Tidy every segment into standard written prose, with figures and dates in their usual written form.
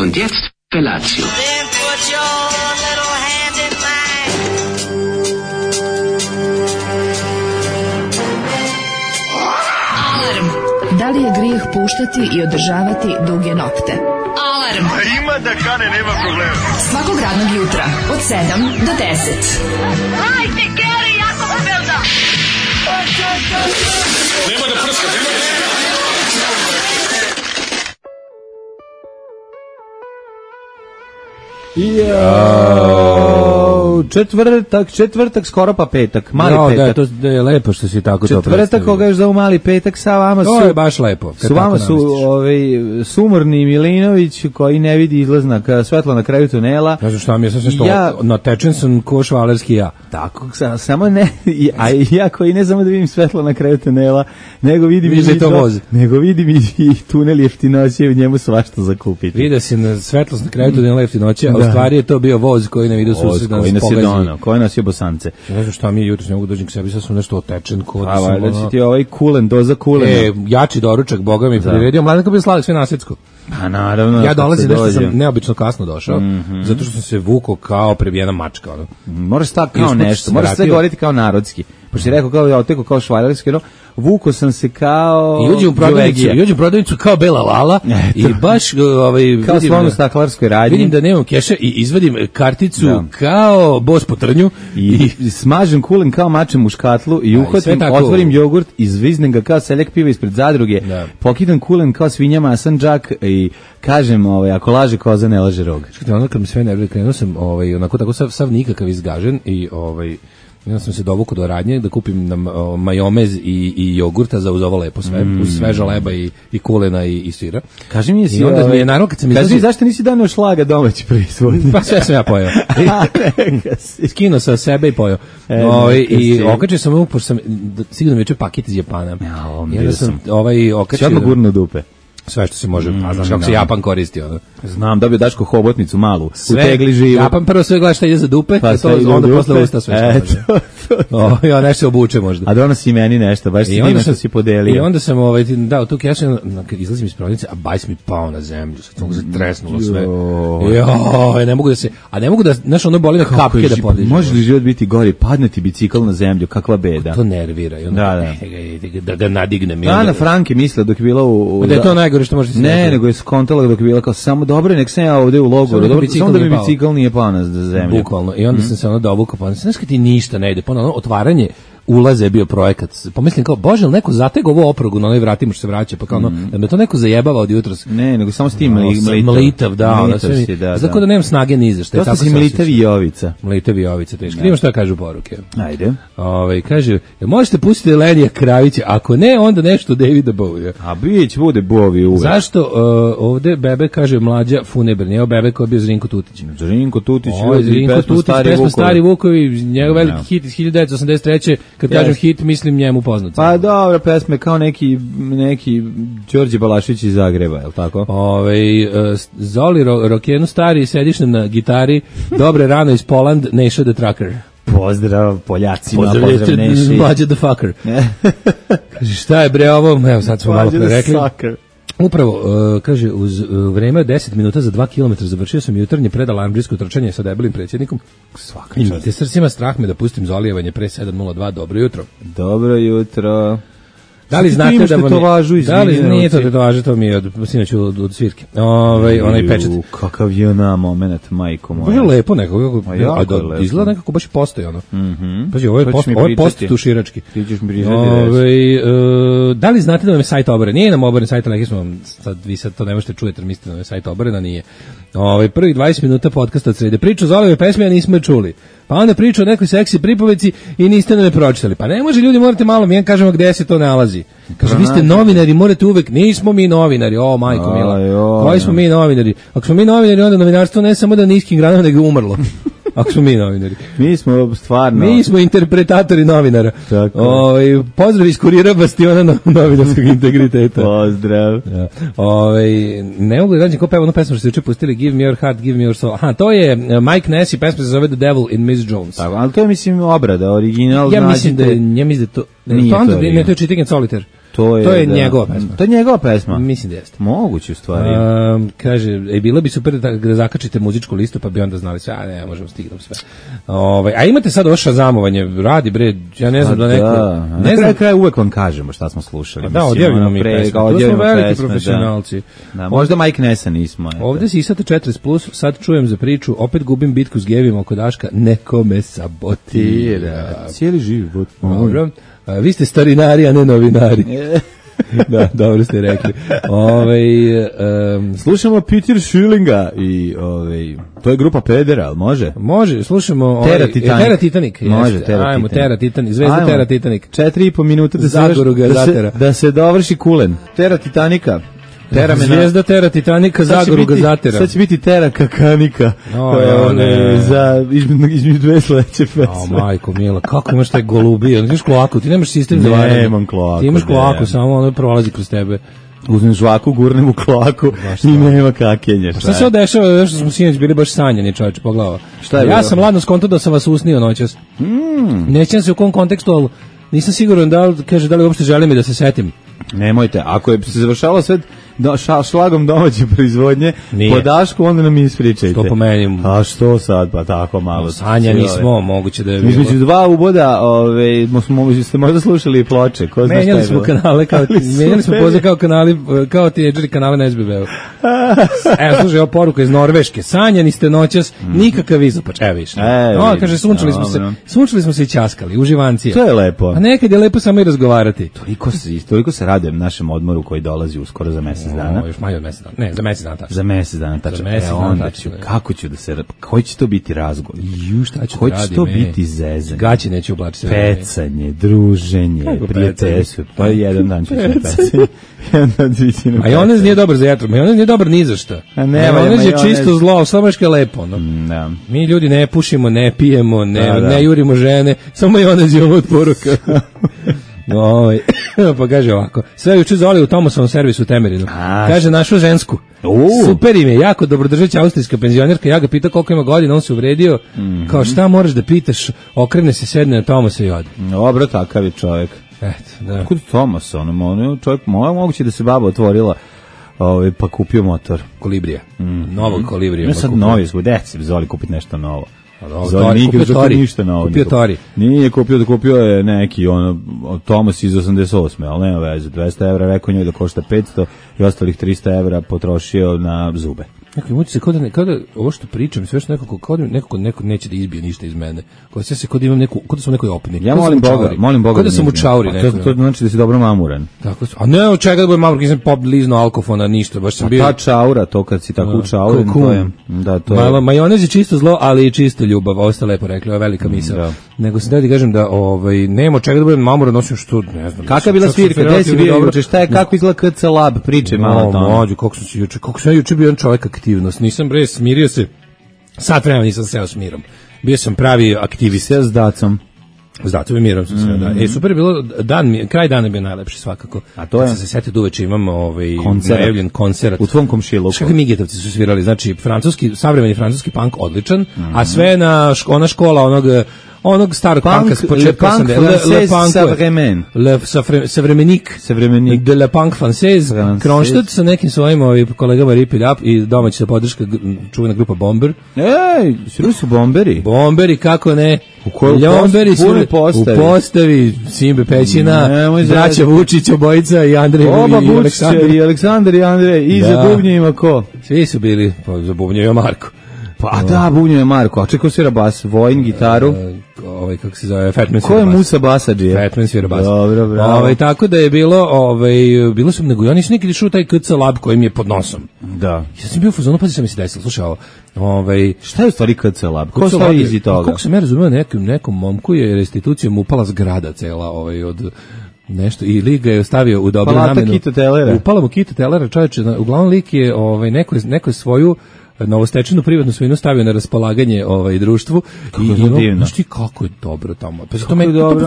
Und jetzt Felatio. Then put your little hand in mine. Alarm. Da li je grijeh puštati i održavati duge nokte? Alarm. Ima da kane, nema problema. Svakog radnog jutra od 7 do 10. Hajde, Geri, jako se velda. Nema da prska, nema da... Četvrtak, skoro pa petak, mali petak. Da je lepo što si tako to predstavio. Četvrtak, koga još zovu mali petak, sa vama su... To je baš lepo. Su vama su sumorni Milinović koji ne vidi izlaznak svetla na kraju tunela. Znaš šta mi je sasvim što natečen sam ko švalerski ja. Tako, samo ne, a ja koji ne samo da vidim svetlo na kraju tunela, nego vidim i tunel jeftinoće i u njemu svašta zakupiti. Vidio si na svetlost na kraju tunela jeftinoće, a u stvari je to bio voz koji ne vidio susred nas pogazi. Koji nas je bosance. Ne znam šta mi je jutros, ne mogu dođem k sebi, sad sam nešto otečen. A valjda će ti ovaj kulen, doza kulena. Jači doručak, Boga mi priredio. Mladenko bi slavio sve nasjetsko. Pa naravno. Ja dolazim, nešto sam neobično kasno došao, zato što sam se vukao kao prebijena mačka. Moraš tako kao nešto, moraš sve govoriti kao narodski. Pošto si rekao kao ja oteko kao švajlarski, vuko sam se kao... I uđem u prodavnicu kao Bela Lala i baš... kao slovno staklarskoj radnji. Vidim da nemam keša i izvadim karticu kao bos po trnju. I smažem kulen kao mačem u škatlu i uhvatim, otvorim jogurt, izviznem ga kao seljak piva ispred zadruge, pokidam kulen kao svinja masan džak i kažem, ako laže koza ne laže rog. Ono kad mi sve nervira, krenuo sam onako tako sav nikakav izgažen i ja sam se dovukao do radnje da kupim majomez i jogurta za uz ovo lepo sve, uz sveža leba i kulena i sira. Kaži mi, i onda mi je naravno kad sam izlazio... Kaži mi, zašto nisi doneo šlaga domaći proizvod? Pa sve sam ja pojeo. Skinuo sa sebe i pojeo. I okačio sam pošto sam sigurno mi je paket iz Japana. Ja sam okačio... Odmah gurno dupe. Sve što se može, a znaš kako se Japan koristi ono. Znam, dobio Daško hobotnicu malu, u tegli živu. Japan prvo sve gleda šta ide za dupe, pa onda posle usta sve što može. Ja nešto se obuče možda. A donosi meni nešto, baš si divno što si podelio. I onda sam dao tu kešu, izlazim iz prodavnice, a bajs mi pao na zemlju, sad se tresnulo sve. Ne mogu da, znaš, ono boli na kapke da podižem. Može li život biti gori, padne ti bicikl na zemlju, kakva beda. To nervira. Da ga nadignem. Ana Frank je mislila dok je bila u... Da je to najgore što može se... Ne, nego je skontala dok je bila kao samo dobro, nek sam ja ovde u logoru, samo da mi bicikl nije pao na zemlju. Bukvalno. I onda sam se dovukao, pa znaš kad ti ništa ne ide, otvaranje ulaze je bio projekat. Pomislim kao, bože, li neko zatega ovo oprogu na onoj vratima što se vraća, pa kao da me to neko zajebava od jutros. Ne, nego samo s tim mlitav, Zato da nemam snage ni za što. To si mlitavi Jovica. Mlitavi Jovica, teško. Vidimo što kažu poruke. Ajde. Kaže, možete pustiti Lenija Kravića, ako ne, onda nešto Davida Bowie. A bude Bowie uvek. Zašto ovde Bebe kaže mlađa Funeber, nije Bebe koji je bio Zrinko Tutić. Zrinko Tutić, pesma Stari Vukovi, njegov veliki hit iz 1983. Kad kažem hit, mislim njemu poznat. Pa dobro, pesme kao neki Đorđe Balašević iz Zagreba, je li tako? Zoli Rokenu stari, sediš na gitari, dobre rano iz Poland, Neša the Trucker. Pozdrav Poljacima, pozdrav Neši. Mlađe the Fucker. Kaže, šta je bre ovo? Evo sad smo malo pre rekli. Upravo, kaže, uz vreme 10 minuta za 2 km završio sam jutarnje predalarmdžijsko trčanje sa debelim predsjednikom. Svaka čast. Te srcima strah me da pustim Zolijevanje pre 7:02. Dobro jutro. Dobro jutro. Da li znate da vam da li nije to tetovaža, to mi je sinoć od svirke. Onaj pečat. Kakav je na moment, majko moja. Baš je lepo nekako, a izgleda nekako baš postoji ono. Pazi, ovo je post tuširački. Ti ćeš mi pričati. Da li znate da vam je sajt oboren? Nije nam oboren sajt, ali smo vam vi sad to ne možete čujete, mislite da je sajt oboren, nije. Prvi 20 minuta podcasta od srede. Priču o Zoleve pesme, a nismo je čuli. Pa onda priča o nekoj seksi pripovici i niste nam je pročitali. Pa ne može, ljudi, morate malo, mi jedan kažemo gde se to nalazi. Kaže, vi ste novinari, morate uvek, nismo mi novinari, majko mila, koji smo mi novinari? Ako smo mi novinari, onda novinarstvo ne samo da niskim granama, nego umrlo. Ako smo mi novinari. Mi smo stvarno... Mi smo interpretatori novinara. Pozdrav iz Kurira Bastiona novinarskog integriteta. Pozdrav. Ne mogu da rađem ko peva onu pesmu što ste juče pustili, Give me your heart, give me your soul. Aha, to je Mike Ness i pesma se zove The Devil in Miss Jones. Tako, ali to je, mislim, obrada, original. Ja mislim da to... Ne, to je Cheating and Solitaire. To je njegova pesma. To je njegova pesma? Mislim da jeste. Moguće u stvari. Kaže, bilo bi super da zakačite muzičku listu, pa bi onda znali sve, a ne, možemo stignuti sve. A imate sad ovo šazamovanje, radi bre, ja ne znam da neko... Ne znam, kraj uvek vam kažemo šta smo slušali. Da, odjavimo mi pesme, to smo veliki profesionalci. Da, možda Mike Nessa nismo. Ovde si isate 40+, sad čujem za priču, opet gubim bitku s Gevima oko Daška, neko me sabotira. Cijeli život. Dobro. Vi ste starinari, a ne novinari. Da, dobro ste rekli. Slušamo Peter Schillinga i to je grupa Pedera, ali može? Može, slušamo Tera Titanic. Može, Tera Titanic, zvezda Tera Titanic. 4,5 minuta da se dovrši Kulen. Tera Titanika. Zvezda Tera Titanika, Zagoru Gazatera. Sad će biti Tera Kakanika. Između dve sledeće pesme. Majko mila, kako imaš taj golubija? Imaš kloaku, ti nemaš sistem za varanje. Nemam kloaku. Ti imaš kloaku, samo ono prolazi kroz tebe. Uzmem žvaku, gurnem u kloaku i nema kakenja. Šta se odešava, što smo sinoć bili baš sanjani, čovječe, po glava. Ja sam ladno skontao da sam vas usnio noćas. Nećem se u kom kontekstu, ali nisam siguran da li uopšte želim i da se setim. Nemojte, ako je se završalo sve šlagom domaće proizvodnje, po Dašku, onda nam ispričajte. Što po meni? A što sad, pa tako malo. Sanja nismo, moguće da je bilo. Između dva uboda, ste možda slušali i ploče. Menjali smo kanale, menjali smo poze kao kanali, kao tineđeri kanale na SBB-u. Evo, slušaj, ovo poruka iz Norveške. Sanjani ste noćas, nikakav izopač. Evo viš. Kaže, sunčali smo se i ćaskali, uživancija. To je lepo. A nekad je lepo samo i razgovarati. Toliko se radujem našem odmoru koji dolazi uskoro za mesec dana. Još manje od mesec dana. Ne, za mesec dana tačno. Za mesec dana tačno. Kako ću da se... Koji će to biti razgovor? Šta ću koji će to biti zezanje? Gaći neće oblačiti. Pecanje, druženje, prijateljstvo. Pa jedan dan ću se pecanje. Majonez nije dobar za jetru. Majonez nije dobar ni za šta. Majonez je čisto zlo, samo što je lepo. Mi ljudi ne pušimo, ne pijemo, ne jurimo žene, samo majonez je ovo od poruka. Pa kaže ovako, sve juče Zoli u Tomasovom servisu u Temerinu. Kaže, našo žensku. Super im je, jako dobrodržeća austrijska penzionerka. Ja ga pitao koliko ima godina, on se uvredio. Kao, šta moraš da pitaš? Okrene se, sedne na Tomasa i ode. Dobro, takav je čovjek. Kod Tomasa, čovjek, moguće da se baba otvorila pa kupio motor. Kolibrija. Novog Kolibrija. Ne sad novi, deci Zoli kupiti nešto novo. Zoli nije kupio Tori. Nije kupio je neki Tomas iz 88. ali nema veze, 200 evra rekao njoj da košta 500 i ostalih 300 evra potrošio na zube. Muči se kao da ovo što pričam, sve što neko neće da izbije ništa iz mene. Kao se kod imam neku, kod sam u nekoj opini. Ja molim Boga. Da sam u čauri nekoj. To znači da si dobro mamuran. Tako. A ne, od čega da budem mamuran, nisam pop lizno alkofona, ništa, baš sam bio. Ta čaura, to kad si tako u čauri, to je. Majonez je čisto zlo, ali i čista ljubav. Ovo ste lepo rekli, ovo je velika misao. Nego sam da kažem da nema od čega da budem mamuran, osim što ne znam. Kakva je bila svirka, gde si bio juče, šta je, kako izgleda KC Lab, priče malo tamo. Kako sam juče bio jedan čovjek aktivnost. Nisam smirio se, sat vremena nisam seo s mirom. Bio sam pravi aktivist. S Dacom. S Dacom i mirom sam seo, da. Super je bilo, kraj dana je bio najlepši svakako. A to je? Sam se setio da uveče imam najavljen koncert. U tvom komšiluku. Kakvi Migetovci su svirali, znači savremeni francuski punk odličan, a sve na ona škola onog starog punka s početka savremenik de la punk française, Kronstadt sa nekim svojim kolegama Rip It Up i domaća podrška čuvena grupa Bomber. Svi su Bomberi. Bomberi, kako ne? Ljomberi su u postavi Simbe Pećina, braća Vučić, obojica i Andrej i Aleksandar. I Aleksandar i Andrej, i za bubnjevima ko? Svi su bili, za bubnjevima Marko. Pa da, bubnjeve Marko, a čekao svira bas, Vojn, gitaru. Kako se zove, Fatman svira bas. Ko je Musa Basadžije? Fatman svira bas. Dobro, bravo. Tako da je bilo sam, nego ja nisam nekada išao u taj KC Lab koji mi je pod nosom. Da. Ja sam bio u fazonu, pazi šta mi se desilo, slušaj ovo. Šta je u stvari KC Lab? Ko stoji izi toga? Kako sam ja razumio, nekom momku je restitucijom upala zgrada cela od nešto i lik ga je stavio u dobru namenu. Palata Kita Telera. Upala mu Kita Telera, čovječe, uglavnom lik je neko je svoju novostečenu privatnu svojinu stavio na raspolaganje društvu. Znaš ti kako je dobro tamo. Pa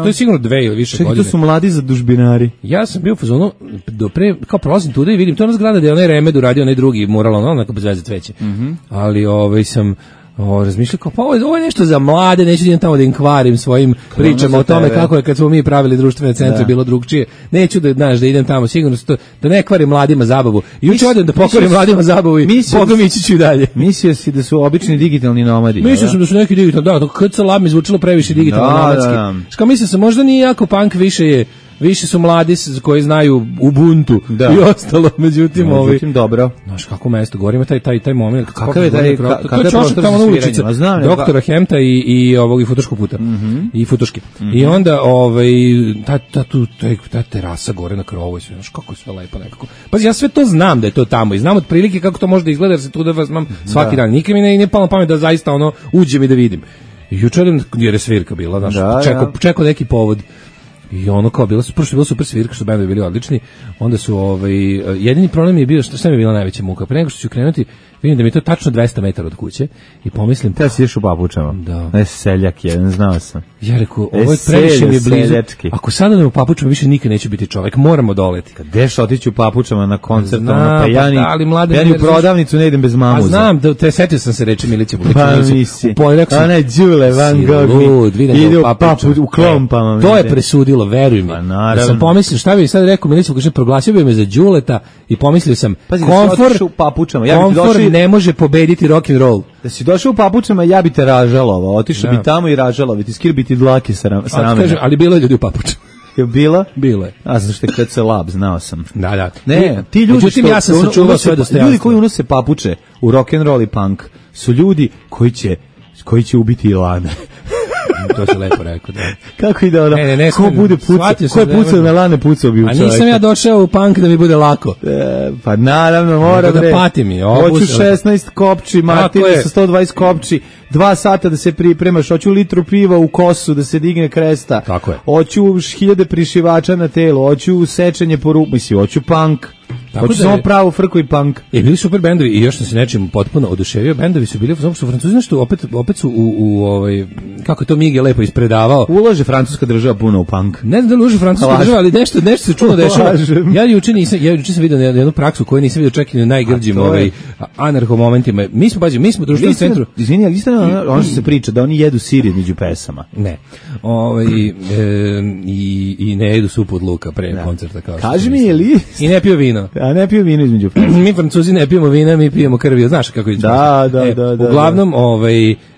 to je sigurno 2 ili više godine. To su mladi zadužbinari. Ja sam bio u fazonu, kao prolazim tuda i vidim, to je ona zgrada gde je onaj Remed uradio onaj drugi mural, onako bez veze cveće. Ali sam razmišljao kao, pa ovo je nešto za mlade, neću da idem tamo da im kvarim svojim pričama o tome kako je kad smo mi pravili društvene centre bilo drugčije. Neću da idem tamo, sigurno da ne kvarim mladima zabavu. Juče odem da pokvarim mladima zabavu i Bogom ići ću i dalje. Mislio si da su obični digitalni nomadi. Mislio sam da su neki digitalni, da, kad se lab mi zvučilo previše digitalno nomadski. Što mislio sam, možda nije jako punk, više su mladi koji znaju Ubuntu i ostalo, međutim dobro. Znaš kako mesto, govorimo taj moment. Kakav je taj prostor za sviranje? Doktora Hemta i Futoškog puta. I Futoški. I onda ta terasa gore na krovu, znaš kako je sve lepo nekako. Pazi, ja sve to znam da je to tamo i znam otprilike kako to može da izgleda, jer se tu da vas mam svaki dan. Nikad mi ne palo na pamet da zaista uđem i da vidim. I jučer jer je svirka bila, znaš, čekao neki povod. I ono kao bilo super svirka, što bendovi bili odlični. Onda su jedini problem je bio šta mi je bila najveća muka. Pre nego što ću krenuti, vidim da mi je to tačno 200 metara od kuće i pomislim, te si ideš u papučama. Da. Ne, seljak jedan, znao sam. Ja rekao, ovo je previše mi je blizu. Seljački. Ako sada ne u papučama više nikad neće biti čovjek, moramo doleti. Kad deš otići u papučama na koncert, pa ja ni u prodavnicu ne idem bez mamuza. A znam, setio sam se reći Milića Vulić. Pa nisi. Ona Đule Van Gogh ide u klompama. To je presudilo, veruj mi. Da sam pomislio, šta bi sad rekao Milića Vulić, proglasio bi me za Đuleta i pomislio sam, komfor ne može pobediti rock and roll. Da si došao u papučama, ja bi te ražalovao, otišao bi tamo i ražalovao, ti skir bi ti dlake sa ramena. Ali bilo je ljudi u papučama. Je bilo? Bilo je. A znaš što je kad se lab, znao sam. Da. Ne, ti ljudi međutim, ja sam sačuvao sve dostojanstvo. Ljudi koji unose papuče u rock and roll i punk su ljudi koji će ubiti Ilane. To se lepo rekao, da. Kako ide ono? Ko bude pucao? Ko je pucao na Lane, pucao bi u čovjeka. A nisam ja došao u punk da mi bude lako. Pa naravno, mora da patim je. Hoću 16 kopči, Martine sa 120 kopči, 2 sata da se pripremaš, hoću litru piva u kosu da se digne kresta. Tako je. Hoću 1000 prišivača na telo, hoću sečenje po ruku, hoću punk. Hoću samo pravu frku i punk. Bili super bendovi i još sam se nečim potpuno oduševio. Bendovi su bili, zato što Francuzi nešto opet su u kako je to Mige lepo ispredavao. Ulaže francuska država puno u punk. Ne znam da li ulaže francuska država, ali nešto se čuno dešava. Ja juče sam vidio jednu praksu koju nisam vidio čak i na najgrđim anarho momentima. Mi smo društveni centru. Izvini, ali isto ono što se priča da oni jedu sir između pesama. Ne. I ne jedu supu od luka pre koncerta kao. Kaži mi je li? I ne piju vino. A ne piju vino između pesama. Mi Francuzi ne pijemo vina, mi pijemo krvi. Znaš kako je? Da. Uglavnom,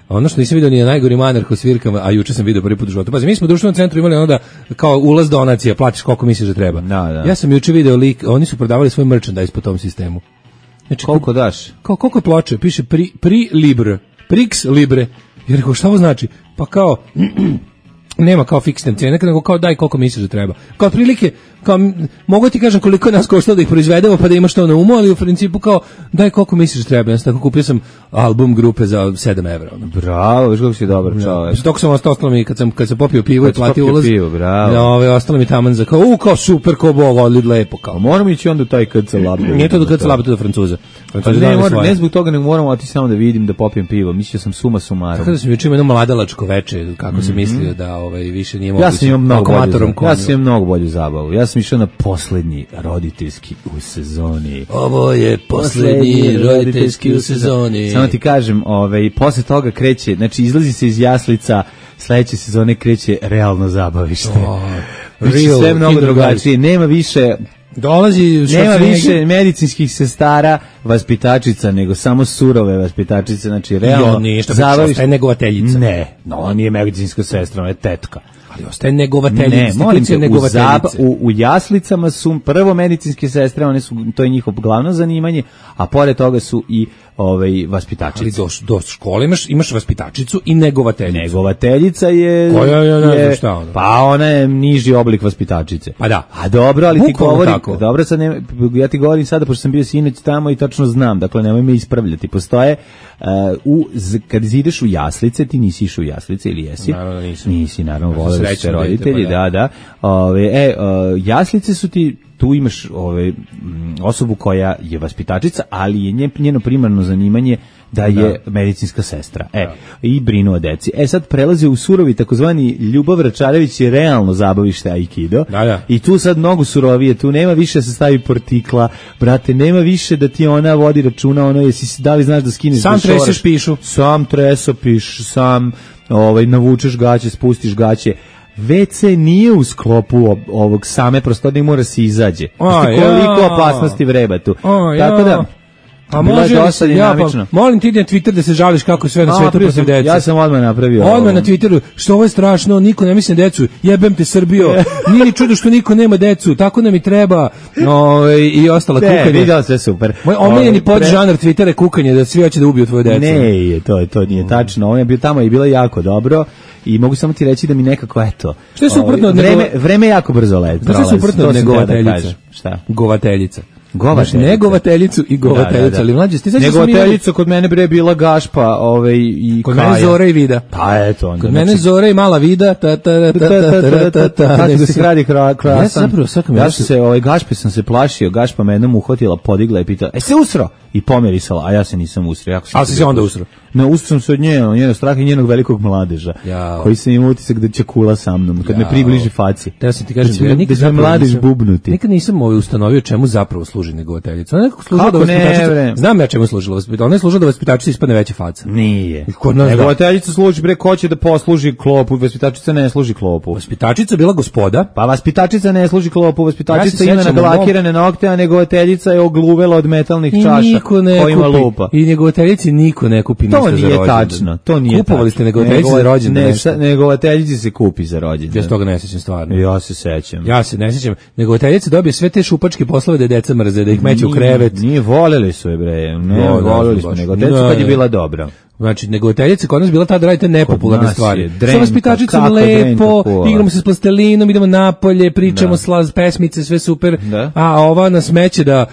ono što nisam vidio ni na najgorim anarho svirkama, a juče sam vidio prvi put u životu. Pazi, mi smo u društvenom centru imali onda kao ulaz donacija, platiš koliko misliš da treba. Da. Ja sam juče video lik, oni su prodavali svoj merchandise po tom sistemu. Znači, koliko daš? Koliko je ploče? Piše pri libre. Prix libre. Ja rekao, šta ovo znači? Pa kao nema kao fiksne cijene, nego kao daj koliko misliš da treba. Kao otprilike, kao mogu ti kažem koliko je nas koštalo da ih proizvedemo pa da imaš to na umu, ali u principu kao daj koliko misliš da treba. Ja sam tako kupio sam album grupe za 7 evra. Bravo, viš kako si dobar čovjek. Dok sam ostalo mi kad sam popio pivo i platio ulaz. Ostalo mi taman za kao super ko bog, lepo kao. Moramo ići onda u taj KC Lab. Nije to do KC Lab, to do Francuza. Ne zbog toga nego moramo otići samo da vidim da popijem pivo. Mislio sam suma sumarom. Tako da sam juče imao jedno mladalačko veče, kako se mislio da više nije moguće. Ja sam imao mnogo bolju zabavu. Ja sam išao na poslednji roditeljski u sezoni. Ovo je poslednji roditeljski u sezoni. Samo ti kažem, posle toga kreće, znači izlazi se iz jaslica, sledeće sezone kreće realno zabavište. Sve mnogo drugačije. Nema više medicinskih sestara, vaspitačica, nego samo surove vaspitačice, znači realno ostaje negovateljica. Ne, on nije medicinska sestra, ona je tetka. Ali ostaje negovateljica. Ne, molim te, u jaslicama su prvo medicinske sestre, to je njihov glavno zanimanje, a pored toga su i vaspitačice. Ali do škole imaš vaspitačicu i negovateljicu. Negovateljica je... Pa ona je niži oblik vaspitačice. Pa da. A dobro, ali ti govorim... Dobro, sad ja ti govorim sada, pošto sam bio sinoć tamo i tačno znam, dakle nemoj me ispravljati. Postoje, kad ideš u jaslice, ti nisi išao u jaslice ili jesi? Naravno nisam. Nisi, naravno, voleli ste roditelji, da. Jaslice su ti... Tu imaš osobu koja je vaspitačica, ali je njeno primarno zanimanje da je medicinska sestra. I brinu o deci. Sad prelaze u surovi takozvani Ljubav Račarević je realno zabavište aikido. I tu sad mnogo surovije, tu nema više da se stavi portikla, brate, nema više da ti ona vodi računa, ono da li znaš da skineš sam treseš pišu. Sam tresopiš, sam navučeš gaće, spustiš gaće. WC nije u sklopu ovog same prostorije, mora se izađe. Koliko opasnosti vreba tu. Tako da a može molim ti na Twitter da se žališ kako sve na svetu protiv dece. Ja sam odmah napravio. Odmah na Twitteru, što ovo je strašno, niko ne misli na decu, jebem te Srbijo, nije ni čudo što niko nema decu, tako nam i treba, i ostala kukanje. Vidio sve super. Moj omiljeni podžanar Twittera je kukanje, da svi hoće da ubiju tvoju decu. Ne, to nije tačno, on je bio tamo i bilo jako dobro. I mogu samo ti reći da mi nekako, eto, što je suprotno od vreme jako brzo leti. Što je suprotno od negovateljica? Šta? Govateljica. Negovateljicu i govateljica, ali mlađe, ti sećaš negovateljica kod mene bre bila Gašpa, i kod mene Zora i Vida. Pa eto onda. Kod mene Zora i mala Vida, nego se gradi krasan. Ja sam se Gašpe sam se plašio, Gašpa me jednom uhvatila, podigla i pitala: se usro? I pomerisala, a ja se nisam usro. A si se onda usro? Ne, usro sam se od njenog straha i njenog velikog mladeža, koji sam imao utisak da će kula sa mnom, kad me približi faci. Ja sam ti kažem, ja nikad mladež bubnuti. Nikad nisam ustanovio čemu zapravo služi negovateljica. Ona nekako služila da vaspitačica. Znam ja čemu služila vaspitačica. Ona je služila da vaspitačica ispadne veća faca. Nije. Negovateljica služi bre ko će da posluži klopu, vaspitačica ne služi klopu. Vaspitačica bila gospoda. Pa vaspitačica ne služi klopu, vaspitačica ima naglakirane nokte, a negovateljica je ogluvela od metalnih čaša kojima lupa. I negovateljici niko ne kupi ništa za rođendan. To nije tačno, to nije tačno. Kupovali ste negovateljici za rođendan? Negovateljici se kupi za rođendan. Ja se toga ne sećam stvarno. Ja se sećam. Ja se ne sećam. Negovateljica dobije sve te šupačke poslove da deca mrze, da ih meće u krevet. Nije, voljeli su je bre. Ne, voljeli smo negovateljicu kad je bila dobra. Znači, negovateljica kod nas bila tada radite nepopularne stvari. Sa vaspitačicom lepo, igramo se s plastelinom, idemo napolje, pričamo slaz, pesmice, sve super. A ova na smeće da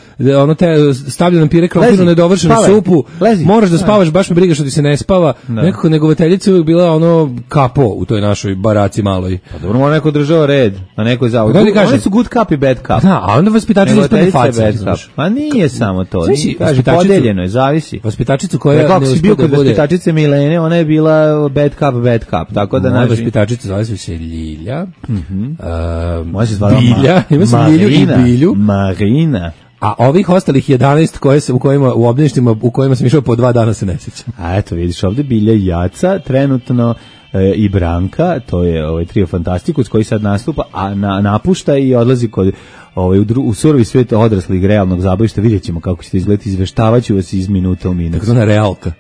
ono te stavlja nam pire krompirnu nedovršenu supu. Moraš da spavaš, baš me briga što ti se ne spava. Nekako negovateljica uvijek bila ono kapo u toj našoj baraci maloj. Pa dobro, mora neko držao red, a neko je zavod. Oni su good cup i bad cup. Da, a onda vaspitačica ispadne faca. Pa nije samo to. Podeljeno je, zavisi. Vaspitačicu koja ne uspije da bude vaspitačice Milene, ona je bila bad cup, tako da naši... Vaspitačica zove se Ljilja, može se zvala Bilja, ima se Ljilju i Bilju. Marina. A ovih ostalih 11 u obdaništima u kojima sam išao po 2 dana se ne sjećam. A eto, vidiš ovdje Bilja i Jaca, trenutno i Branka, to je trio Fantastikus koji sad nastupa, a napušta i odlazi kod u surovi svijet odraslih realnog zabavišta. Vidjet ćemo kako ćete izgledati, izveštavaću vas iz minuta u minut. Tako zna realka.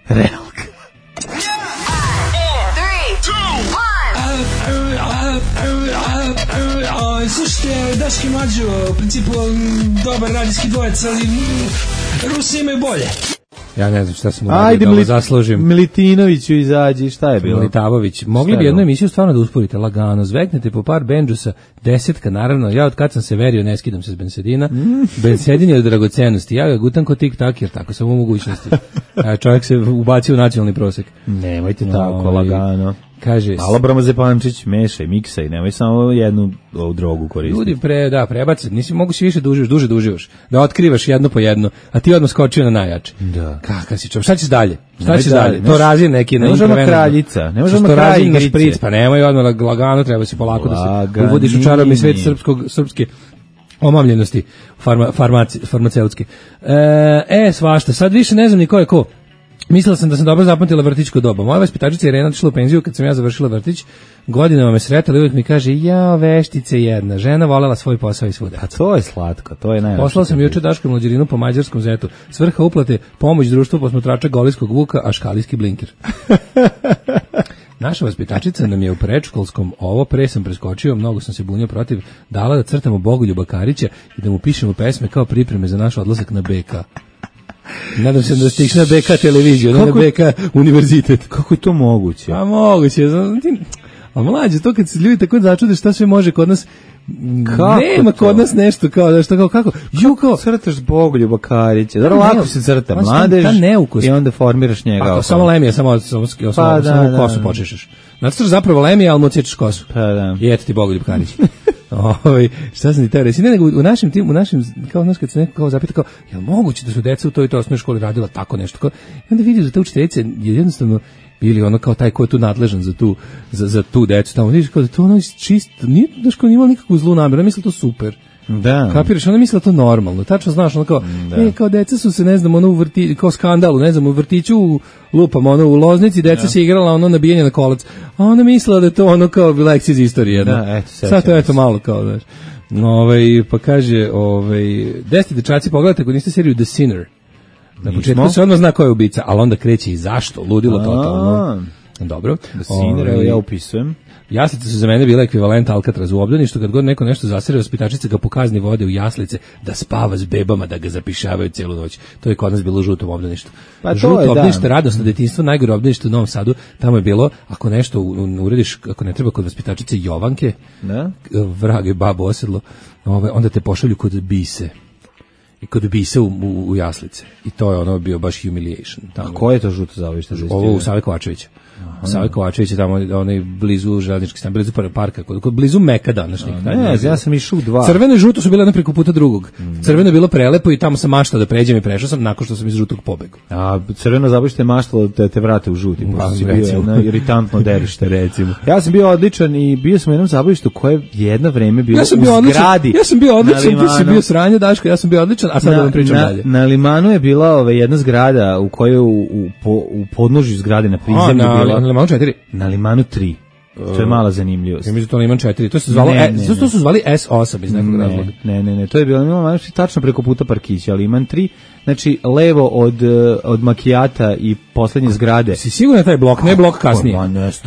Slušajte, Daški Mađo, u principu dobar radijski dvojec, ali Rusi imaju bolje. Ja ne znam šta sam uradio da ovo zaslužim. Militinoviću izađi, šta je bilo? Militavović. Mogli bi jednu emisiju stvarno da usporite lagano, zveknete po par bendžusa, 10, naravno, ja od kad sam se verio ne skidam se s bensedina. Bensedin je od dragocenosti, ja ga gutam ko tik-tak, jer tako sam u mogućnosti. Čovjek se ubacio u nacionalni prosek. Nemojte tako, lagano. Kaže, malo Bromozepančić, mešaj, miksaj, nemoj samo jednu drogu koristiti. Ljudi prebaci, nisi mogu si više duže uživaš, da otkrivaš jedno po jedno, a ti odmah skočio na najjače. Da. Kakav si čovjek, šta ćeš dalje? To razije neki ne možemo kraljica, ne možemo kralj igrice. Pa nemoj odmah lagano, treba si polako da se uvodiš u čarobni svijet srpske omamljenosti farmaceutske. Svašta, sad više ne znam ni ko je ko. Mislila sam da sam dobro zapamtila vrtićko doba. Moja vaspitačica Irena otišla u penziju kad sam ja završila vrtić. Godinama me sretala i uvijek mi kaže: "Ja, veštice jedna, žena volela svoj posao i svuda." A to je slatko, to je najlepše. Poslala sam juče Daško Mlađerinu po mađarskom zetu. Svrha uplate pomoć društvu posmatrača Golijskog vuka, a škalijski blinker. Naša vaspitačica nam je u predškolskom, ovo pre sam preskočio, mnogo sam se bunio protiv, dala da crtamo Bogoljuba Karića i da mu pišemo pesme kao pripreme za naš odlazak na BK. Nadam se da ste išli na BK televiziju, ne na BK univerzitet. Kako je to moguće? A moguće, A mlađe, to kad se ljudi tako začude šta sve može kod nas, kako nema kod nas nešto kao da što kako crtaš Bogoljuba Karića. Dobro, lako se crta mladež i onda formiraš njega. Pa samo Lemija, samo kosu počešeš. Nacrtaš zapravo Lemija, ali mu odsječeš kosu. Pa da. I eto ti Bogoljub Karić. Šta sam ti teo reći? Ne, nego u našem kao znaš kad se neko kao zapita kao, jel moguće da su deca u toj osnovnoj školi radila tako nešto? Kao, i onda vidiš da ta učiteljica je jednostavno bili ono kao taj ko je tu nadležan za tu decu. Tamo vidiš kao da to ono čisto, nije da škola imala nikakvu zlu namjeru, misli to super. Da. Kapiraš, ona misli to normalno. Tačno znaš, ono kao, kao deca su se, ne znam, ono u vrtiću, kao skandalu, ne znam, u vrtiću lupam, ono u Loznici, deca se igrala ono nabijanje na kolac. A ona mislila da je to ono kao lekcija iz istorije. Da, eto, sad to eto malo kao, znaš. Pa kaže, 10 dečaci, pogledajte ako niste seriju The Sinner. Na početku se odmah zna ko je ubica, ali onda kreće i zašto, ludilo totalno. Dobro. The Sinner, evo ja upisujem. Jaslice su za mene bile ekvivalent Alcatrazu u obdaništu, kad god neko nešto zasere, vaspitačice ga po kazni vode u jaslice da spava s bebama, da ga zapišavaju celu noć. To je kod nas bilo u žutom obdaništu. Pa žuto obdanište, radosno detinjstvo, najgore obdanište u Novom Sadu, tamo je bilo, ako nešto urediš, ako ne treba kod vaspitačice Jovanke, vrage babo osedlo, onda te pošalju kod Bise. I kod Bise u jaslice. I to je ono bio baš humiliation. Tamo. A koje je to žuto zaobište? Ovo u Save Kovačevića. Save Kovačević je tamo onaj blizu železničke stanice, blizu parka, kod blizu Meka današnjeg. Ja sam išao u 2. Crveno i žuto su bile jedno preko puta drugog. Crveno je bilo prelepo i tamo sam maštao da pređem i prešao sam nakon što sam iz žutog pobegao. A crveno zaobište maštalo da te vrate u žuti. Si bio jedno iritantno derište, recimo. Ja sam bio odličan i bio sam u jednom zabavištu koje je jedno vreme bilo u zgradi. Ja sam bio odličan, ti si bio sranje, Daško, ja sam bio odličan, a sad da vam pričam dalje. Na Limanu je bila jedna zgrada u kojoj u podnožju zgrade na prizemlju bila. Na Limanu 4? Na Limanu 3. To je mala zanimljivost. Ja mislim to Liman 4. To se zvalo to su zvali S8 iz nekog razloga. Ne, to je bilo Liman tačno preko puta parkića, Liman 3. Znači levo od Makijata i poslednje zgrade. Si siguran taj blok, ne blok kasnije.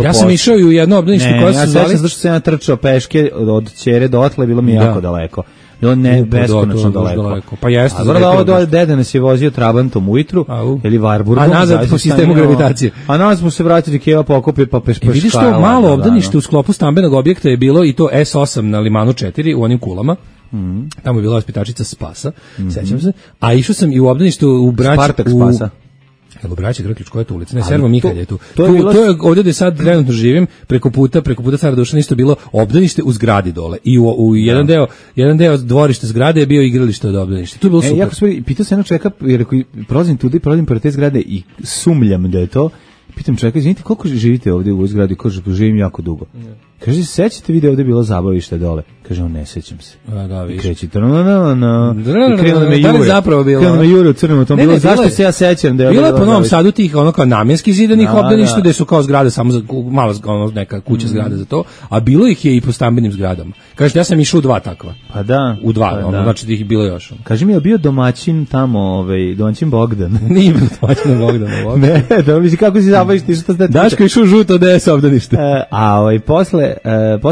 Ja sam išao i u jedno obdanište koje se zvali, zašto sam ja trčao peške od Ćere do otle, bilo mi jako daleko. Bilo ne beskonačno daleko. Pa jeste. A vrlo do deda nas je vozio Trabantom ujutru ili Varburgom. A nazad po sistemu gravitacije. A nazad smo se vratili Keva pokupio pa pešpeškala. Vidiš to malo obdanište u sklopu stambenog objekta je bilo i to S8 na Limanu 4 u onim kulama. Tamo je bila vaspitačica Spasa, sećam se. A išao sam i u obdaništu u Braći. Spartak Spasa. Evo Braći Grklić, koja je to ulica? Ne, Servo Mihalj je tu. To je ovdje gde sad trenutno živim, preko puta Cara Dušana isto bilo obdanište u zgradi dole. I u jedan deo dvorišta zgrade je bio igralište od obdaništa. To je bilo super. Jako pitao se jedno čovjeka, jer ako prolazim pored te zgrade i sumljam da je to, pitam čovjeka, izvinite, koliko živite ovdje u ovoj zgradi? Kaže, živim jako dugo. Kaže, sećate vi da je ovdje bilo zabavište dole? Kaže, on ne sećam se. Da, viš. Kreći, i krenuo da me jure. Da li zapravo bilo? Krenuo da me jure u crnom automobilu. Zašto se ja sećam da je bilo po Novom Sadu tih ono kao namjenski zidanih obdaništa, gde su kao zgrade samo za malo neka kuća zgrade za to, a bilo ih je i po stambenim zgradama. Kaže, ja sam išao u 2 takva. Pa da. U 2, znači da ih bilo još. Kaže mi, je bio domaćin tamo, domaćin Bogdan? Nije bio domaćin Bogdan. Ne, da misli kako si zabaviš ti što ste. Daško išao žuto DS obdanište. A posle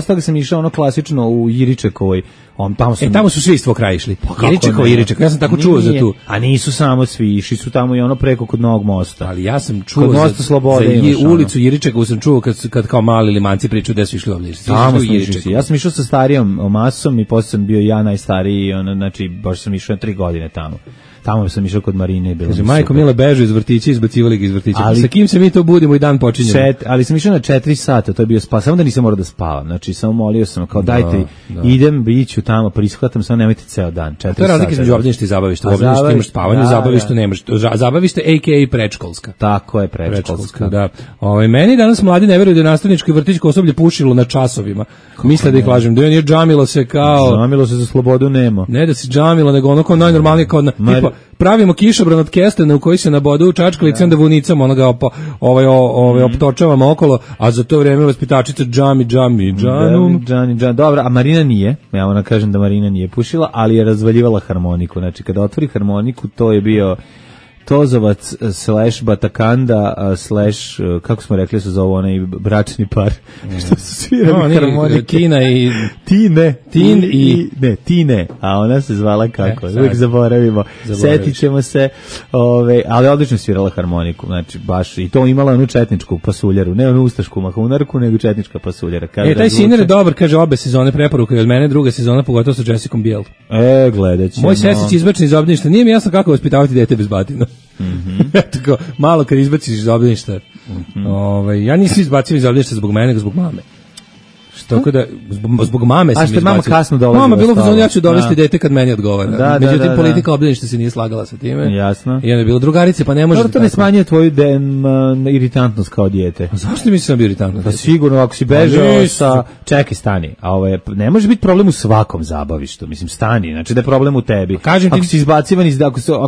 toga sam išao ono klasično u Jiričekovoj. Tamo su svi iz tvog kraja išli. Jiriček. Ja sam tako čuo za tu. A nisu samo svi, išli su tamo i ono preko kod Novog mosta. Ali ja sam čuo za ulicu Jiričekovu sam čuo kad kao mali limanci pričaju da su išli ovdje. Ja sam išao sa starijom masom i posle sam bio ja najstariji, znači baš sam išao 3 godine tamo. Tamo sam išao kod Marine. Kaže, majko Mila bežu iz vrtića, izbacivali ga iz vrtića. Sa kim se mi to budimo i dan počinjemo? Ali sam išao na 4 sata, to je bio spas. Samo da nisam morao da spavam. Znači, samo molio sam, kao dajte, idem, iću tamo, prishvatam, samo nemojte ceo dan. 4 sata. To je razlika između obdaništa i zabavišta. U obdaništu imaš spavanje, u zabavištu nemaš. Zabavište, a.k.a. predškolska. Tako je, predškolska. Da. Meni danas mladi ne veruju da je nastavničko i vrtićko osoblje pušilo na časovima. Misle da ih lažem. Da je džamilo se kao... Džamilo se za slobodu nema. Ne da se džamilo, nego ono kao najnormalnije, kao tipa, pravimo kišobran od kestena u koji se nabodu u čačkalici, onda vunicamo onoga optočavamo okolo, a za to vrijeme vaspitačica džami. Dobro, a Marina nije, ja ona kažem da Marina nije pušila, ali je razvaljivala harmoniku, znači kada otvori harmoniku, to je bio Tozovac / Batakanda / kako smo rekli su zove onaj bračni par što su svirali harmonike. Tina i Tine, a ona se zvala kako? Uvijek zaboravimo. Setit ćemo se, ali odlično svirala harmoniku, znači baš i to imala onu četničku pasuljaru, ne onu ustašku mahunarku, nego četnička pasuljara. Taj Sinner je dobar, kaže obe sezone preporuka i od mene, druga sezona pogotovo sa Jessicom Biel. Gledat ćemo. Moj sesić izbačen iz obdaništa, nije mi jasno kako vaspitavati dete bez batina. Tako, malo kad izbaciš iz obdaništa. Ja nisam izbacio iz obdaništa zbog mene, nego zbog mame. Tako da, zbog mame sam izbacio. A što mama kasno dolazila? Mama bilo fazon, ja ću dovesti dete kad meni odgovara. Međutim, politika obdaništa se nije slagala sa time. Jasno. I onda je bilo drugarice, pa ne može... To ne smanjuje tvoju iritantnost kao dijete. A zašto mi sam bio iritantnost? Pa sigurno, ako si bežao sa... Čekaj, stani. A ne može biti problem u svakom zabavištu. Mislim, stani. Znači da je problem u tebi. Ako si izbacivan iz...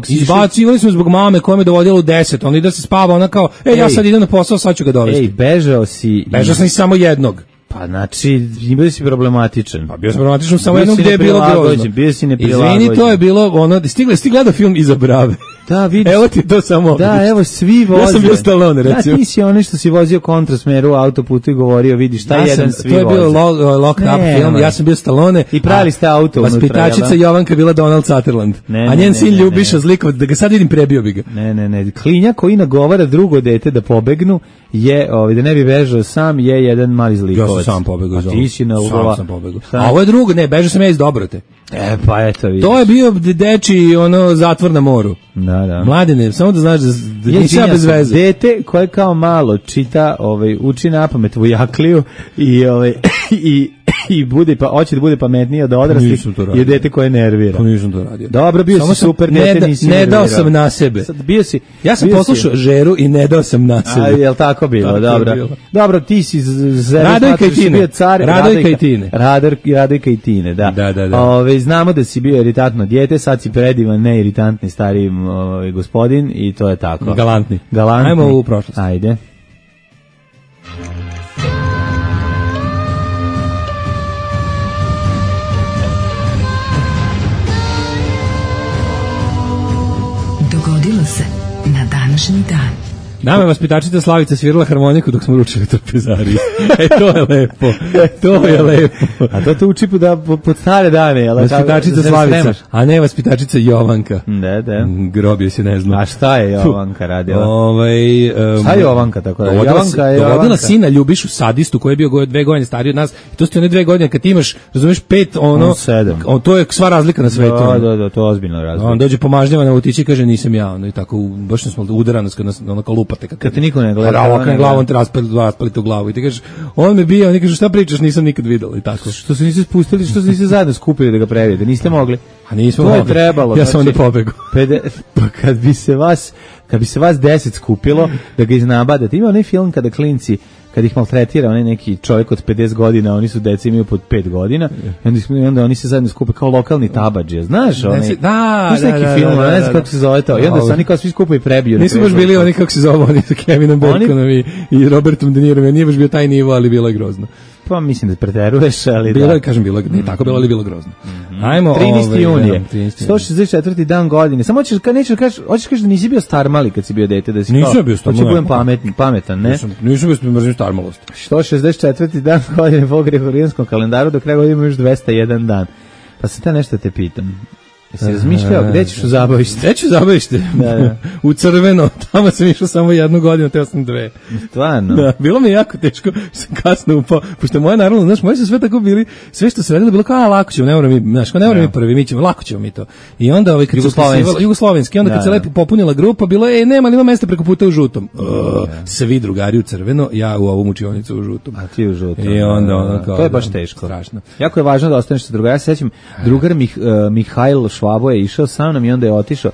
Izbacivali smo zbog mame koja me dovodila u 10. Ona ide da se spava, ona kao, ja sad idem na posao, sad ću ga dovesti. Bežao si... Bežao sam i samo jednog. Pa znači, bio si problematičan. Pa bio sam problematičan samo jednom gde je bilo grozno. Bio si neprilagođen. Izvini, to je bilo ono, stigla gledao film Iza brave. Da, vidiš. Evo ti to samo. Da, evo svi voze. Ja sam bio Stallone, recimo. Da, ti si onaj što si vozio kontrasmeru u autoputu i govorio, vidiš, šta jedan svi voze. To je bio Locked Up film, ja sam bio Stallone. I pravili ste auto unutra. Vaspitačica Jovanka bila Donald Sutherland. A njen sin Ljubiša Zlikov, da ga sad vidim, prebio bi ga. Ne. Klinja koji nagovara drugo dete da pobegnu je, da ne bi bežao sam, je jedan mali Zlikovac. Ja sam sam pobegao. A ti si na ugova. Sam pobegao. A ovo je drugo, ne, bežao sam ja iz Dobrote. Pa eto vidiš. To je bio deči zatvor na moru. Da. Mladine, samo da znaš da nisi ja bez veze. Dete koje kao malo čita, uči napamet Vujakliju i bude pa hoće da bude pametniji od odraslih je dete koje nervira. Pa nisam to radio. Dobro, bio si super dete, nisi nervirao. Ne dao sam na sebe. Sad, bio si, ja sam poslušao Žeru i ne dao sam na sebe. A jel tako bilo? Dobro. Dobro, ti si Radojka i Tine. Radojka i Tine. Radojka i Tine, da. Znamo da si bio iritantno dijete, sad si predivan, ne iritantni stariji gospodin i to je tako. Galantni. Ajmo u prošlost. Ajde. Dogodilo se na današnji dan. Nama je vaspitačica Slavica svirala harmoniku dok smo ručili u trpezariji. To je lepo. To je lepo. A to uči pod stare dane. Vaspitačica Slavica, a ne vaspitačica Jovanka. Da. Grobio se, ne znam. A šta je Jovanka radila? Šta je Jovanka tako? Dovodila sina Ljubišu, sadistu, koji je bio 2 godine stariji od nas. I to ste one 2 godine, kad ti imaš, razumeš, 5, 7. To je sva razlika na svetu. Da, to je ozbiljno razlika. On dođe pomažnjava na utići i kaže nisam ja. I tako, baš smo udarani kad nas lupa. Kad te niko ne gleda. A ovakvim glavom te raspalite u glavu i ti kažeš, on me bio, oni kažu šta pričaš, nisam nikad videla i tako. Što se niste spustili, što se niste zajedno skupili da ga previjete, niste mogli. A nismo mogli. To je trebalo. Ja sam onda pobegu. Pa kad bi se vas 10 skupilo da ga iznabadate. Ima onaj film kada klinci, kad ih maltretira onaj neki čovjek od 50 godina, oni su deca imaju pod 5 godina, i onda oni se zajedno skupe kao lokalni tabadžije, znaš? Da, neki film, ne znam kako se zove to, i onda se oni kao svi skupe i prebiju. Nisu baš bili oni kako se zove, oni sa Kevinom Baconom i Robertom De Nirom, nije baš bio taj nivo, ali bilo je grozno. Pa mislim da preteruješ, ali bilo je, kažem, bilo nije tako bilo, ali bilo grozno. Ajmo, 13. junije, 164. dan godine. Samo hoćeš kažeš da nisi bio starmali kad si bio dete, da si nisam bio starmali. Hoću budem pametan, ne? Nisam bio mrzim starmalost. 164. dan godine po Gregorijanskom kalendaru, do kraja godine imaš 201 dan. Pa sad nešto te pitam. Jesi razmišljao, gde ćeš u zabavište? Gde ću u zabavište? Da. U Crveno, tamo sam išao samo 1 godinu, teo sam 2. Stvarno? Da, bilo mi je jako teško, sam kasno upao, pošto moje naravno, znaš, moji su sve tako bili, sve što se radilo bilo kao, lako ćemo, ne moramo mi prvi, mi ćemo, lako ćemo mi to. I onda Jugoslovenski, onda kad se lepo popunila grupa, bilo je, nema li ima mesta preko puta u žutom. Svi drugari u Crveno, ja u ovom učionicu u žutom. A ti u žutom. I onda kao, to je baš teško. Strašno. Jako je važno da ostaneš sa drugara. Ja se sećam, drugar Mihajl Švabo je išao sa mnom i onda je otišao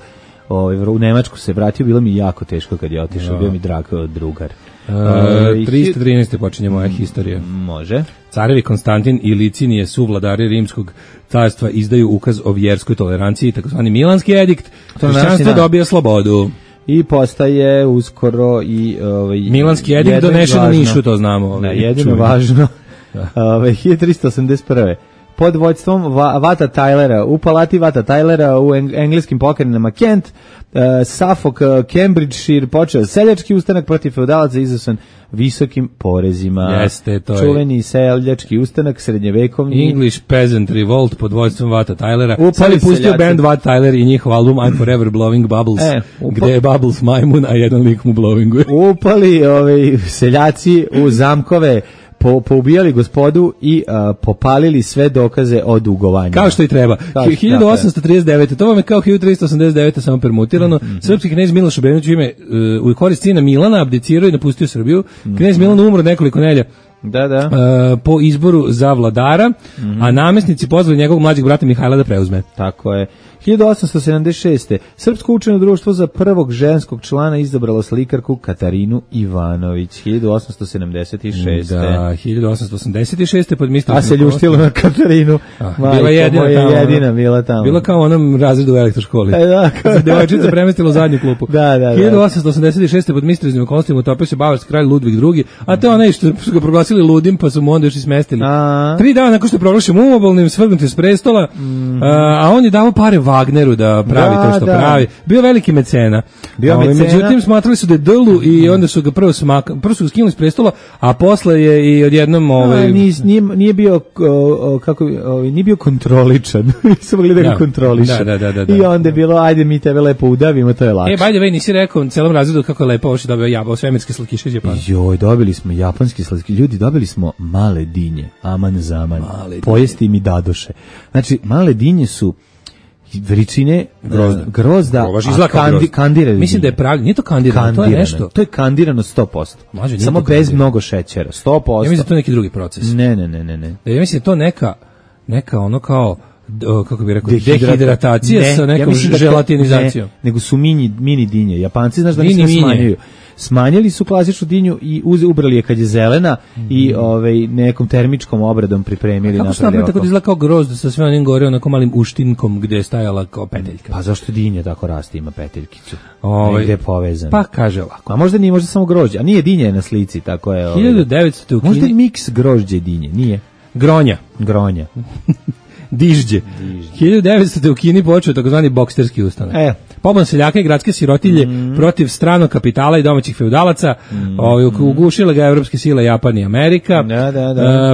u Nemačku, se vratio, bilo mi jako teško kad je otišao, bio mi drag drugar. 313. počinje moja historija. Može. Carevi Konstantin i Licinije su vladari Rimskog carstva izdaju ukaz o vjerskoj toleranciji, takozvani Milanski edikt. Hrišćanstvo dobija slobodu. I postaje uskoro i Milanski edikt donešen u Nišu, to znamo. Jedino važno. 1381. pod vođstvom Vata Tylera. U palati Vata Tylera u engleskim pokrajinama Kent, Suffolk, Cambridgeshire počeo seljački ustanak protiv feudalaca izazvan visokim porezima. Jeste, to je čuveni seljački ustanak srednjevekovni. English Peasant Revolt pod vođstvom Vata Tylera. Sad je pustio band Vat Tyler i njihov album I'm Forever Blowing Bubbles, gde je Bubbles majmun, a jedan lik mu blowinguje. Upali seljaci u zamkove, poubijali gospodu i popalili sve dokaze o dugovanju. Kao što i treba. 1839. To vam je kao 1389. samo permutirano. Srpski knez Miloš Obrenović u korist sina Milana abdicirao i napustio Srbiju. Knez Milan umro nekoliko nedelja po izboru za vladara, a namesnici pozvali njegovog mlađeg brata Mihajla da preuzme. Tako je. 1876. Srpsko učeno društvo za prvog ženskog člana izabralo slikarku Katarinu Ivanović. 1876. Da, 1886. pod mislom. A se ljuštilo na Katarinu. Bila jedina bila tamo. Bila kao u onom razredu u elektroškoli. Devojčica premestila u zadnju klupu. 1886. pod misternim okolnostima utopio se bavarski kralj Ludvig II, a to onaj što su ga proglasili ludim, pa su mu onda još i smestili. 3 dana nakon što je proglašen umobolnim, svrgnut je s prestola, a on je dao pare Wagneru da pravi to što pravi. Bio veliki mecena. Međutim, smatrali su da je dlu i onda su ga prvo su ga skinuli s prestola, a posle je i odjednom nije bio nije bio kontroličan. Nisu mogli da ga kontrolišu. I onda je bilo, ajde mi tebe lepo udavimo, to je lakše. By the way, nisi rekao celom razredu kako je lepo ovo što dobio svemirske slatkiše iz Japana. Joj, dobili smo japanski slatkiše. Ljudi, dobili smo male dinje. Aman zaman. Pojesti mi dadoše. Znači, male dinje su veličine grozda, kandirano. Mislim da je pravi, nije to kandirano, to je nešto. To je kandirano 100%. Samo bez mnogo šećera, 100%. Ja mislim da je to neki drugi proces. Ne. Ja mislim da je to neka ono kao, kako bih rekao, dehidratacija sa nekom želatinizacijom. Nego su mini dinje. Japanci, znaš da ne smanjuju. Smanjili su klasičnu dinju i ubrali je kad je zelena i nekom termičkom obradom pripremili. Kako su napravili tako da izgleda kao grozd sa sve onim gore onako malim uštinkom gde je stajala kao peteljka? Pa zašto dinje tako raste, ima peteljkicu? Negde je povezano. Pa kaže ovako. A možda nije, možda samo grožđe. A nije dinje na slici, tako je. 1900 u Kini. Možda je miks grožđe i dinje, nije? Gronja. Dižđe. 1900. u Kini počeo takozvani boksterski ustanak. Pobun seljaka i gradske sirotilje protiv stranog kapitala i domaćih feudalaca, ugušile ga evropske sile Japan i Amerika.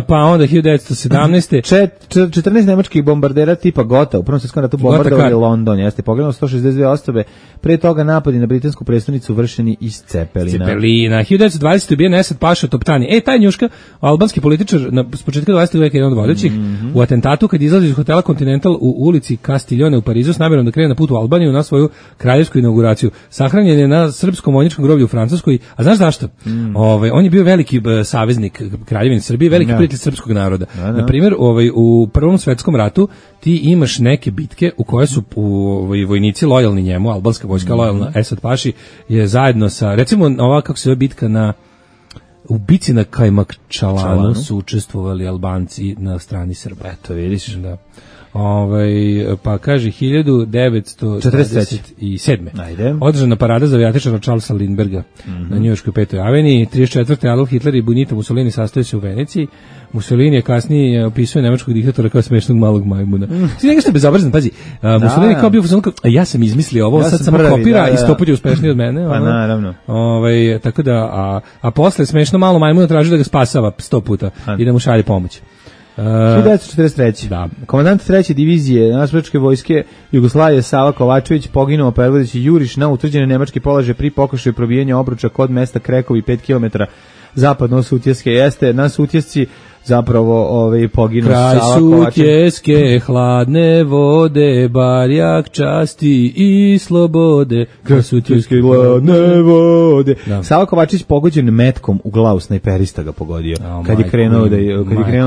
Pa onda 1917. 14 nemačkih bombardera tipa Gota u Prvom svjetskom ratu bombardovali London. Jeste pogledano 162 osobe. Pre toga napadi na britansku prestonicu vršeni iz Cepelina. 1920. ubijen Esad Paša Toptani. Taj njuška, albanski političar s početka 20. veka jedan od vodećih, u atentatu kad izlazi iz hotela Continental u ulici Castiglione u Parizu s namjerom da krene na put u Albaniju na svoju kraljevsku inauguraciju. Sahranjen je na srpskom vojničkom groblju u Francuskoj. A znaš zašto? On je bio veliki saveznik Kraljevine Srbije, veliki prijatelj srpskog naroda. Na primjer, u Prvom svjetskom ratu ti imaš neke bitke u koje su vojnici lojalni njemu, albanska vojska lojalna Esad Paši je zajedno sa, recimo ova kako se zove bitka u bici na Kajmakčalanu su učestvovali Albanci na strani Srba. Eto, vidiš. Da. Pa kaže 1947. Održana parada za avijatičara Charlesa Lindberga na njujorškoj 5. aveniji. 34. Adolf Hitler i Benito Mussolini sastoje se u Veneciji. Mussolini je kasnije opisuje nemačkog diktatora kao smešnog malog majmuna. Ti nešto bezobrazan, pazi. Mussolini kao bio ja sam izmislio ovo, sad samo kopira i 100 puta uspešniji od mene. Pa naravno. Tako da, a posle smešno malo majmuna traži da ga spasava 100 puta i da mu šalje pomoć. 1943. Da. Komandant 3. divizije Narodnooslobodilačke vojske Jugoslavije Sava Kovačević poginuo predvodeći juriš na utvrđene nemačke položaje pri pokušaju probijanja obruča kod mesta Krekovi 5 km zapadno od Sutjeske. Jeste na Sutjesci zapravo poginuo Sava Kovačević. Kraj Sutjeske, hladne vode, barjak časti i slobode. Kraj Sutjeske, hladne vode. Da. Sava Kovačević pogođen metkom u glavu, snajperista ga pogodio. Kad je krenuo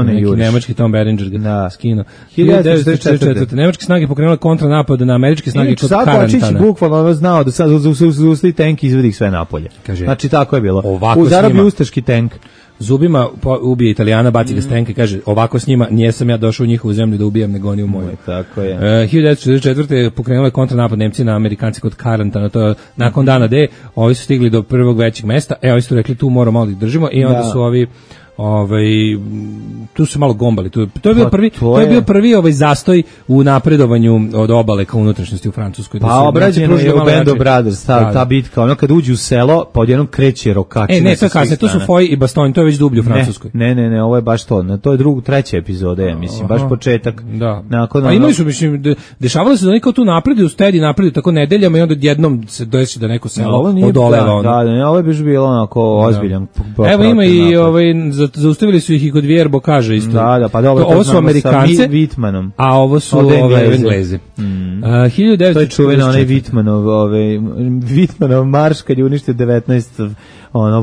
na juriš. Nemački Tom Berenger ga skinuo. 1944. Nemačke snage pokrenule kontranapad na američke snage kod Karantana. Sava Kovačić bukvalno znao da sad zaustavi tank i izvedi ih sve napolje. Znači tako je bilo. Zarobi ustaški tank. Zubima ubije Italijana, baci ga s tenka i kaže ovako s njima nijesam ja došao u njihovu zemlju da ubijam nego oni u moju. Tako je. 1944. pokrenula je kontranapad Nemci na Amerikanci kod Karantana, to je nakon dana D, ovi su stigli do prvog većeg mesta, ovi su rekli tu moramo malo da držimo i onda su ovi tu su malo gombali. To je bio prvi zastoj u napredovanju od obale ka unutrašnjosti u Francuskoj. Pa obrađeno je u Band of Brothers, ta bitka, ono kad uđe u selo, pa odjednom kreće rokači. Ne, to je kasnije, to su Foy i Bastogne, to je već dublje u Francuskoj. Ne, ovo je baš to. To je treća epizoda, ja mislim, baš početak. Da. A imali su, mislim, dešavalo se da oni kao tu napreduju, napreduju tako nedeljama i onda jednom se desi da neko selo odoleva. Da, ovo je baš bilo onako ozbiljan. Evo ima i zaustavili su ih i kod Vjerbo kaže isto. Da, pa dobro, ovo su Amerikance, Vitmanom. A ovo su Engleze. 1940. To je čuveno onaj Vitmanov marš kad je uništio 19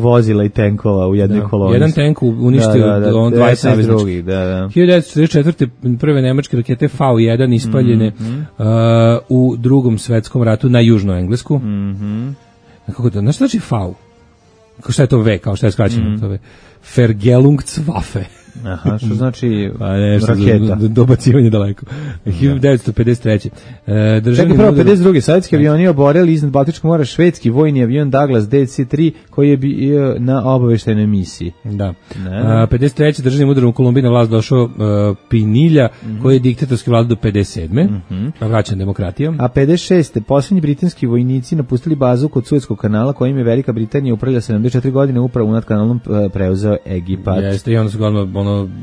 vozila i tenkova u jednoj koloni. Jedan tank uništio 20 savezničkih. 1944. prve nemačke rakete V1 ispaljene u Drugom svetskom ratu na južnu Englesku. Kako to? Znaš što znači V? Šta je to V? Kao šta je skraćeno? To je Vergeltungswaffe. Aha, što znači raketa? Dobacivanje daleko. 1953. Čekaj, prvo 52. Sovjetski avioni oborili iznad Baltičkog mora švedski vojni avion Douglas DC-3 koji je bio na obaveštajnoj misiji. Da. 53. državnim udarom u Kolumbiji na vlast došao Pinilja koji je diktatorski vlada do 57. Pa vraćan demokratijom. A 56. posljednji britanski vojnici napustili bazu kod Suetskog kanala kojim je Velika Britanija upravlja 74 godine upravo nad kanalom preuzeo Egipat. Jeste, i onda su ga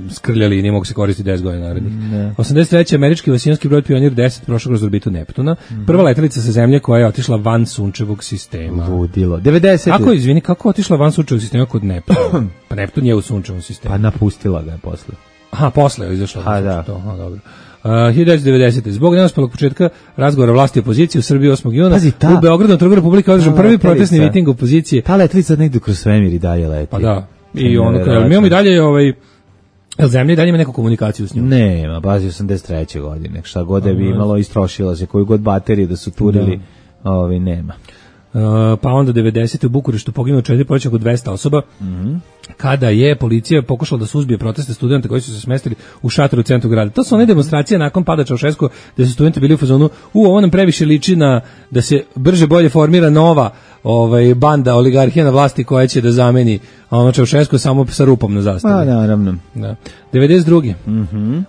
skrljali i nije mogu se koristiti 10 godina narednih. 83. američki vasijonski brod Pionir 10 prošao kroz orbitu Neptuna. Prva letelica sa Zemlje koja je otišla van sunčevog sistema. Ludilo. 90. Kako otišla van sunčevog sistema kod Neptuna? Pa Neptun je u sunčevom sistemu. Pa napustila ga je posle. Aha, posle je izašla. Da. Dobro. 1990. Zbog neuspelog početka razgovora vlasti i opozicije u Srbiji 8. juna u Beogradu na Trgu Republike održan prvi protestni miting opozicije. Ta letelica negdje kroz svemir i dalje leti. Pa da. I mi imamo i dalje Zemlja i dalje ima neku komunikaciju s njom? Nema, bazi 83. godine. Šta god da bi imalo, istrošila se. Koju god baterije da su turili, nema. Pa onda 90. u Bukureštu poginulo 4 poveća oko 200 osoba. Kada je policija pokušala da suzbije proteste studenta koji su se smestili u šatoru u centru grada. To su one demonstracije nakon pada Čaušesku gde su studenti bili u fazonu ovo nam previše liči na da se brže bolje formira nova banda oligarhija na vlasti koja će da zameni Čaušesku samo sa rupom na zastavi. Naravno. Da. 92.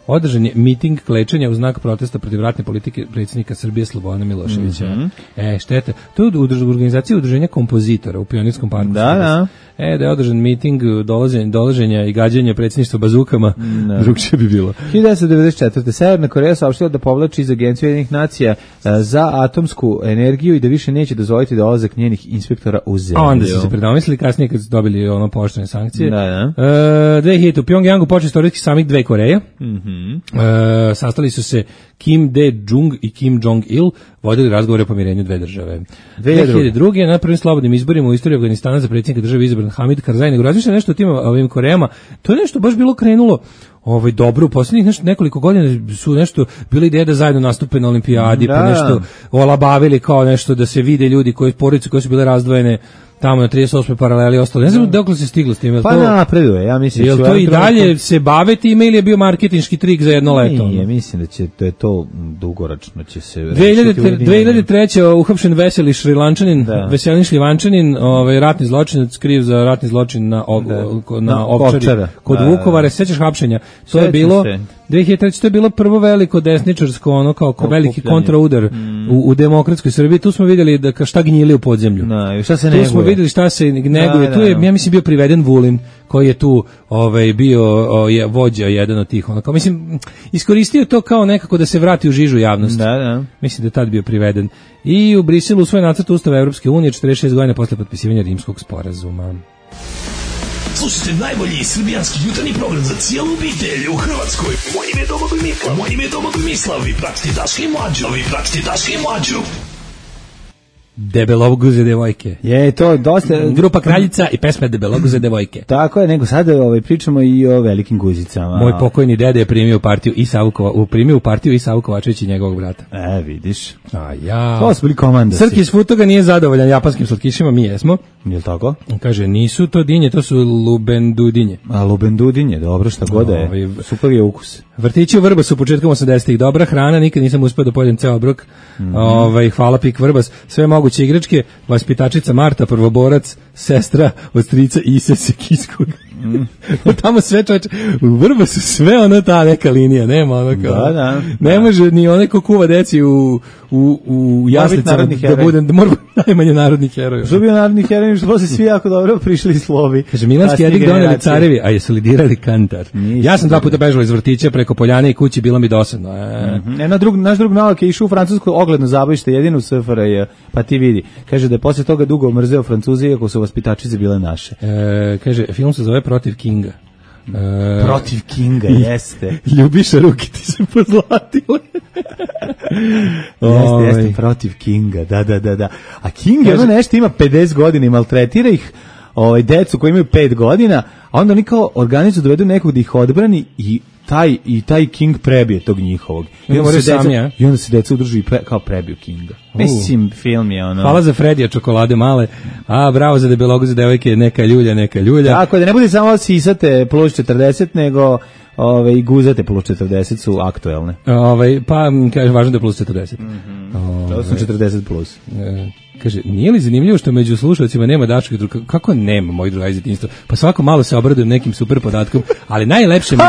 Održan je miting klečanja u znak protesta protiv ratne politike predsjednika Srbije Slobodana Miloševića. Šteta. To je organizacija udruženja kompozitora u Pionirskom parku. Da. Da je održan miting dolaženja i gađanja predsjedništva bazukama, drugčije bi bilo. 1994. Severna Koreja saopštila da povlači iz Agencije Ujedinjenih nacija za atomsku energiju i da više neće dozvoliti dolazak njenih inspektora u zemlju. A onda su se predomislili kasnije kad su dobili pooštrene sankcije. Da. 2000. u Pjongjangu počeo istorijski samit dve Koreje. Sastali su se Kim Dae-jung i Kim Jong-il, vodili razgovore o pomirenju dve države. 2002. na prvim slobodnim izborima u istoriji Afganistana za predsjednika države izabran Hamid Karzai. Nego razmišlja nešto o tim ovim Korejama. To je nešto baš bilo krenulo dobro, u posljednjih nekoliko godina su nešto bili ideje da zajedno nastupe na olimpijadi, pa nešto olabavili kao nešto da se vide ljudi porodice koje su bile razdvojene tamo na 38. paraleli ostalo. Ne znam dokle se stiglo s tim. Pa napreduje, ja mislim. Jel to i dalje se bave time ili je bio marketinški trik za jedno leto? Nije, mislim da će to dugoročno će se... 2003. uhapšen veseli Šrilančanin, veselin Šljivančanin, ratni zločinac, kriv za ratni zločin na Ovčari kod Vukovara. Sećaš hapšenja? To je bilo 2003. to je bilo prvo veliko desničarsko, kao veliki kontraudar u demokratskoj Srbiji. Tu smo vidjeli da šta gnjili u podzemlju. Šta se tu smo vidjeli šta se neguje. Tu je, ja mislim, bio priveden Vulin, koji je tu bio vođa jedan od tih. Mislim, iskoristio to kao nekako da se vrati u žižu javnosti. Mislim da je tad bio priveden. I u Briselu u svoj nacrt Ustava Evropske unije 46 godina posle potpisivanja Rimskog sporazuma. Slušajte najbolji srbijanski jutarnji program za cijelu obitelj u Hrvatskoj. Moje ime je Domagoj Mislav. Vi pratite Daška i Mlađu. Debeloguze devojke. Je to dosta grupa Kraljica i pesma Debeloguze devojke. Tako je, nego sad pričamo i o velikim guzicama. Moj pokojni dede je primio u partiju i Savu Kovačević i njegovog brata. Vidiš. To su bili komandasi. Srki iz Futoga nije zadovoljan japanskim slatkišima, mi jesmo. Jel tako? Kaže, nisu to dinje, to su lubendudinje. A lubendudinje, dobro, šta god je. Super je ukus. Vrtići u Vrbasu početkom 80-ih, dobra hrana, nikad nisam uspio da pojedem ceo obrok. Hvala Pik Vrbas, sve moguće igračke, vaspitačica Marta, prvoborac, sestra od strica Ise Sekiskog. Tamo sve čoveče, u Vrbasu sve ono ta neka linija, nema ono kao. Da. Ne može ni onaj ko kuva deci u jaslicama da mora najmanje narodnih heroja. Što bi narodnih heroja, što se svi jako dobro prišli slovi. Kaže, Milanski jezik doneli carevi, a jesu li dirali kantar? Ja sam 2 puta bežala iz vrtića preko Poljane i kući, bilo mi dosadno. Naš drug Novak je išao u francusko ogledno zabavište, jedino u SFRJ, pa ti vidi. Kaže da je posle toga dugo mrzeo Francuze, iako su vaspitačice bile naše. Kaže, film se zove Protiv Kinga. Protiv Kinga, jeste. Ljubiša, ruke ti se pozlatile. Jeste, Protiv Kinga, da. A King je ono nešto, ima 50 godina i maltretira ih decu koji imaju 5 godina, a onda oni kao organizuju dovedu nekog da ih odbrani i taj King prebije tog njihovog. I onda se deca udruži i kao prebiju Kinga. Mislim, film je ono... Hvala za Fredija čokolade male, a bravo za debelogu za devojke, neka ljulja. Tako da ne bude samo sisate plus 40, nego i guzate plus 40 su aktuelne. Pa, kaže, važno da je plus 40. To su 40 plus. Kaže, nije li zanimljivo što među slušalcima nema Daškog druga? Kako nema, moj druga iz djetinjstva? Pa svako malo se obradujem nekim super podatkom, ali najlepše mi je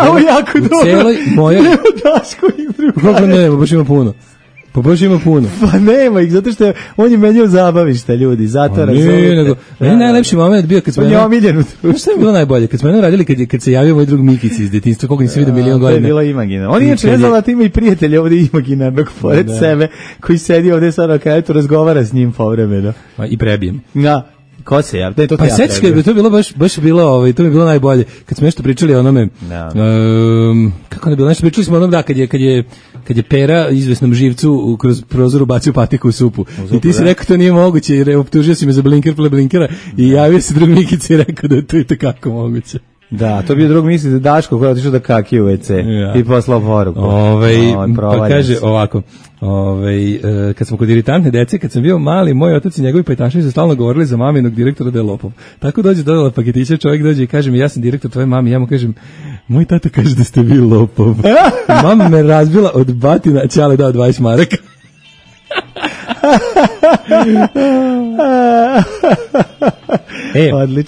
u celoj mojoj... Nema Daškovih druga. Kako nema, baš ima puno. Pa nema ih, zato što on je menjao zabavište, ljudi, zato razumite. Meni najlepši moment bio kad smo... On je omiljen u društvu. Šta je bilo najbolje? Kad smo jednom radili, kad se javio moj drug Mikici iz djetinjstva, koliko nisi vidio milion godina. To je bilo imaginarno. On inače ne znala da ima i prijatelja ovdje imaginarnog pored sebe, koji sedi ovdje sad na kajetu, razgovara s njim povremeno. I prebijem. Da. Ko se ja? Pa sećaš kad bi to bilo baš bilo, to bi bilo najbolje. Kad smo nešto pričali o onome, kako ne bilo, nešto pričali smo o onom, kad je Pera izvesnom živcu kroz prozor ubacio patiku u supu. I ti si rekao to nije moguće, jer optužio si me za blinkera i javio se drug Mikica i rekao da je to i tako moguće. Da, to bi je drug misli da Daško koji je otišao da kaki u WC i poslao poruku. Pa kaže ovako, kad smo kod iritantne dece, kad sam bio mali, moj otac i njegovi pajtaši su stalno govorili za maminog direktora da je lopov. Tako dođe dodala paketića, čovjek dođe i kaže mi, ja sam direktor tvoje mami, ja mu kažem, moj tata kaže da ste vi lopov. Mama me razbila od batina, Ćale dao 20 maraka.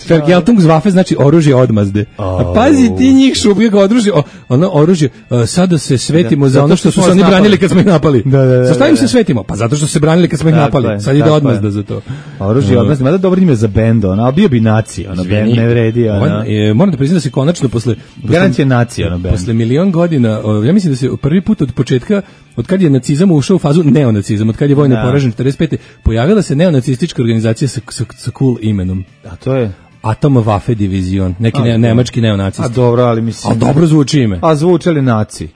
Vergeltungswaffe znači oružje odmazde. A pazi ti njih šubljeg oružje, sada se svetimo za ono što su se oni branili kad smo ih napali. Za šta im se svetimo? Pa zato što su se branili kad smo ih napali. Sad ide odmazda za to. Oružje odmazde, mada dobro ime za bend, ali bio bi nacija, bend ne vredi. Moram da priznam da se konačno posle... Garancija nacija, bend. Posle milion godina, ja mislim da se prvi put od početka, od kad je nacizam ušao u fazu neonacizam, od kad je vojno poražen 45. pojavila se neonacistička organizacija sa cool imenom. A to je? Atomwaffe Division, neki nemački neonacisti. A dobro, ali mislim... A dobro zvuči ime. A zvuče li naci?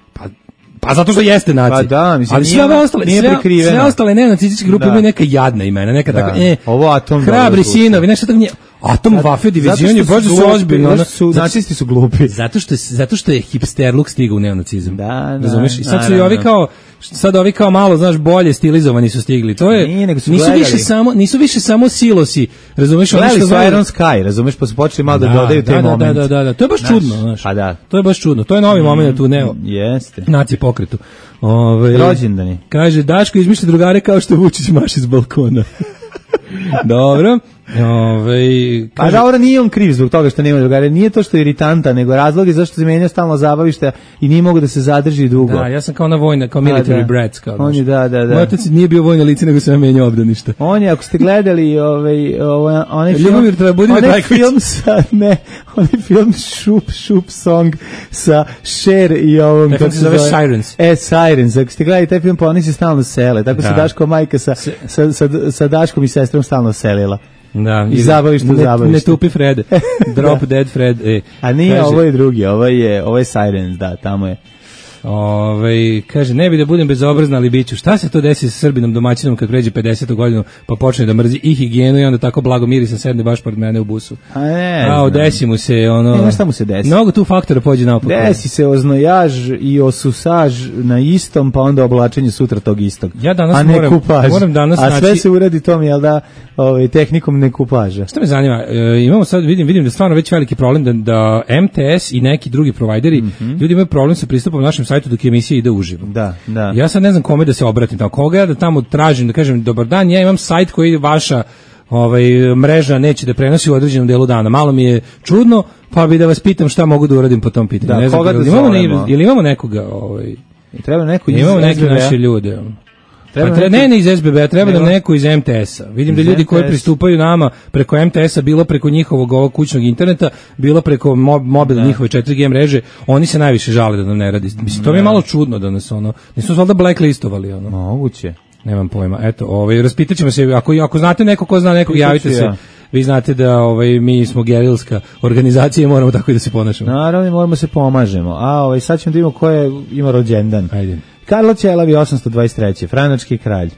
Pa zato što jeste naci. Pa da, mislim, ali sve ostale neonacističke grupe imaju neka jadna imena, neka tako, ovo Atom... Hrabri sinovi, nešto tako nije... Atomwaffe Division je baš su ozbiljno. Nacisti su glupi. Zato što je hipsterluk stigao u neonacizam. Da. Razumeš? I sad su i ovi kao malo, znaš, bolje stilizovani su stigli. To je nisu više samo silosi. Razumeš? Gledali su Iron Sky, razumeš, pa su počeli malo da dodaju taj moment. Da. To je baš čudno, znaš. Pa da. To je baš čudno. To je novi moment u Jeste. naci pokretu. Rođendani. Kaže, Daško izmišlja drugare kao što Vučić maši s balkona. Dobro. Pa dobro, nije on kriv zbog toga što nema drugare, nije to što je iritanta, nego razlog je zašto se menjao stalno zabavište i nije mogu da se zadrži dugo. Da, ja sam kao na vojna, kao military brats, kao on je, da. Moj otac nije bio vojno lice, nego se menjao obdanište. On je, ako ste gledali onaj film Šup Song sa Cher i ovom, kako se zove Sirens. Sirens, ako ste gledali taj film, pa oni se stalno sele, tako se Daško majka sa Daškom i sestrom stalno selila. Da, i zabavište. Ne tupi Fred. Drop Dead Fred. A nije, ovo je drugi, ovo je Sirens, da, tamo je. Kaže, ne bi da budem bezobrazna, ali biću. Šta se to desi sa Srbinom domaćinom kad pređe 50. godinu, pa počne da mrzi i higijenu i onda tako blago mirisan sedne baš pored mene u busu? Desi mu se ono... šta mu se desi? Mnogo tu faktora pođe naopako. Desi se oznojaž i osusaž na istom, pa onda oblačenje sutra tog istog. Ja danas moram danas a sve se uradi tom, jel da, tehnikom nekupaža. Šta me zanima, imamo sad, vidim da stvarno već veliki problem da MTS i neki drugi provajderi, ljudi imaju problem sa pristupom našem sajtu dok emisija ide uživo. Da. Ja sad ne znam kome da se obratim, koga ja da tamo tražim, da kažem, dobar dan, ja imam sajt koji je vaša mreža neće da prenosi u određenom delu dana. Malo mi je čudno, pa bi da vas pitam šta mogu da uradim po tom pitanju. Da, ne znam, koga da zovemo? Ili imamo nekoga, treba neko iz imamo neke SBB-a? naše ljude. Treba ne iz SBB-a, treba nam neko iz MTS-a. Vidim da ljudi koji pristupaju nama preko MTS-a, bilo preko njihovog ovog kućnog interneta, bilo preko mobila njihove 4G mreže, oni se najviše žale da nam ne radi. Mislim, to mi je malo čudno da nas nismo valjda blacklistovali. Moguće. Nemam pojma. Eto, raspitaćemo se, ako znate neko ko zna nekog, javite se. Vi znate da mi smo gerilska organizacija i moramo tako i da se ponašamo. Naravno, moramo se pomažemo. A sad ćemo da imamo ko ima rođendan. Ajde. Karlo Ćelavi 823. Franački kralj.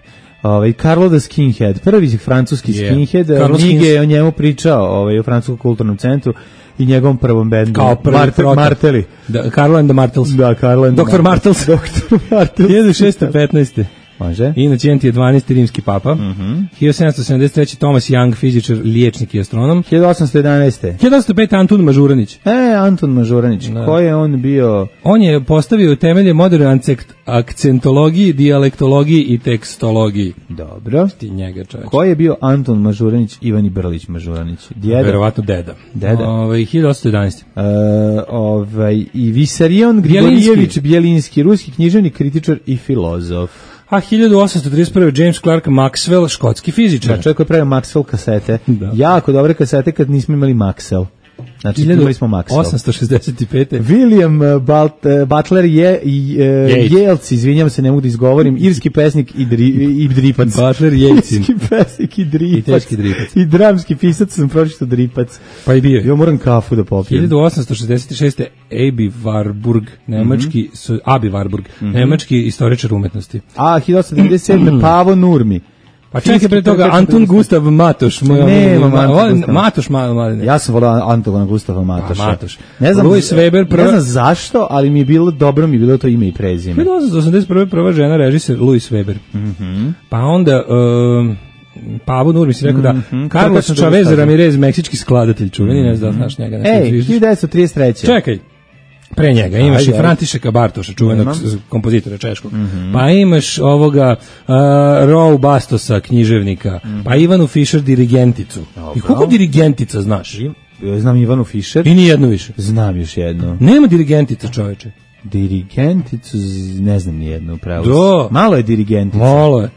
Karlo the Skinhead, prvi francuski skinhead. Mige je o njemu pričao u Francuskom kulturnom centru i njegovom prvom bendu. Kao prvi Marteli. Carlo and the Martels. Da, Carlo and the Dr. Martels. Dr. Martels. 1615. Može. Inocenti je 12. rimski papa. 1773. Thomas Young, fizičar, liječnik i astronom. 1811. 1805. Anton Mažuranić. Anton Mažuranić. Ko je on bio? On je postavio temelje moderne akcentologiji, dijalektologiji i tekstologiji. Dobro. Ti njega, čovječ. Ko je bio Anton Mažuranić, Ivan Brlić Mažuranić? Djeda? Verovatno deda. 1811. I Visarion Grigorijević Bjelinski, ruski književnik, kritičar i filozof. A 1831. James Clerk Maxwell, škotski fizičar. Da, čovjek koji pravio Maxwell kasete. Da. Jako dobre kasete kad nismo imali Maxwell. Znači, imali smo Maxwell. 865. William Butler Yeats, izvinjam se, ne mogu da izgovorim, irski pesnik i dripac. Butler Yeatsin. Irski pesnik i dripac. I teški dripac. I dramski pisac, sam pročitao dripac. Pa i bio. Ja moram kafu da popijem. 1866. Abi Warburg, nemački istoričar umetnosti. A 1897. Pavo Nurmi. Pa čekaj pre toga, Antun Gustav Matoš. Matoš. Ja sam volao Antona Gustava Matoša. Matoš. Ne znam, Louis Weber, ne znam zašto, ali mi je bilo dobro, mi je bilo to ime i prezime. 1881. prva žena režiser Louis Weber. Pa onda... Pavo Nurmi si rekao da Carlos Chavez Ramirez, meksički skladatelj čuveni, ne znam da znaš njega. 1933. Čekaj. Pre njega imaš i Františeka Bartoša, čuvenog kompozitora češkog. Pa imaš ovoga Row Bastosa, književnika. Pa Ivanu Fischer, dirigenticu. I koliko dirigentica znaš? Znam Ivanu Fischer. I nijednu više. Znam još jednu. Nema dirigentica, čoveče. Dirigenticu ne znam nijednu, pravo. Malo je dirigentica. Malo je.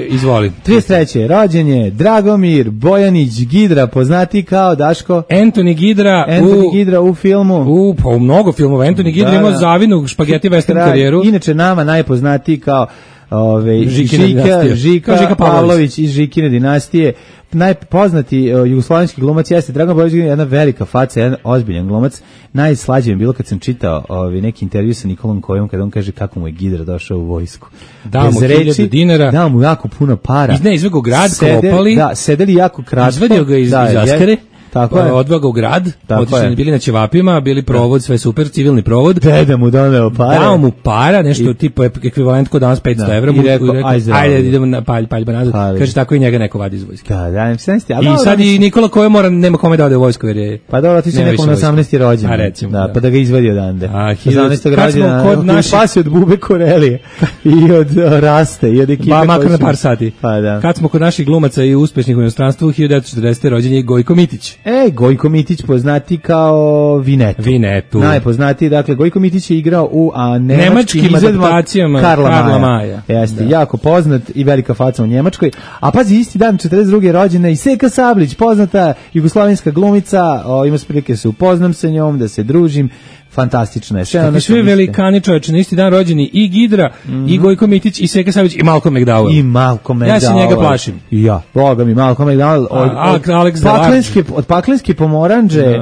Izvoli. 33. rođen je Dragomir Bojanić Gidra, poznati kao Daško. Anthony Gidra u filmu. U mnogo filmova. Anthony Gidra imao zavidnu špageti western karijeru. Inače nama najpoznatiji kao Žika Pavlović iz Žikine dinastije. Najpoznati jugoslovenski glumac jeste Dragan Bojović, jedna velika faca, jedan ozbiljan glumac. Najslađe mi bilo kad sam čitao neki intervju sa Nikolom Kojom, kada on kaže kako mu je Gidra došao u vojsku. Dao mu 1000 dinara. Dao mu jako puno para. Izvego grad, klopali. Da, sedeli jako kratko. Izvadio ga iz Askare. Tako je. Odveo ga u grad, otišli bili na ćevapima, bili provod, sve super, civilni provod. Deda mu doneo para. Dao mu para, nešto tipa ekvivalent kod danas 500 evra. I rekao, ajde, idemo na paljba nazad. Kaže, tako i njega neko vadi iz vojske. I sad i Nikola Koja nema kome da ode u vojsku, jer je... Pa dobro, ti si nekom na 18. rođen. A recimo. Pa da ga izvadi odande. 18. rođena, koji spasi od Bube Korelije i od Raste i od ekipe. Ba, makar na par sati. Pa da. Kad smo kod naših glumaca i uspešnih u inostranstvu, 1940. rođen je Gojko Mitić. Gojko Mitić poznati kao Vinetu. Najpoznatiji, dakle, Gojko Mitić je igrao u nemačkim adaptacijama Karla Maja. Jeste, jako poznat i velika faca u Njemačkoj. A pazi, isti dan 42. rođena i Seka Sablić, poznata jugoslovenska glumica, ima se prilike se upoznam sa njom, da se družim. Fantastična je. Sve velikani čovječe, na isti dan rođeni i Gidra, i Gojko Mitić, i Seka Savić, i Malcolm McDowell. Ja se njega plašim. Ja, boga mi, Malcolm McDowell. Od Paklenske Pomoranđe,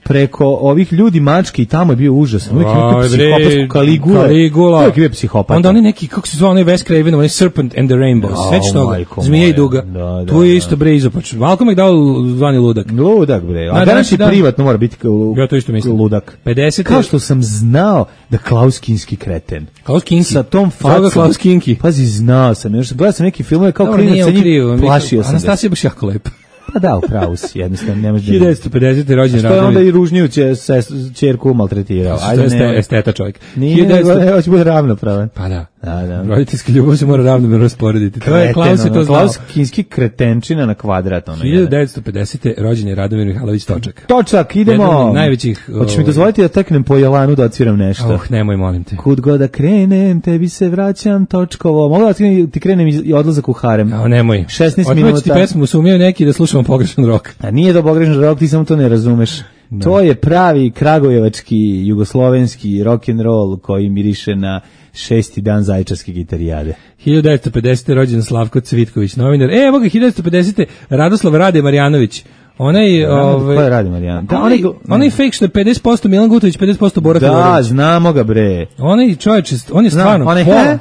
preko ovih ljudi mački i tamo je bio užasan. Uvijek je psihopatsku Kaligula. Uvijek je bio psihopata. Onda oni neki, kako se zove, onaj Wes Craven, onaj Serpent and the Rainbow. Sveći toga, Zmija i Duga. Tu je isto bre izopač. Malcolm McDowell zvani ludak. Ludak bre. A danas i privatno mora biti ludak. 50. Kao što sam znao da Klaus Kinski kreten. Klaus Kinski? Sa tom facom. Klaus Kinski. Pazi, znao sam. Gledao sam neki filmove kao klinac sa njim. Plašio sam. Anastasija baš jako lepa. Pa da, upravo si, jednostavno ne može. 1950. rođen Radovi. Što je onda i ružniju ćerku maltretirao. Ajde, esteta čovjek. Nije, hoće bude ravnopravan. Pa da. Da. Roditeljska ljubav se mora ravnomerno rasporediti. To je Klaus je to znao. Klaus Kinski kretenčina na kvadrat. 1950. rođen je Radomir Mihajlović Točak. Točak, idemo. Jedan od najvećih... Hoćeš mi dozvoliti da teknem po Jelanu da odsviram nešto? Nemoj, molim te. Kud god da krenem, tebi se vraćam Točkovo. Mogu da ti krenem i odlazak u harem? Nemoj. 16 minuta. Ti pesmu sumnjaju neki da slušamo pogrešan rok. A nije to pogrešan rok, ti samo to ne razumeš. Da. To je pravi kragujevački, jugoslovenski rock'n'roll koji miriše na 6. dan Zaječarske gitarijade. 1950. rođen Slavko Cvitković, novinar. Evo ga, 1950. Radoslav Rade Marjanović. Ko je Rade Marjanović? Onaj fake što je 50% Milan Gutović, 50% Bora Fedorović. Da, znamo ga bre. Onaj čovječ, on je stvarno pola.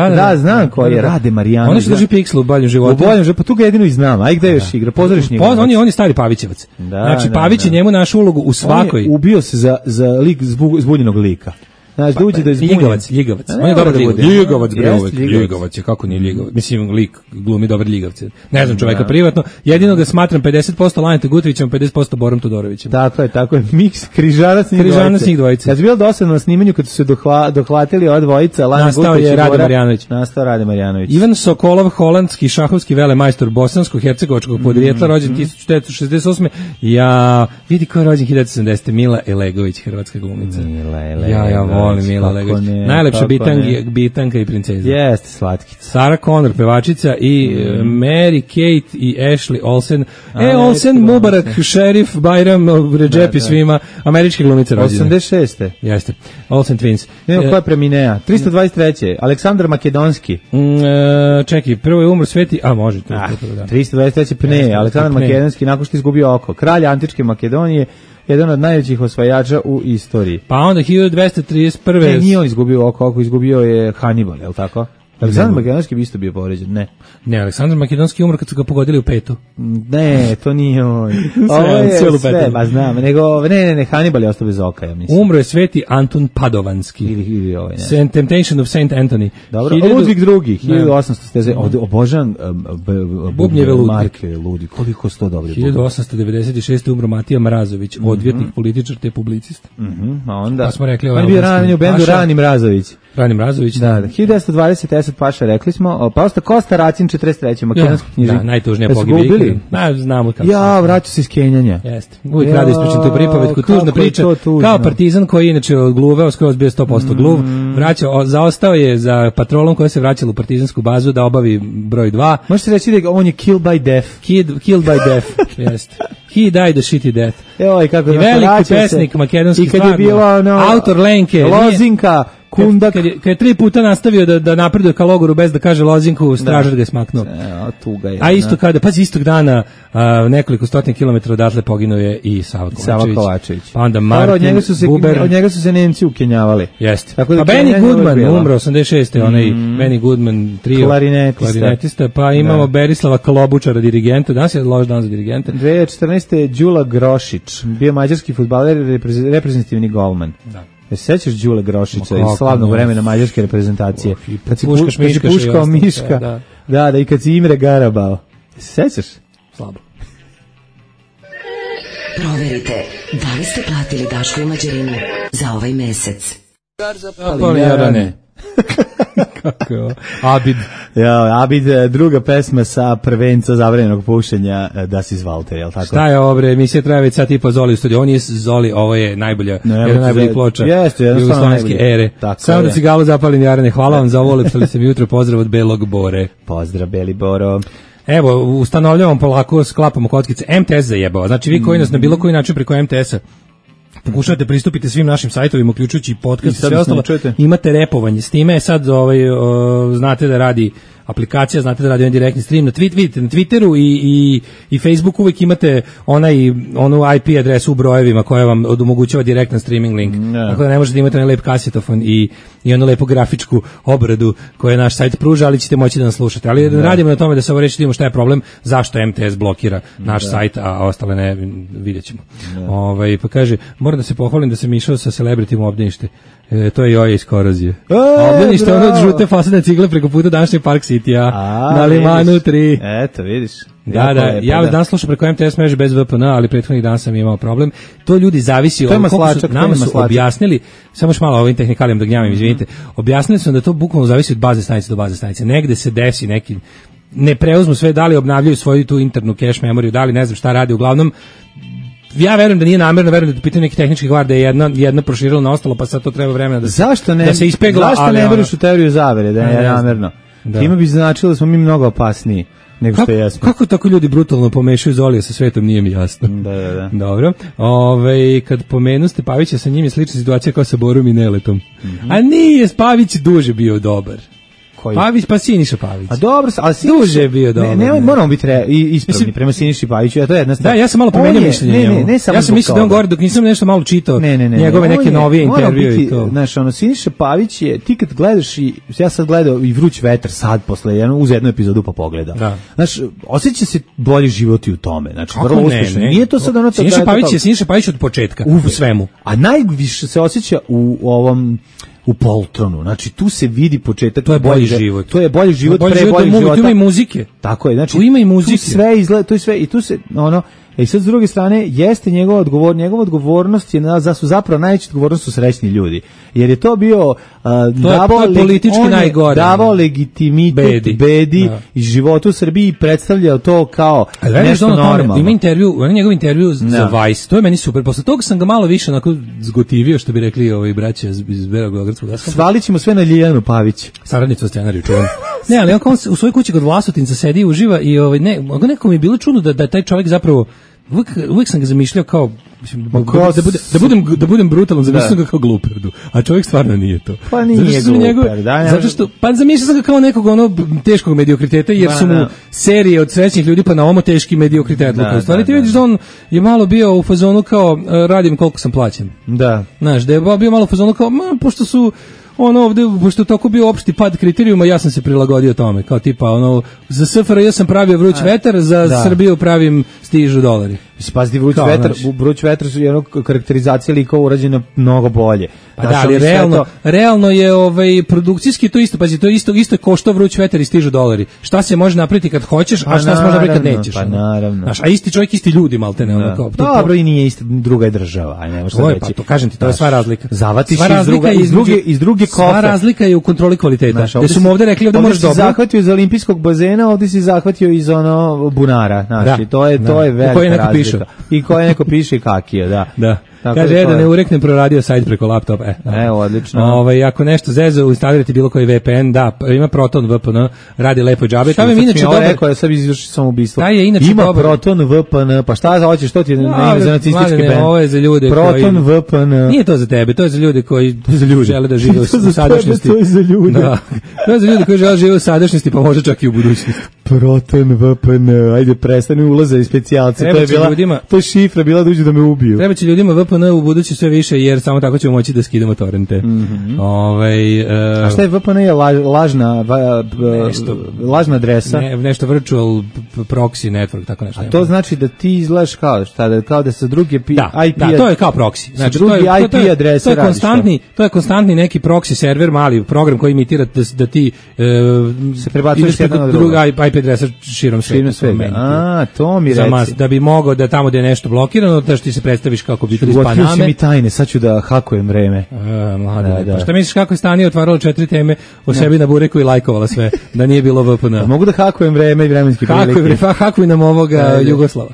Da, znam ko je Rade Marjanović. On je što drži piksel u boljem životu. Pa tu ga jedino i znam. Aj gde još igra? Pozoriš njega. On je stari Pavićevac. Znači Pavić je njemu našu ulogu u svakoj. On je ubio se za lik zbunjenog lika. Znači, da uđe da je zbunjen. Ljigavac. On je dobar lik. Ljigavac je, kako nije Ljigavac? Mislim, lik glumi dobar Ljigavce. Ne znam čoveka privatno. Jedino ga smatram 50% Laneta Gutovićem, 50% Borom Todorovićem. Tako je. Miks križanac njih dvojice. Kad je bilo dosadno na snimanju, kad su se dohvatili ova dvojica, Laneta Gutović i Bora, nastao Rade Marjanović. Ivan Sokolov, holandski šahovski velemajstor bosansko-hercegovačkog podrijetla, rođen 1968. Ja, vidi ko je rođen 1970. Mila Elegović, hrvatska glumica. Ja volim Mila Legović. Najlepša bitanka i princeza. Jeste, slatkica. Sarah Connor, pevačica i Mary Kate i Ashley Olsen. Olsen, Mubarak, Šerif, Bajram, Redžepi svima. Američke glumice rođene. 86. Jeste. Olsen Twins. Nema ko je preminea. 323. Aleksandar Makedonski. Čekaj, prvo je umro Sveti... može. 323. Pne. Aleksandar Makedonski nakon što izgubio oko. Kralj Antičke Makedonije, jedan od najvećih osvajača u istoriji. Pa onda 1231. Ne, nije on izgubio oko, izgubio je Hannibal, je li tako? Aleksandar Makedonski bi isto bio povređen, ne, Aleksandar Makedonski umro kad su ga pogodili u petu. Ne, to nije on. Ovo je sve, ba znam, nego, ne, Hannibal je ostao bez oka, ja mislim. Umro je Sveti Anton Padovanski. Ili ovaj, ne. Temptation of Saint Anthony. Dobro, Ludvig II, 1800, obožan Bubnjeve Marke Ludi, koliko sto dobri. 1896. umro Matija Mrazović, odvjetnik, političar te publicist. A onda, pa smo rekli on je bio ranjen u bendu Rani Mrazović. Rani Mrazović. Da, 1920 Esad Paša, rekli smo, pa osta Kosta Racin 43. makedonski knjižnik. Da, najtužnija pogibika. Znamo kako. Ja, vraću se iz Kenjanja. Jeste. Uvijek radi ispričam tu pripovetku, tužna priča. Kao partizan koji inače odgluveo, skoro bio 100% gluv, zaostao je za patrolom koja se vraćala u partizansku bazu da obavi broj 2. Možete reći da on je killed by death. Killed by death, jeste. He died a shitty death. Evo, i kako I veliki pesnik makedonski stvarno. I kad je bilo autor Lenke. Lozinka. Kundak. Kad je 3 puta nastavio da napreduje ka logoru bez da kaže lozinku, stražar ga je smaknuo. Tuga je. A istog dana nekoliko stotina kilometara odatle poginuo je i Sava Kovačević. Pa onda Martin Buber. Od njega su se Nemci ukenjavali. Jeste. Pa Benny Goodman umro 86. Onaj Benny Goodman trio. Klarinetista. Pa imamo Berislava Klobučara, dirigenta. Danas je loš dan za dirigente. 2014. Đula Grošić, bio mađarski fudbaler i reprezentativni golman. Da. Sećaš Đule Grošića iz slavnog vremena mađarske reprezentacije? Kad si puškao Miška. Da, i kad si Imre Garabao. Sećaš? Slabo. Proverite, da li ste platili Daško i Mađarinu za ovaj mesec? Jarane. Kako je ovo? Abid. Abid, druga pesma sa prvenca zabranjenog pušenja Das iz Valter, je li tako? Šta je ovo bre, emisija traje već sat i po Zoli u studiju, on je Zoli, ovo je najbolja, jedna najbolji ploča jugoslovenske ere. Samo da cigalu zapalim Jarane, hvala vam za ovo, lepšali se mi jutro, pozdrav od Belog Bore. Pozdrav Beli Boro. Evo, ustanovljavamo polako, sklapamo kockice, MTS zajebao, znači vi koji nas na bilo koji način preko MTS-a pokušate pristupiti svim našim sajtovima, uključujući i podcast i sve ostalo, imate repovanje. S time sad znate da radi aplikacija, znate da radi on direktni stream na Twitteru i Facebooku uvijek imate onu IP adresu u brojevima koja vam omogućava direktan streaming link. Tako da ne možete imati onaj lep kasetofon i onu lepu grafičku obradu koju naš sajt pruža, ali ćete moći da nas slušate. Ali radimo na tome da se ovo reći, vidimo šta je problem, zašto MTS blokira naš sajt, a ostale ne, vidjet ćemo. Pa kaže, moram da se pohvalim da sam išao sa celebritim u obdanište. To je Joja iz Korozije. Obdanište ono od žute fasadne cigle preko puta današnje Park City. Kitija na Limanu 3. Eto, vidiš. Da, ja vas danas slušam preko MTS mreže bez VPN, ali prethodnih dana sam imao problem. To ljudi zavisi od koliko su nama su objasnili, samo još malo ovim tehnikalijom da gnjavim, izvinite. Objasnili su da to bukvalno zavisi od baze stanice do baze stanice. Negde se desi neki ne preuzmu sve, da li obnavljaju svoju tu internu cache memoriju, da li ne znam šta radi, uglavnom ja verujem da nije namerno, verujem da je pitanje neki tehnički kvar da je jedna proširila na ostalo, pa sad to treba vremena da se ispegla. Zašto ne veriš u teoriju zavere, da je namerno? Time bi značilo da smo mi mnogo opasniji nego što jesmo. Kako tako ljudi brutalno pomešaju Zolija sa svetom, nije mi jasno. Da. Dobro. Kad pomenu Pavića, sa njim je slična situacija kao sa Borom i Neletom. A nije, Pavić duže bio dobar. Pavić, pa Siniša Pavić. A dobro, ali duže je bio dobro. Ne, moramo biti ispravni prema Siniši Paviću, a to je jedna stvar. Da, ja sam malo promenio mišljenje njemu. Ja sam mislio da on govori dok nisam nešto malo čitao njegove neke novije intervjue i to. Znaš, Siniša Pavić je, ti kad gledaš ja sad gledao i Vruć vetar sad posle uz jednu epizodu pa pogledam. Znaš, osjeća se bolji život i u tome. Znači, vrlo uspešno. Nije to sad ono to. Siniša Pavić od početka u svemu. A najviše se osjeća u Poltronu. Znači tu se vidi početak. To je bolji život. To je bolji život pre boljeg života. Tu ima i muzike. Tako je. Znači tu ima i muzike. Tu sve izgleda, to je sve i tu se i sad s druge strane jeste njegova odgovornost je zapravo najveća odgovornost su srećni ljudi. Jer je to bio politički najgore. Davao legitimitet Bedi i životu u Srbiji, predstavljao to kao nešto normalno. Ima njegov intervju za Vice. To je meni super. Posle toga sam ga malo više onako zgotivio, što bi rekli braća iz Beogradskog daska. Svalić ćemo sve na Ljiljanu Pavić. Saradnicu scenariju čuvam. Ne, ali on u svojoj kući kod Vlasotinca sedi i uživa i nekako mi je bilo čudno da taj čovjek zapravo uvijek sam ga zamišljao kao da budem brutalan, zamišljao sam ga kao gluperdu, a čovjek stvarno nije to. Pa nije gluper, zato što, pa zamišljao sam ga kao nekog teškog mediokriteta, jer su mu serije od srećnih ljudi pa na ovo teški mediokritet. Stvari ti vidiš da on je malo bio u fazonu kao radim koliko sam plaćen. Da. Znaš, da je bio malo u fazonu kao, pošto su ovde, pošto je tako bio opšti pad kriterijuma, ja sam se prilagodio tome, kao tipa, za SFRJ sam pravio Vruć vetar, za Srbiju pravim Stižu dolari. Pazi, Vruć vetar su jedno karakterizacija likova urađena mnogo bolje. Pa da, ali realno je produkcijski to isto, pazi, to isto je koštao Vruć vetar i Stižu dolari. Šta se može napraviti kad hoćeš, a šta se može napraviti kad nećeš. Pa naravno. A isti čovjek, isti ljudi, maltene. Dobro, i nije ista, druga je država. Aj, ne možeš reći. Pa to kažem ti, to je sva razlika. Zavatiš iz druge kofe. Sva razlika je u kontroli kvaliteta. Gde su mu ovde rekli ovde možeš dobro. Ovde si zahvatio iz olimpijskog bazena, ovde si zahvatio iz bunara. Znači, to je velika razlika. I koje neko piše kakije, da. Kaže, da ne ureknem, proradio sajt preko laptopa. Odlično. Ako nešto zezo, instalirati bilo koji VPN, da, ima Proton VPN, radi lepo džabe. Tamo je inače dobar. Rekao je, sad izvrši samoubistvo. Ima Proton VPN, pa šta hoćeš, što ti je za nacistički band? Ovo je za ljude Proton VPN. Nije to za tebe, to je za ljude koji žele da žive u sadašnjosti. To je za ljude. To je za ljude koji žele da žive u sadašnjosti, pa možda čak i u budućnosti. Proton VPN, ajde prestani ulaze i specijalci. To je šifra bila da uđu da me ubiju. Treba će ljudima VPN u budući sve više, jer samo tako ćemo moći da skidamo torrente. A šta je VPN? Je lažna adresa? Nešto virtual proxy network, tako nešto. A to znači da ti izgledaš kao da sa druge IP... Da, to je kao proxy. Znači, drugi IP adrese radiš. To je konstantni neki proxy server, mali program koji imitira da ti se prebacuješ jedno na drugo. IP adresa širom sveta. To mi reci. Da bi mogao da tamo gde je nešto blokirano, da ti se predstaviš kako bi iz Paname. Otkriju mi tajne, sad ću da hakujem vreme. Pa šta misliš kako je Stanija otvarala 4 teme o sebi na bureku i lajkovala sve, da nije bilo VPN? Mogu da hakujem vreme i vremenski prilike. Hakuj nam ovoga Jugoslava.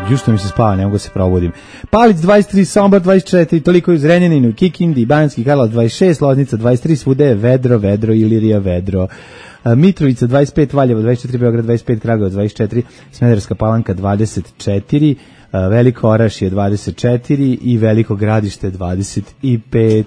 Jušto mi se spava, ne mogu da se probudim. Palić 23, Sombor 24, toliko je u Zrenjaninu, Kikindi, Banjski Karlovac 26, Loznica 23, svude je vedro, Ilirija vedro. Mitrovica 25, Valjevo 24, Beograd 25, Kragujevac 24, Smederevska Palanka 24, Veliko Orašje 24 i Veliko Gradište 25.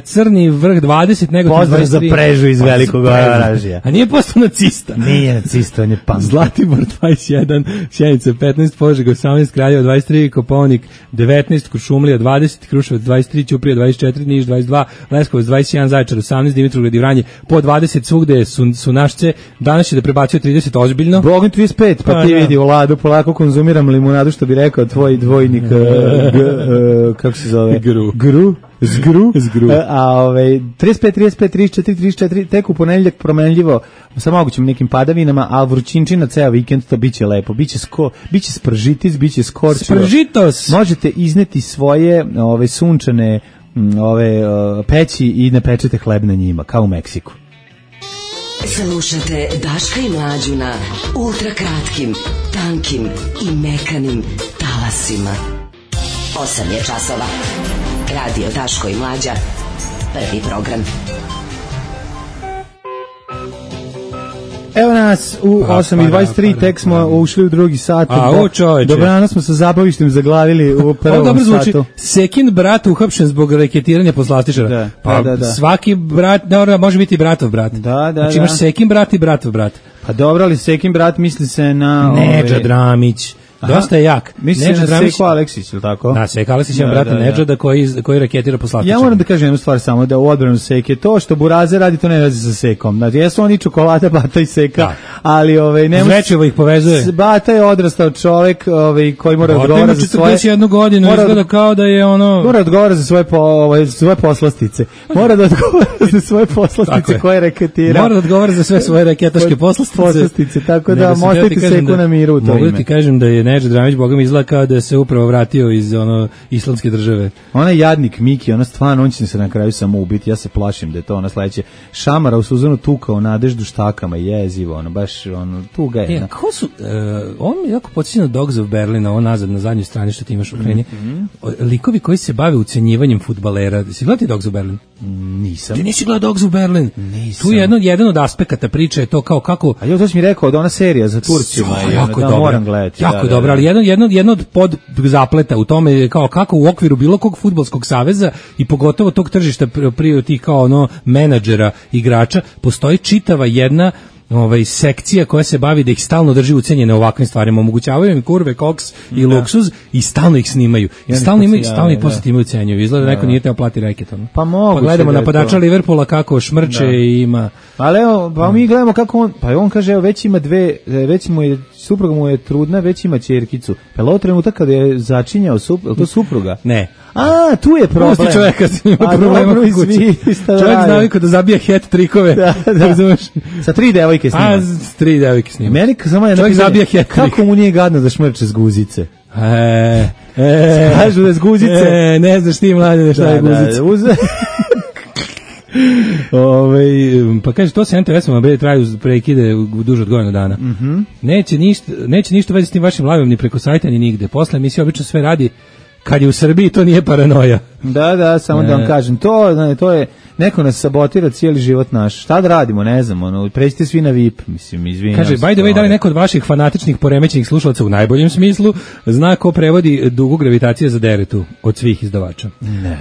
Crni vrh 20, nego 23. Pozdrav za Prežu iz Velikog Orašja. A nije postao nacista? Nije nacista, on je punk. Zlatibor 21, Sjenica 15, Požega 18, Kraljevo 23, Kopaonik 19, Kuršumlija 20, Kruševac 23, Ćuprija 24, Niš 22, Leskovac 21, Zaječar 18, Dimitrovgrad i Vranje po 20, svugde su našce. Danas će da prebacio 30 ozbiljno. Bogom 35, pa ti vidi u Ladu polako konzumiram limunadu Sadu, što bi rekao tvoj dvojnik, kako se zove? Zgru. A 35, 34, 34, tek u ponedeljak promenljivo sa mogućim nekim padavinama, a vrućinčina ceo vikend, to biće lepo, biće spržitis, biće skorčivo. Spržitos! Možete izneti svoje sunčane peći i ne pečete hleb na njima, kao u Meksiku. Slušate Daška i Mlađu na ultrakratkim, tankim i mekanim talasima. 8 je časova. Radio Daško i Mlađa. Prvi program. Evo nas u 8:23, tek smo ušli u drugi sat. Dobrano smo sa zabavištem zaglavili u prvom satu. Sekin brat uhapšen zbog reketiranja poslastičara. Da. Svaki brat, može biti bratov brat. Da. Znači imaš Sekin brat i bratov brat. Pa dobro, ali Sekin brat misli se na... Nedžad Dramić. Dosta je jak. Misli na Seko Aleksić, ili tako? Da, Seko Aleksić je brata Nedžada koji reketira poslastičara. Ja moram da kažem jednu stvar samo, da u odbranu Seke, to što Burazer radi, to ne radi sa Sekom. Znači, jesu oni čokolada, Bata i Seka, ali Zvečivo ih povezuje. Bata je odrastao čovek koji mora odgovara za svoje... 41 godinu, izgleda kao da je ono... Mora odgovara za svoje poslastice. Mora da odgovara za svoje poslastice koje reketira. Mora da odgovara za sve svoje reketaške poslastice. Tako da možete Seku na miru u to ime. Mogu ti kažem da je Nedžad Dramić, Boga mi izgleda kao da se upravo vratio iz islamske države. Ona jadnik Miki, ona stvarno, on će se na kraju samo ubiti, ja se plašim da je to ona sledeće. Šamara u Suzanu tukao Nadeždu štakama, jezivo, baš tuga je. Kako su, on mi jako podsjeća na Dogs of Berlin, ovo nazad na zadnjoj strani što ti imaš u kreni. Likovi koji se bave ucenjivanjem fudbalera. Si gledati Dogs of Berlin? Nisam. Ti nisi gledao Dogs of Berlin? Nisam. Tu je jedan od aspekata priče je to kao kako... A jo, to si mi rekao, da ona serija za Turcima. Jako da, moram gledati. Jako dobro, ali jedno od podzapleta u tome je kao kako u okviru bilo kog fudbalskog saveza i pogotovo tog tržišta tih kao menadžera, igrača, postoji čitava jedna sekcija koja se bavi da ih stalno drži ucenjene ovakvim stvarima, omogućavaju im kurve, koks i luksuz i stalno ih snimaju. I stalno ih posle time ucenjuju. Izgleda da neko nije teo plati reket. Pa moguće. Pa gledamo napadača Liverpoola kako šmrče i ima. Ali evo, pa mi gledamo kako on, pa on kaže, evo već ima već mu je, supruga mu je trudna, već ima ćerkicu. Pa je ovo trenutak kada je začinjao, to supruga? Ne. A, tu je problem. Pusti čovjeka s njima problema u kući. Čovjek zna naviku da zabija hat trikove. Da. Sa 3 devojke snima. A, s 3 devojke snima. Meni samo je čovjek zabija hat trik. Kako mu nije gadno da šmrče s guzice? Kažu da je s guzice. Ne znaš ti, mlade, šta je guzica. Pa kaže, to se NTS-om traju prekide duže od godinu dana. Neće ništa vezi s tim vašim live-om ni preko sajta ni nigde. Posle emisija obično sve radi kad je u Srbiji, to nije paranoja. Da, samo da vam kažem, to je, neko nas sabotira cijeli život naš. Šta da radimo, ne znam, pređite svi na VIP, mislim, izvinjam. Kaže, by the way, da li neko od vaših fanatičnih poremećenih slušalaca u najboljem smislu zna ko prevodi dugu gravitacije za deretu od svih izdavača?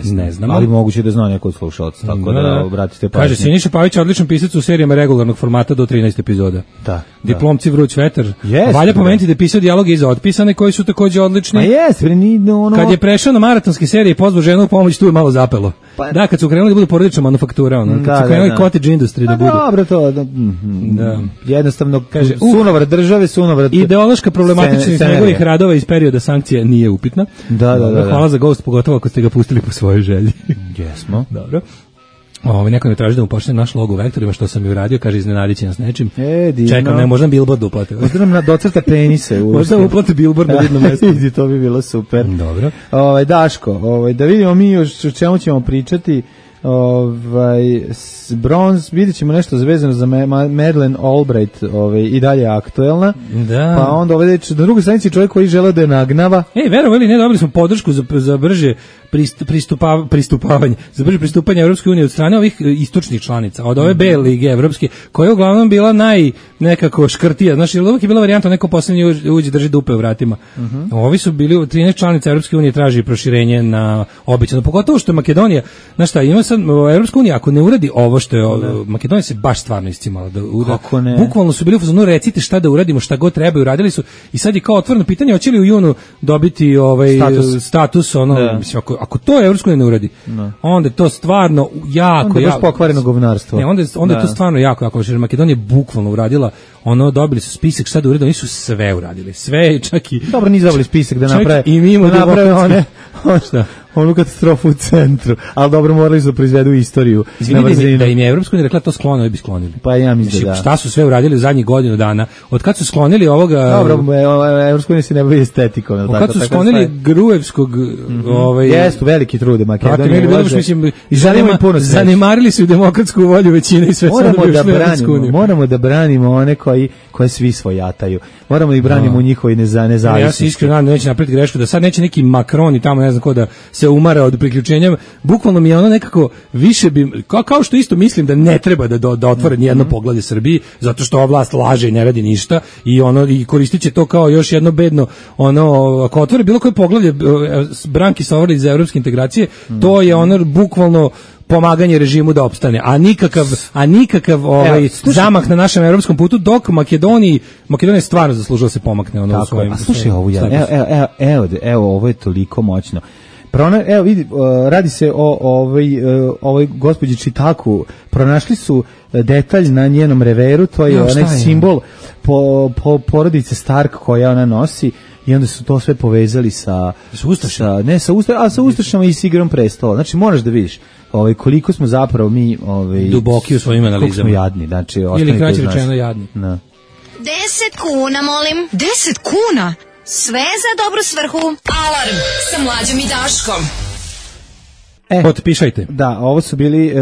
Ne znam. Ali moguće da zna neko od slušalaca, tako da obratite pažnju. Kaže, Siniša Pavić je odličan pisac u serijama regularnog formata do 13 epizoda. Da. Diplomci Vruć vetar. Valja pomenuti da je pisao dijaloge iza otpisane koji su takođe odlični. A kad je prešao na maratonske serije i pozvao ženu u pomoć, tu je malo zapelo. Da, kad su krenuli da budu porodična manufaktura, kad su krenuli cottage industry da budu. Dobro, to jednostavno, kaže, sunovrat države, sunovrat... Ideološka problematičnost njegovih radova iz perioda sankcija nije upitna. Da. Hvala za Ghost, pogotovo ako ste ga pustili po svojoj želji. Jesmo. Dobro. Neko ne traži da mu pošaljem naš logo u vektorima, što sam i uradio, kaže, iznenadit će nas nečim. Čekam, ne, možda billboard uplate. Možda nam docrta penise. Možda uplate billboard na vidnom mjestu. To bi bilo super. Dobro. Daško, da vidimo mi još o čemu ćemo pričati. Bronze, vidjet ćemo nešto zvezano za Madeleine Albright, i dalje aktuelna. Da. Pa onda na drugoj stranici čovjek koji žele da je nagnava. Verovali, ne, dobili smo podršku za brže pristupavanje, za brže pristupanje Evropske unije od strane ovih istočnih članica, od ove B lige evropske, koja je uglavnom bila nekako škrtija. Znaš, uvijek je bila varijanta neko poslednji uđe drži dupe u vratima. Ovi su bili 13 članica Evropske unije traži proširenje na obećano, pogotovo što je Makedonija, znaš šta, ima sad sad Evropska unija ako ne uradi ovo što je Makedonija se baš stvarno iscimala da bukvalno su bili u fazonu recite šta da uradimo, šta god treba, uradili su i sad je kao otvoreno pitanje hoće li u junu dobiti status mislim ako to Evropska unija ne uradi, onda je to stvarno jako baš pokvareno govnarstvo. Ne, onda je to stvarno jako jer Makedonija bukvalno uradila dobili su spisak šta da urade, oni su sve uradili. Sve čak i dobro nisu dobili spisak da naprave onu katastrofu u centru, ali dobro morali su da proizvedu istoriju. Izvinite da im je Evropska unija rekla to sklonili bi sklonili. Pa ja mislim da. Šta su sve uradili u zadnjih godinu dana? Od kad su sklonili ovoga... Dobro, Evropska unija se ne bavi estetikom. Od kad su sklonili Gruevskog... Jesu veliki trude Makedonije. Zanemarili su demokratsku volju većine i sve moramo da branimo one koje svi svojataju. Moramo ih branimo u njihovoj nezavisnosti. Ja se iskreno nadam da neće napraviti grešku, da sad neće neki Macron i tamo ne znam ko da se umara od priključenja. Bukvalno mi je ono nekako više bi, kao što isto mislim da ne treba da otvore nijedno poglavlje Srbiji, zato što ova vlast laže i ne radi ništa i koristit će to kao još jedno bedno, ako otvore bilo koje poglavlje Branki Sovrlić za evropske integracije, to je bukvalno pomaganje režimu da opstane, a nikakav zamah na našem evropskom putu, dok Makedonija stvarno zaslužila se pomakne u svojim. A slušaj ovu evo ovo je toliko moćno. Evo vidi, radi se o ovoj gospođi Čitaku, pronašli su detalj na njenom reveru, to je onaj simbol porodice Stark koja ona nosi i onda su to sve povezali sa Ustašama i s Igrom prestola. Znači moraš da vidiš koliko smo zapravo mi duboki u svojim analizama. Koliko smo jadni, znači ili kraće rečeno jadni. 10 kuna, molim. 10 kuna? Sve za dobru svrhu. Alarm sa Mlađom i Daškom. Potpišajte. Da, ovo su bili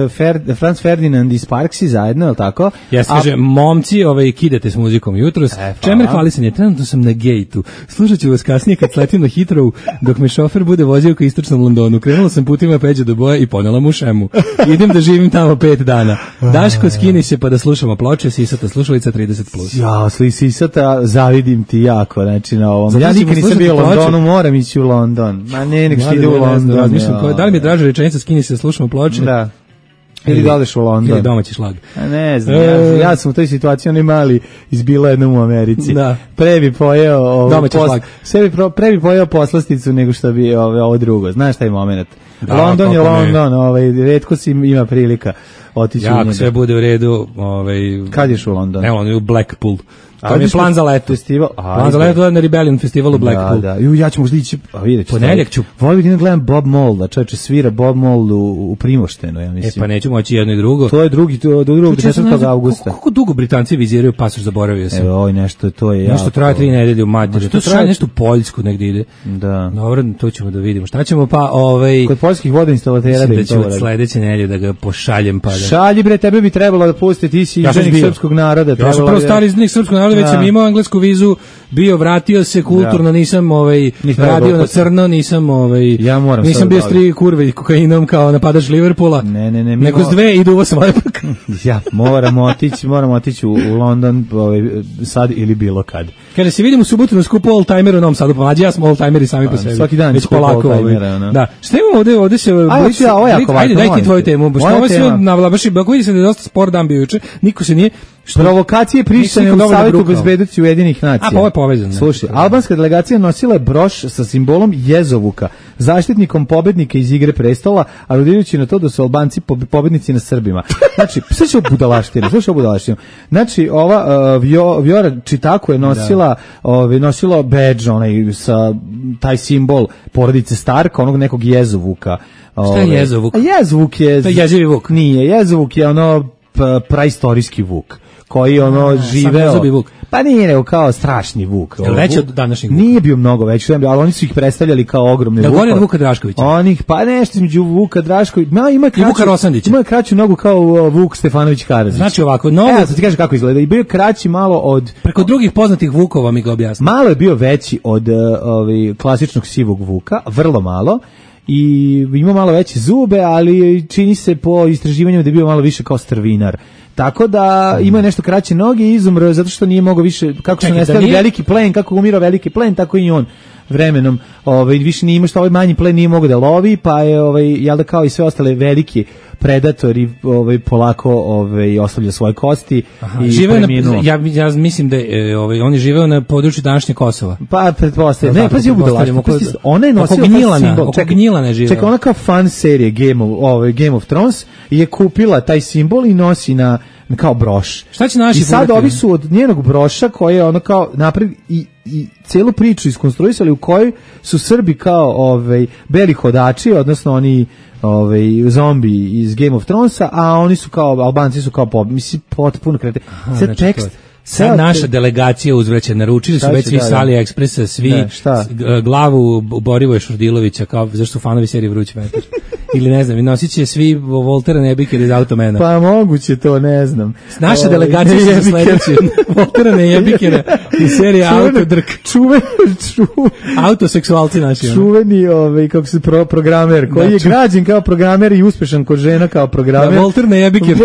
Franz Ferdinand i Sparksi zajedno, je li tako? Kaže, momci, kidate s muzikom jutros. Čemer hvalisanje, trenutno sam na gejtu. Slušat ću vas kasnije kad sletim na Hitrovu, dok me šofer bude vozio ka istočnom Londonu. Krenula sam putima Peđa do Boja i ponela mu šemu. Idem da živim tamo 5 dana. Daško, skini se pa da slušamo ploče, sisata slušalica 30+. Ja, sisata, zavidim ti jako, znači na ovom. Ja nikad nisam bio u Londonu, moram ići u London. Ma ne, nek ide u London. Da li mi je draže rečenica skini se slušamo ploče? Da. Ili da odeš u London. Ili domaći šlag. Ne znam, ja sam u toj situaciji, oni mali izbila jednom u Americi. Da. Pre bi pojeo pre bi pojeo poslasticu nego što bi ovo drugo. Znaš taj moment? London je London, retko si ima prilika otići u njega. Sve bude u redu. Kad ješ u London? Evo, on je u Blackpool. To je plan za leto. Plan za leto na Rebellion festivalu Blackpool. Da. Ja ću možda ići, vidjet ću. Ponedjeljak ću. Volim da gledam Bob Molda, čovječe svira Bob Mold u Primoštenu, ja mislim. Pa neću moći jedno i drugo. To je do 4. augusta. Kako dugo Britanci viziraju pasoš, zaboravio sam. Evo, nešto, to je nešto traje 3 nedelje u Mađarskoj. To traje nešto u Poljsku negdje ide. Da. Dobro, to ćemo da vidimo. Šta ćemo pa kod poljskih vodoinstalatera da ćemo sledeće nedelje da ga pošaljem pa da. Šalji bre, tebe bi trebalo da pusti, ti si izdanik srpskog naroda. Ja sam prvo stari izdanik srpskog naroda, već sam imao englesku vizu, vratio se kulturno, nisam radio na crno, nisam nisam bio stri kurve kokainom kao napadač Liverpoola. Ne. Nego s dve i duvo sam lepak. Ja, moramo otići u London sad ili bilo kad. Kada se vidimo u subotu na skupu Oldtimer u Novom Sadu, pa ja smo Oldtimeri sami po sebi. Svaki dan skupu Oldtimera. Da. Šta imamo ovde se... Ajde, daj ti tvoju temu. Što ovo sve navlabaši, ako vidi se da je dosta spor dan bio juče, niko se nije... Provokacije Prištine u Savjetu bezbednosti Ujedinjenih nacija. A, pa ovo je povezano. Slušaj, albanska delegacija nosila je broš sa simbolom Jezovuka, zaštitnikom pobednika iz Igre prestola, aludirajući na to da su Albanci pobednici na Srbima. Znači, slušaj ovu budalaštinu. Znači, ova Vjora Čitaku je nosila badge, sa taj simbol porodice Starka, onog nekog Jezovuka. Šta je Jezovuk? Jezovuk je... To je jezivi vuk. Nije, Jezovuk je praistorijski vuk koji živeo. Vuk. Pa nije nego kao strašni vuk. Veći od današnjeg vuka? Nije bio mnogo veći, ali oni su ih predstavljali kao ogromne vukove. Gore od Vuka Draškovića? Pa nešto između Vuka Draškovića. I Vuka Rosandića. Ima kraću nogu kao Vuk Stefanović Karadžić. Znači ovako, sad ti kažem kako izgleda. I bio kraći malo od... Preko drugih poznatih vukova mi ga objasni. Malo je bio veći od klasičnog sivog vuka, vrlo malo. I ima malo veće zube, ali čini se po istraživanjima da je bio malo više kao strvinar. Tako da ima nešto kraće noge i izumro zato što nije mogao više, kako su nestali veliki plen, kako umirao veliki plen, tako i on vremenom više nije imao što manji plen nije mogao da lovi, pa je jel da kao i sve ostale velike predator i polako ostavlja svoje kosti i preminuo. Ja mislim da oni žive na području današnje Kosova. Pa pretpostavljam. Ne, pazi, ona je nosila simbol. Čekaj, ona kao fan serije Game of Thrones je kupila taj simbol i nosi na kao broš. Šta će naši? I sad ovi su od njenog broša koje je ono kao napred i celu priču iskonstruisali u kojoj su Srbi kao beli hodači, odnosno oni zombi iz Game of Thronesa, a oni su kao Albanci su kao mislim potpuno krete. Sad tekst sad naša delegacija uzvraća, naručili su već svi s AliExpressa, svi glavu Borivoja Šurdilovića, kao zašto su fanovi serije Vruć vetar. Ili ne znam, i nosit će svi Voltera Nebikera iz Automena. Pa moguće to, ne znam. Naša delegacija će sledeći Voltera Nebikera iz serije Autodrk. Autoseksualci naši. Čuveni, kako se programer, koji je građen kao programer i uspešan kod žena kao programer. Volter Nebiker.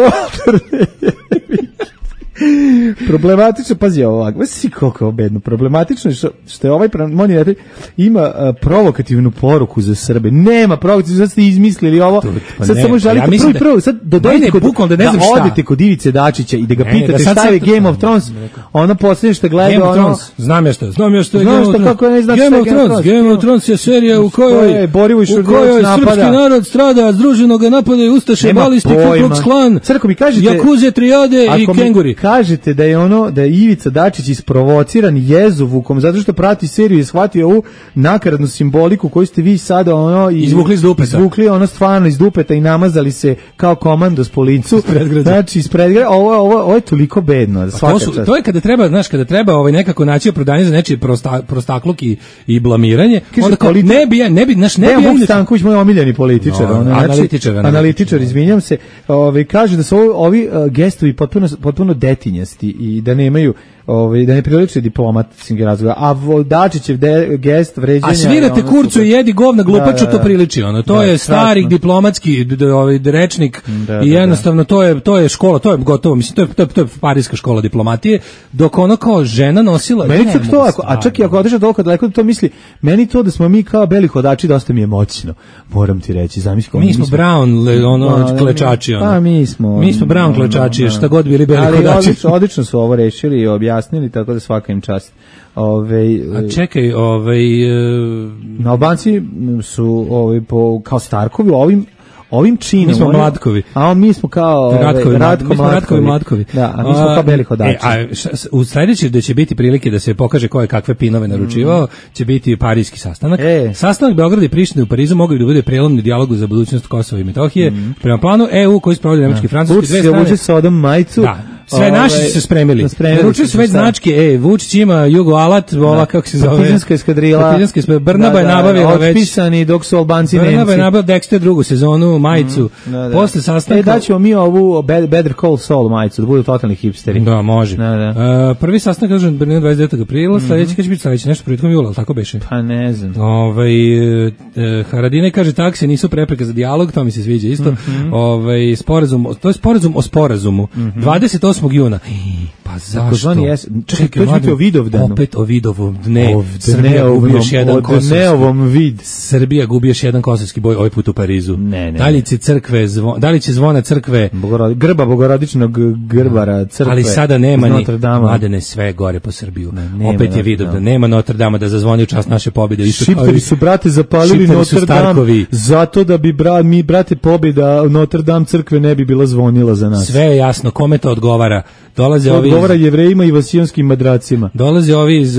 Problematično, pazi ovako, si koliko je bedno, problematično je što je ovaj monitoring ima provokativnu poruku za Srbe. Nema provokativnu, sad ste izmislili ovo, sad samo želite prvo, sad dodajte da odete kod Ivice Dačića i da ga pitate šta je Game of Thrones, ona posljednje što gleda Game of Thrones, znam ja što je Game of Thrones je serija u kojoj srpski narod strada, združeno ga napadaju Ustaše, balisti, Ku Klux Klan, Jakuze, Trijade i Kenguri. Kažete da je Ivica Dačić isprovociran jezovukom zato što prati seriju i shvatio ovu nakaradnu simboliku koju ste vi sada izvukli iz dupeta. Izvukli stvarno iz dupeta i namazali se kao komandos po licu. Znači iz predgrađa. Ovo je toliko bedno. To je kada treba, znaš, nekako naći opravdanje za nečiji prostakluk i blamiranje. Onda kao ne bi Vuk Stanković, moj omiljeni političar, analitičar, izvinjam se, kaže da su ovi gestovi potpuno detinjasti i da nemaju da ne priliče diplomatskih razgovora, a Dačićev gest vređanja... A svirate kurcu i jedi govna glupaču, to priliči, to je stari diplomatski rečnik i jednostavno to je škola, to je gotovo, mislim, to je parijska škola diplomatije, dok ono kao žena nosila... Meni to, a čak i ako odeš toliko daleko, to misli, meni to da smo mi kao beli hodači dosta mi je moćno, moram ti reći, zamisli... Mi smo brown klečači, mi smo brown klečači, šta god bili beli hodači. Odlično su ovo rešili i objasnili, tako da svaka im čast. A čekaj, Albanci su kao Starkovi ovim činom. Mi smo Mlatkovi. A mi smo kao Ratko Mlatkovi. Da, a mi smo kao beli hodači. U sledećem da će biti prilike da se pokaže ko je kakve pinove naručivao, će biti parijski sastanak. Sastanak Beograda i Prištine u Parizu mogli da bude prelomni dijalog za budućnost Kosova i Metohije. Prema planu EU koji sprovodi nemački i francuski dve strane. Vučić sa Odom majicu. Da. Sve naši su se spremili. Naručili su već značke, Vučić ima Jugo Alat, ova kako se zove. Partizanska eskadrila. Brnaba je nabavila već. Otpisani dok su Albanci Nemci. Brnaba je nabavila Dexter drugu sezonu, majicu. Posle sastanka... daćemo mi ovu Better Call Saul majicu, da budu totalni hipsteri. Da, može. Prvi sastanak održan u Berlinu 29. aprila, sledeći kad će biti sledeći, nešto prilikom jula, ali tako beše? Pa ne znam. Haradine kaže taksi nisu prepreka za dijalog, to mi se sviđa isto. To je sporazum o sporazumu. 28. juna. Pa zašto? Čekaj, to će o Vidovdanu. Opet o Vidovom dne. Srbija gubi još jedan kosovski. Srbija gubi još jedan kosovski boj, ovaj put u Parizu. Da li će zvona crkve grba bogorodičnog grbara crkve. Ali sada nema ni Mladene, sve gore po Srbiju. Opet je Vidovdan. Nema Notre Dame da zazvoni u čast naše pobjede. Šipteri su, brate, zapalili Notre Dame zato da bi mi, brate, pobjeda Notre Dame crkve ne bi bila zvonila za nas. Sve je jasno, kome to odgovara. Odgovara Jevrejima i vasionskim madracima. Dolaze ovi iz,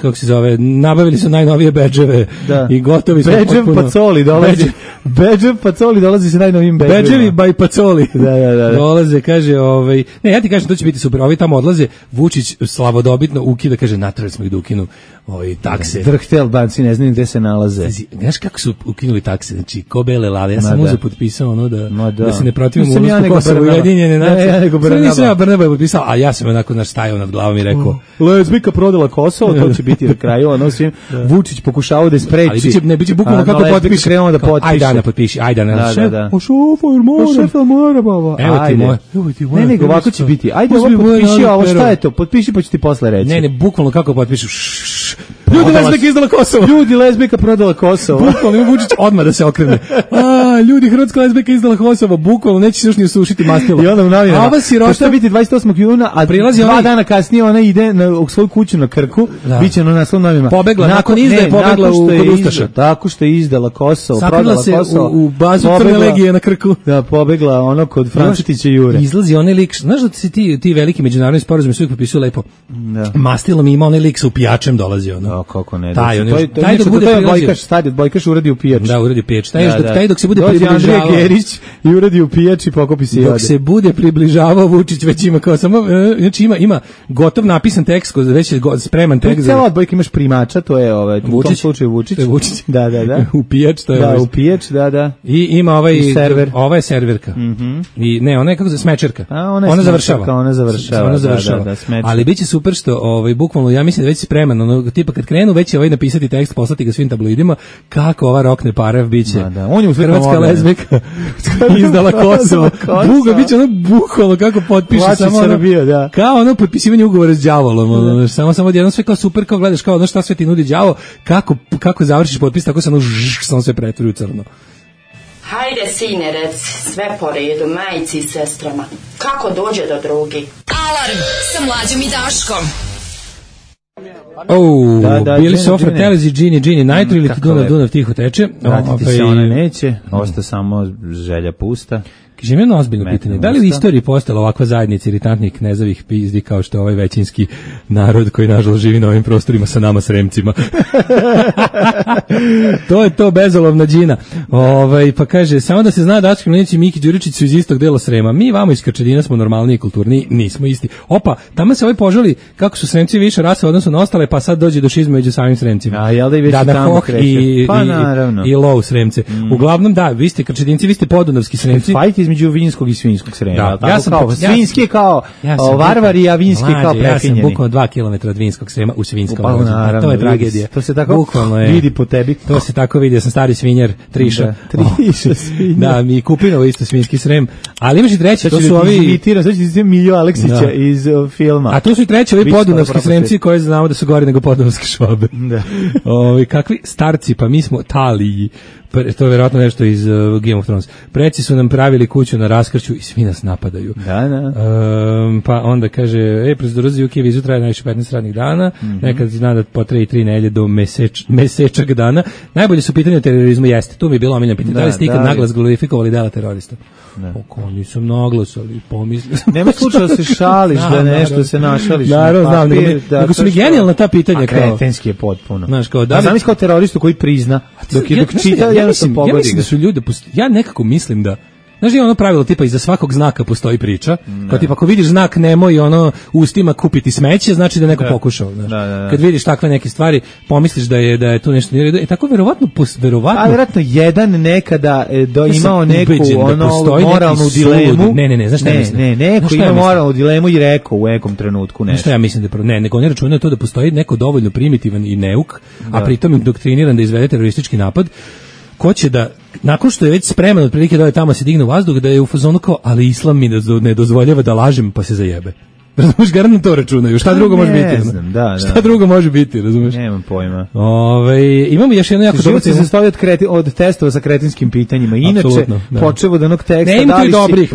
kako se zove, nabavili su najnovije bedževe i gotovi su potpuno. Bedžev Pacoli dolazi sa najnovijim bedževima. Bedževi by Pacoli. Da. Dolaze, kaže, ne, ja ti kažem, to će biti super. Ovi tamo odlaze, Vučić slavodobitno ukida, kaže, natrali smo ih da ukinu takse. Drhte Albanci, ne znam gde se nalaze. Znaš kako su ukinuli takse? Znači, ko bele lade. Ja sam uzeo potpisao da se ne protivim ulasku Kosova u Ujedinjene nacije. Brnabe potpisao, a ja sam onako stajao nad glavom i rekao, lezbika prodala Kosovo, to će biti na kraju, ono svim Vučić pokušao da spreči. Ali biće bukvalno kako potpiše. Krenuo da potpiše. Ajde, Ana, potpiši, ajde, Ana. Da. Šef, mora, baba. Evo ti moje. Ne, nego ovako će biti. Ajde, ovo potpiši, ovo šta je to? Potpiši pa ću ti posle reći. Ne, bukvalno kako potpišeš. Ljudi, lezbika izdala Kosovo. Ljudi, lezbika prodala Kosovo. Bukvalno ima Vučić odmah da se okrene. Ljudi, hrvatska lezbika izdala Kosovo. Bukvalno neće se još ni usušiti mastilo. I onda u novinama. A ova sirota će biti 28. juna, a prilazi 2 dana kasnije ona ide u svoju kuću na Krku. Biće na naslovnim novinama. Pobegla, nakon izdaje pobegla kod Ustaša. Tako što je izdala Kosovo, prodala Kosovo. U bazu Crne legije na Krku. Da, pobegla ono kod Frančetića Jure. Izlazi onaj lik, znaš da se ti veliki međunarodni sporazumi sve potpisuju lepo. Mastilo mi ima onaj lik sa upijačem dolazi ono. Da, kako ne. Taj dok bude Bojkaš, stadion Bojkaš uradi u pijač. Da, uradi u pijač. Taj dok se bude približavao Andrija Gerić i uradi u pijač i pokopi se. Dok se bude približavao Vučić već ima kao samo znači ima gotov napisan tekst, već je spreman tekst. Cela odbojka imaš primača, to je u tom slučaju Vučić. Da. U pijač, to je. Da, u pijač, da. I ima server. Ova je serverka. I ne, ona je kako smečerka. Ona završava. Da, ali biće super što bukvalno ja mislim da već spreman, ono tipa kad krenu već je napisati tekst, poslati ga svim tabloidima kako ova rokne parav biće. Da. On je hrvatska lezbika izdala Kosovo. Biće ono bukvalno kako potpiše samo Srbija, da. Kao ono potpisivanje ugovora s đavolom. Samo jedno sve kao super, kao gledaš kao ono šta sve ti nudi đavo, kako završiš potpis, tako se ono samo sve pretvori u crno. Hajde, sine, reci, sve po redu, majici i sestrama. Kako dođe do drugi? Alarm sa Mlađom i Daškom. Bili su Fratellis i Gini, Nitro ili ti Dunav tiho teče. Vratiti se ona neće, osta samo želja pusta. Kaže, jedno ozbiljno pitanje. Da li u istoriji postala ovakva zajednica iritantnih knezavih pizdi kao što je ovaj većinski narod koji nažalost živi na ovim prostorima sa nama Sremcima? To je to bezolovna džina. Pa kaže, samo da se zna da Dački Mlinić i Miki Đuričić su iz istog dela Srema. Mi vamo iz Krčedina smo normalni i kulturni, nismo isti. Opa, tamo se požali kako su Sremci više rasa odnosno na ostale, pa sad dođe do šizme među samim Sremcima. A jel da i već tamo kreće? I Lov Sremce. Uglavnom da, vi ste Krčedinci, vi ste podunavski Sremci. Fajt između vinskog i svinjskog Srema. Da, svinjski je kao varvari, a vinski kao prefinjeni. Ja sam bukvalno 2 km od vinskog Srema u Svinskom Lozu. To je tragedija. To se tako vidi po tebi. To se tako vidi, ja sam stari svinjar, Triša. Triša svinjar. Da, mi Kupinovo isto svinjski Srem. Ali imaš i treći, to su ovi... Znači Miljo Aleksića iz filma. A to su i treći, ovi podunavski Sremci koji znamo da su gori nego podunavske Švabe. Kakvi starci, pa mi smo Taliji. To je vjerojatno nešto iz Game of Thrones. Preci su nam pravili kuću na Raskršću i svi nas napadaju. Da. Pa onda kaže, procedura UK vizu traje najviše 15 radnih dana, nekad zna da potraje 3 nedelje do mesečak dana. Najbolje su pitanje o terorizmu, jeste. Tu mi je bilo omiljeno pitanje. Da li ste ikad naglas glorifikovali dela terorista? Oko, nisam naglas, ali pomislio sam. Nema slučaja da se šališ, da nešto se našališ. Naravno, znam, nego su mi genijalna ta pitanja. A kretenski je potpuno. Znaš, kao da znam kao teroristu koji prizna, dok čita, ja mislim da su ljudi, ja nekako mislim da, znaš, je ono pravilo tipa iza svakog znaka postoji priča, kao tipa ako vidiš znak nemoj ono ustima kupiti smeće, znači da je neko pokušao, znaš. Kad vidiš takve neke stvari, pomisliš da je tu nešto nije redu. I tako verovatno vjerojatno jedan nekada imao neku ono moralnu dilemu. Ne, znaš šta ja mislim? Ne, neko ima moralnu dilemu i rekao u nekom trenutku nešto. Šta ja mislim da nego oni računaju to da postoji neko dovoljno primitivan i neuk, a pritom indoktriniran da izvede teroristički napad. Ko će da, nakon što je već spreman otprilike da je tamo se digne u vazduh, da je u fazonu kao, ali islam mi ne dozvoljava da lažem, pa se zajebe. Razumeš, garantno to računaju. Šta drugo može biti? Ne znam, da. Šta drugo može biti, razumeš? Nemam pojma. Imamo još jedno jako dobro se sastoji od testova sa kretinskim pitanjima. Inače, počev od onog teksta,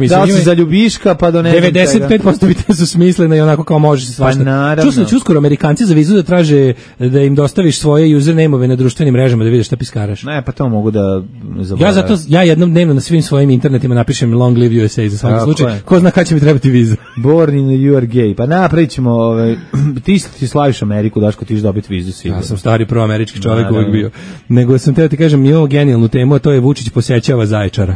da li si za ljubiška, pa do ne znam 95% pitanja su smislene i onako kao može se svašta. Čuo uskoro Amerikanci za vizu da traže da im dostaviš svoje username-ove na društvenim mrežama da vidiš šta piskaraš. Ne, pa to mogu da zaboravim. Ja jednom dnevno na svim svojim internetima napišem Long Live USA za svaki slučaj. Ko zna kada će mi trebati viza. Born in the gej. Pa napravit ćemo, ti slaviš Ameriku, Daško, ti ćeš dobiti vizu sigurno. Ja sam stari proamerički čovjek uvijek bio. Nego sam teo ti kažem, imamo genijalnu temu, a to je Vučić posećava Zaječara.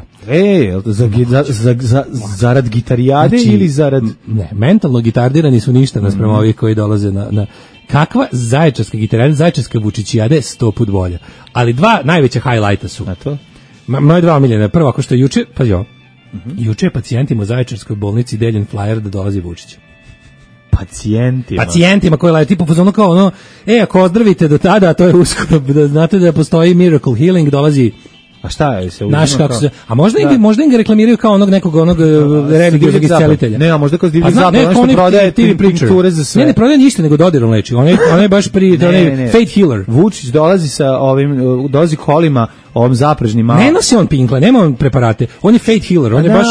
Zarad gitarijade ili zarad... Ne, mentalno gitardirani su ništa nasprema ovih koji dolaze na... Kakva zaječarska gitarijada, zaječarska Vučićijade 100 put bolja. Ali dva najveća highlighta su. A to? Moje dva omiljene. Prvo, ako što je juče, pa jo, Juče je pacijentima u Zaječarskoj bolnici deljen flajer da dolazi Vučić. Pacijentima koji laju tipu fazonu kao ono, ako ozdravite do tada, to je uskoro, da znate da postoji Miracle Healing, dolazi. A šta je se naš kako se, a možda im ga reklamiraju kao onog religioznog iscelitelja. Ne, a možda kao divlji zapad, ono što prodaje tinkture za sve. Ne prodaje ništa, nego Dodirom leči. On je baš Fate Healer. Vučić dolazi sa dolazi kolima ovom zaprežnim malo. Ne nosi on pinkle, nema on preparate. On je Fate Healer, on je baš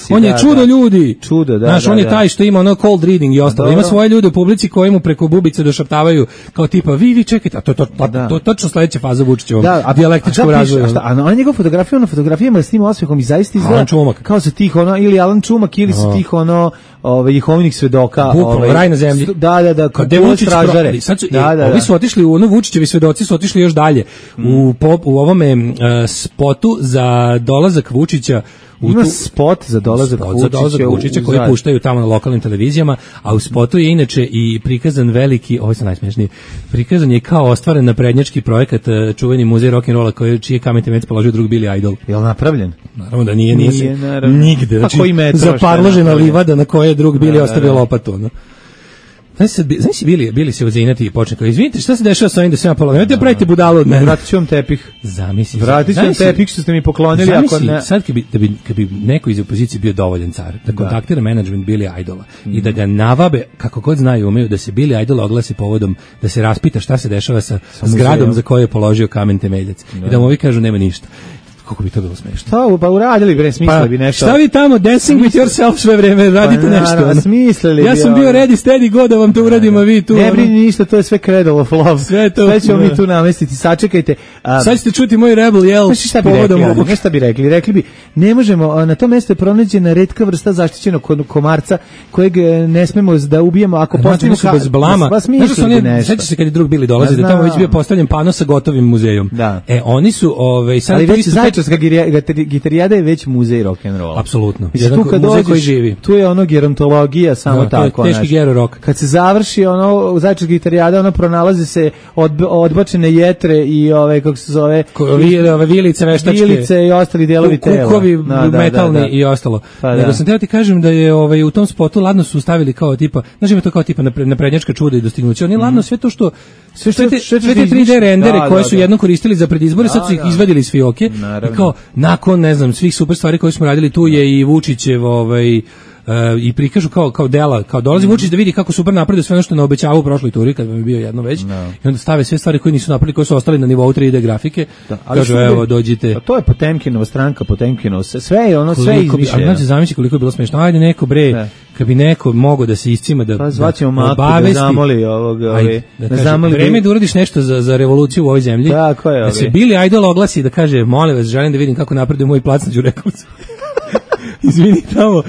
on je čudo ljudi. Čudo, da. Znaš, on je taj što ima ono cold reading i ostalo. Ima svoje ljude u publici koji mu preko bubice došaptavaju kao tipa vi čekajte, a to točno sledeća faza Vučićevog dijalektičkog razvoja. A on njegov fotografija na fotografijama s tim osmehom i zaista izgleda kao sa tih ili Alan Čumak ili sa tih Jehovinih svedoka, raj na zemlji. Da, kad Vučić stražare. Ovi su otišli Vučićevi svedoci su otišli još dalje. U ovome spotu za dolazak Vučića ima spot za dolazak Vučića koji puštaju tamo na lokalnim televizijama, a u spotu je inače i prikazan veliki, ovo je najsmešniji, prikazan je kao ostvaren naprednjački projekat, čuveni muzej rock'n'rolla čiji je kamen temeljac položio drug Billy Idol. Je li napravljen? Naravno da nije nigde. Znači, zaparložena livada na kojoj je drug Billy ostavio lopatu. Znaš bili se uzinati i počne kao, izvinite, šta se dešava sa ovim da se ja polomio? Nemojte pravite budalu od mene. Vratit ću vam tepih. Zamisli. Vratit ću vam tepih što ste mi poklonili. Zamisli, sad kad bi neko iz opozicije bio dovoljan car, da kontaktira menadžment Billy Idola i da ga navabe, kako god znaju, umeju, da se Billy Idol oglasi povodom, da se raspita šta se dešava sa zgradom za koju je položio kamen temeljac. I da mu ovi kažu nema ništa. Kako bi to bilo smešno. Šta, pa uradili bre, smislili bi nešto. Šta vi tamo, dancing with yourself sve vreme, radite nešto. Smislili ja sam bio ready, steady, go da vam to uradim, a vi tu. Ne brini ništa, to je sve Cradle of Love. Sve ćemo mi tu namestiti, sačekajte. Sad ćete čuti moj Rebel Yell povodom ovog. Šta bi rekli? Rekli bi, ne možemo, na to mesto je pronađena retka vrsta zaštićenog komarca, kojeg ne smemo da ubijemo ako postavimo bez blama. Sećaš se kad je drug Bili dolazi, da tamo već bio postavljen pano sa gotovim muzejom. Oni su, Gitarijada je već muzej rock'n'rolla. Apsolutno. Tu kad dođeš, tu je gerontologija, samo tako. To je teški gero rock. Kad se završi Zaječarska gitarijada, pronalaze se odbačene jetre i kako se zove, vilice veštačke, vilice i ostali delovi tela. Kukovi metalni i ostalo. Nego sam teo ti kažem da je u tom spotu ladno su stavili kao tipa, znaš ima to kao tipa naprednjačka čuda i dostignuća. Oni ladno sve to što sve te 3D rendere koje su jednom koristili za predizbore, sad su ih izvadili iz fioke. I kao, nakon, ne znam, svih super stvari koje smo radili, tu je i Vučićev i prikažu kao dela, kao dolazi Vučić da vidi kako super napredio sve ono što ne obećavao u prošloj turi kad je bio jedno već, i onda stave sve stvari koje nisu napravili, koje su ostali na nivou 3D grafike, kažu evo dođite. To je Potemkinova stranka, Potemkinov, sve je ono, sve je izmišljeno. Znači, zamisli koliko je bilo smešno, ajde neko bre, kad bi neko mogao da se iscima da zvaćemo Maku da zamoli vreme da uradiš nešto za revoluciju u ovoj zemlji, da se Billy Idol oglasi da kaže, molim vas, želim da vidim kako napreduje moj plac na Đurekovcu. Izvini tamo.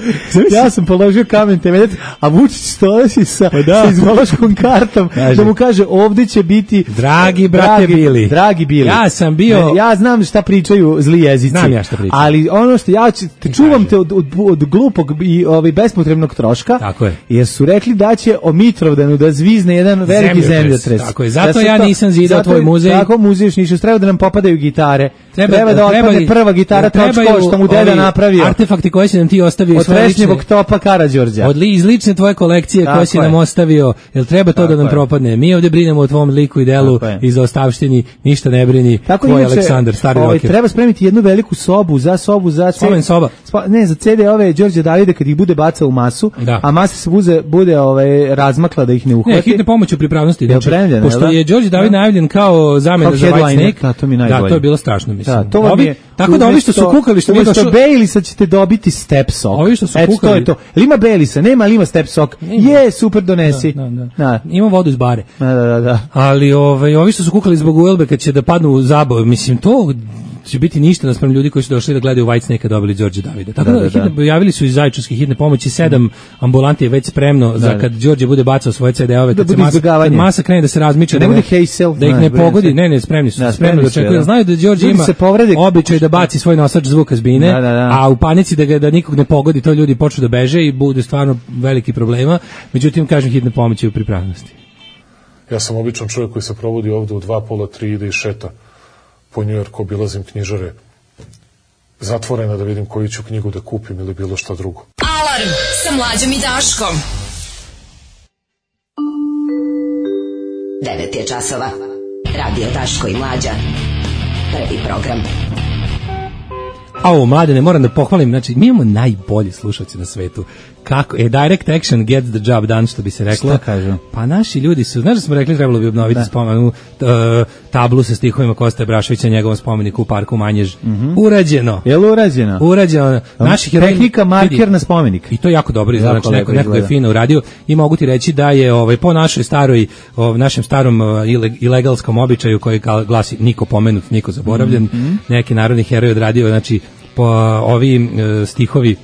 Ja sam položio kamen temeljac, a Vučić stoji sa izvolaškom kartom da mu kaže ovdje će biti dragi brate Bili. Dragi Bili. Ja sam bio... Ja znam šta pričaju zli jezici. Znam ja šta pričaju. Ali ono što ja čuvam te od glupog i bespotrebnog troška. Tako je. Jer su rekli da će o Mitrovdanu da zvizne jedan veliki zemljotres. Tako je. Zato ja nisam zidao tvoj muzej. Tako muzej još ništa. Treba da nam popadaju gitare. Treba da otpadne prva gitara Tročko što mu deda napravio. Artefakti koje si nam ti ostavio od Trešnjevog topa Karađorđa. Iz lične tvoje kolekcije koje si nam ostavio. Jel treba to da nam propadne? Mi ovdje brinemo o tvom liku i delu i za ostavštini, ništa ne brini. Tvoj Aleksandar, stari rocker. Treba spremiti jednu veliku sobu za spomen soba. Ne, za CD ove Đorđe Davide kad ih bude bacao u masu, a masa se bude razmakla da ih ne uhvati. Ne, hitne pomoć u pripravnosti. Pošto je Đorđe David najavljen kao zamena za Whitesnake. Da, to je bilo strašno, mislim. Tako da ovi što su kukali što mi došlo Baileysa ćete dobiti Step Sok. Ovi što su kukali. To je to. Ima Baileysa, nema, ali ima Step Sok. Je, super, donesi. Ima vodu iz bare. Da. Ali ovi što su kukali zbog Uelbe kad će da padnu u zabavu, mislim, to će biti ništa naspram ljudi koji su došli da gledaju Whitesnake-a dobili Đorđe Davida. Tako da javili su iz Zaječarske hitne pomoći, 7 ambulanti je već spremno za kad Đorđe bude bacao svoje CD-ove, kad masa krene da se razmiče, da ih ne pogodi. Ne, spremni su, spremno da očekuju. Znaju da Đorđe ima običaj da baci svoj nosač zvuka s bine, a u panici da nikog ne pogodi, to ljudi počnu da beže i bude stvarno veliki problema. Međutim, kažem, hitne pomoći u pripravnosti. Ja sam običan čovjek koji se provodi ovdje u 2, pola, 3 ide i šeta po Njujorku, obilazim knjižare, zatvorena da vidim koju ću knjigu da kupim ili bilo šta drugo. Alarm sa Mlađom i Daškom. 9 je časova. Radio Daško i Mlađa. Prvi program. Mladene, moram da pohvalim, znači, mi imamo najbolji slušalci na svetu. Kako? Direct action gets the job done, što bi se reklo. Šta kažu? Pa naši ljudi su, znaš da smo rekli, trebalo bi obnoviti spomenu, tablu sa stihovima Koste Braševića, njegovom spomeniku u parku Manjež. Urađeno. Je li urađeno? Urađeno. Tehnika marker na spomenik. I to jako dobro izgleda, znači neko je fino uradio i mogu ti reći da je po našoj staroj, našem starom ilegalskom običaju koji glasi niko pomenut, niko zaboravljen, neki narodni heroj odradio, znači po ovi stihovi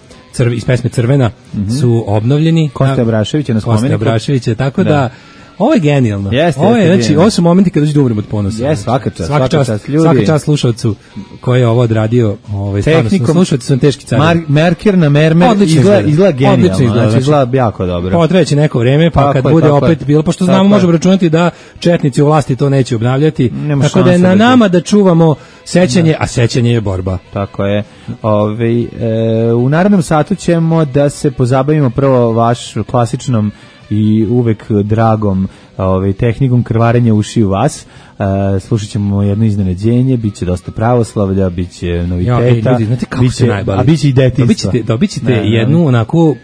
iz pesme Crvena su obnovljeni. Koste Braševića na spomeniku. Koste Braševića, tako da ovo je genijalno. Ovo su momenti kada ću da umrem od ponosa. Svaka čast, ljudi. Svaka čast slušalcu koji je ovo odradio. Tehnikom. Slušalci su teški cari. Merker na mermer izgleda genijalno. Znači izgleda jako dobro. Potreće neko vreme, pa kad bude opet bilo, pošto znamo, možemo računati da četnici u vlasti to neće obnavljati. Tako da je na nama da čuvamo sećanje, a sećanje je borba. Tako je. U narednom satu ćemo da se pozabavimo prvo vaš klasičnom i uvek dragom tehnikom krvarenja ušiju vas. Slušat ćemo jedno iznenađenje, bit će dosta pravoslavlja, bit će noviteta, a bit će i detinjstva. Dobit ćete jednu onako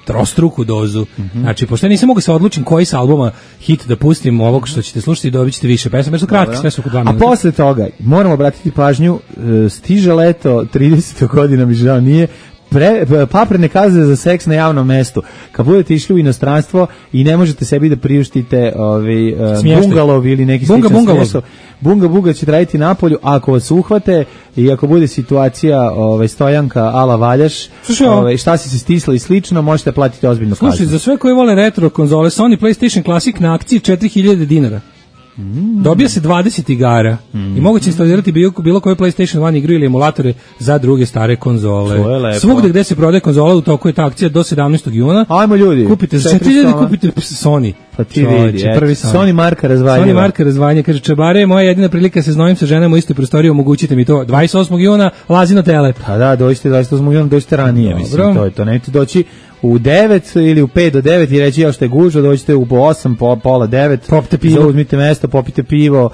trostruku dozu. Znači, pošto ja nisam mogu se odlučim koji sa albuma hit da pustim ovog što ćete slušati, dobit ćete više pesama, jer su kratki, sve su oko 2 minuta. A posle toga, moramo obratiti pažnju, stiže leto, 30. godina mi žao nije, paprene kazne za seks na javnom mestu. Kad budete išli u inostranstvo i ne možete sebi da priuštite bungalov ili neki sličan smještaj, bunga će raditi napolju, a ako vas uhvate i ako bude situacija stojanka ala valjaš, šta si se stisla i slično, možete platiti ozbiljno kaznu. Slušaj, za sve koji vole retro konzole, Sony PlayStation Classic na akciji 4000 dinara. Dobija se 20 igara i moguće instalirati bilo koju PlayStation 1 igru ili emulatore za druge stare konzole. Svugde gde se prodaje konzola u toku je ta akcija do 17. juna. Ajmo ljudi. Kupite za 4000, kupite Sony. Pa ti vidi, Sony marka razvaljava. Sony marka razvaljava. Kaže, čabare, moja jedina prilika se znojim sa ženama u istoj prostoriji, omogućite mi to. 28. juna, Lazino Telep. Pa da, dođite 28. juna, dođite ranije, mislim, to je to. Nećete doći u 9 ili u 5 do 9 i reći što je gužva, dođite u 8, pola 9, popite pivo, zauzmite mesto, popite pivo,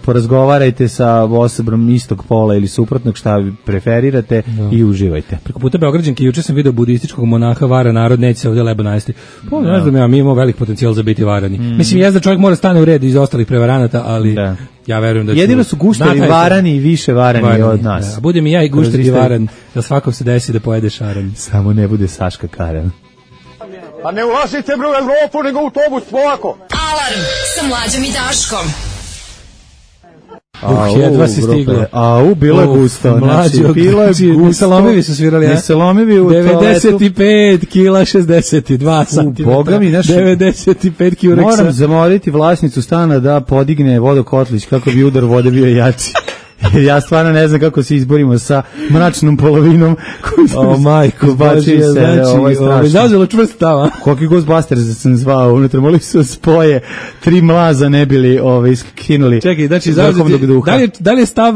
porazgovarajte sa osobom istog pola ili suprotnog, šta vi preferirate i uživajte. Preko puta Beograđanke juče sam video budističkog monaha vara narod, neće se ovdje leba najesti. Pa ne znam, mi imamo velik potencijal za biti varani. Mislim, jezda čovjek mora stane u red iz ostalih prevaranata, ali ja verujem da jedino su gušteri varani i više varani od nas. Da, budem i ja i gušter i varan, da svakom se desi da pojede šaran. Samo ne bude Saška Karen. Pa ne ulazite u Evropu, nego u autobus, polako. Alarm sa Mlađom i Daškom. Jedva si stiglo. Bilo je gusto. Znači, bilo je gusto. Nesalomivi su svirali, ja? Nesalomivi u 95 kila 62 santimetra. Boga mi, znaš, 95 kjureksa. Moram zamoliti vlasnicu stana da podigne vodokotlić kako bi udar vode bio jači. Ja stvarno ne znam kako se izborimo sa mračnom polovinom koju majko Božje, znači zauzelo čvrst tava. Koliki Ghostbusters sam zvao, unutra mogli su spoje 3 mlaza ne bili skinuli. Čekaj, znači da li je stav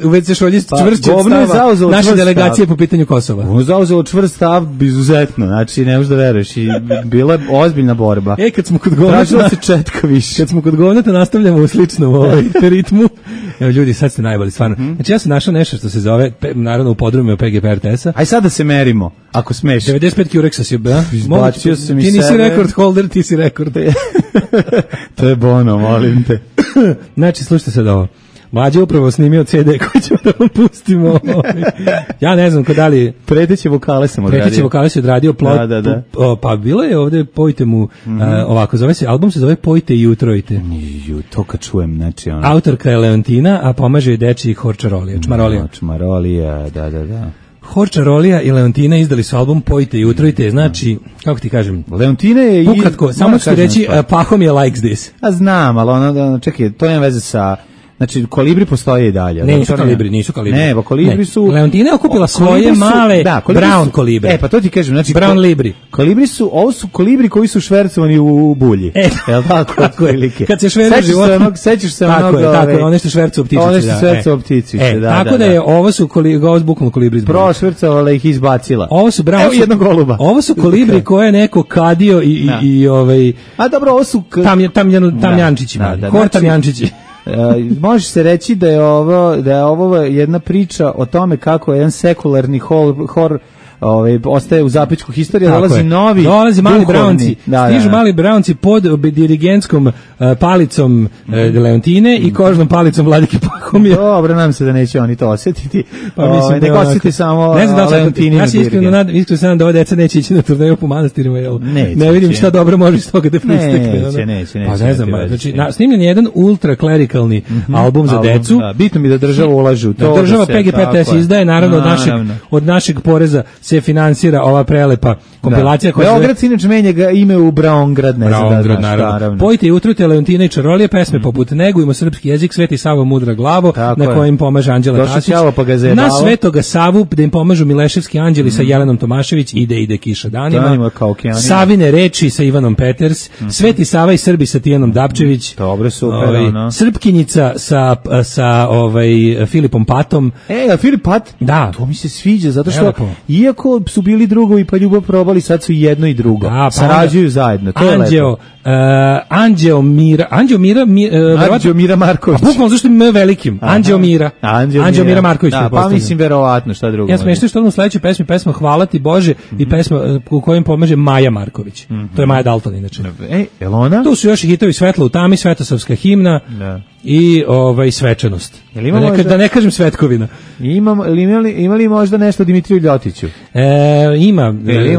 u već se šolji čvrst stava naše delegacije po pitanju Kosova? Ono zauzelo čvrst stav izuzetno, znači ne možeš da veruješ i bila je ozbiljna borba. Kad smo kod govnata se četka više. Kad smo kod govnata nastavljamo u sličnom ritmu. Evo ljudi, sad ste najbolji, stvarno. Znači ja sam našao nešto što se zove, naravno u podrumu PGP RTS-a. Aj sad da se merimo, ako smeš. 95 Curexa si, da? Izbacio sam i ti nisi rekord holder, ti si rekord. To je Bono, molim te. Znači, slušajte sad ovo. Mlađe upravo snimio CD koji ćemo da vam pustimo. Ja ne znam da li... Preteće vokale sam odradio. Preteće vokale si odradio. Da. Pa bilo je ovde, pojte mu, ovako, album se zove Pojte i utrojite. To kad čujem, znači ono... Autorka je Leontina, a pomaže joj deči Horčarolija, Čmarolija. Čmarolija, da. Horčarolija i Leontina izdali su album Pojte i utrojite, znači, kako ti kažem? Leontina je... Ukratko, samo ću ti reći, Pahom je likes this. A znam, ali ono, čekaj, to nema veze sa Znači, kolibri postoje i dalje. Ne, nisu kolibri. Ne, kolibri su... Leontina je okupila svoje male brown kolibre. Pa to ti kažem, znači... Brown libri. Kolibri su, ovo su kolibri koji su švercovani u bulji. Jel tako? Kad se šveruje život... Sećaš se onog... Tako je, one što švercu ptičice. One što švercu ptičice, da. Tako da je, ovo su bukvalno kolibri izbog. Prošvercovala ih izbacila. Ovo su brown... Evo jednog goluba. Ovo su kolibri koje je neko kadio i A dobro, ovo su... Tamjančići. Hor tamjančići. Može se reći da je ovo jedna priča o tome kako je jedan sekularni hor ostaje u zapećku historije, dolazi mali braunci, stižu mali braunci pod dirigentskom palicom Leontine i kožnom palicom Vladike Pahomija. Dobro, nam se da neće oni to osjetiti. Pa mislim da osjeti samo Leontininu. Ja se iskreno sam da ova deca neće ići na turneju po manastirima, jer ne vidim šta dobro može iz toga da pristekne. Neće. Pa ne znam, znači snimljen je jedan ultra-klerikalni album za decu. Bitno mi da država ulaže u to. Država PGPTS izdaje, naravno od našeg poreza se finansira ova prelepa kompilacija. Beograd se inače menja ime u Braungrad, ne znam da znaš, naravno. Pojte i utrujte Leontina i Čarolije, pesme poput Negujmo srpski jezik, Sveti Savo mudra glavo, na kojem pomaže Anđela Tasić. Na Svetoga Savu, da im pomažu Mileševski anđeli sa Jelenom Tomašević, ide kiša danima. Savine reči sa Ivanom Peters, Sveti Sava i Srbi sa Tijanom Dapčević. Dobro, super. Srpkinjica sa Filipom Patom. Filip Pat? Da. To mi se sviđa, zato što iako su bili drugovi pa ljubav probali, sad su jedno i drugo. Sarađuju zajedno, to je lepo. Anđeo Mira Marković. A bukvalno zašto je velikim? Anđeo Mira Marković. Da, pa mislim verovatno šta drugo. Ja smešno što u sledećoj pesma Hvala ti Bože i pesma u kojoj pomaže Maja Marković. To je Maja Dalton inače. Jel ona? Tu su još i hitovi Svetlo u tami, Svetosavska himna i svečanost. Da ne kažem Svetkovina. Ima li možda nešto Dimitriju Ljotiću? Ima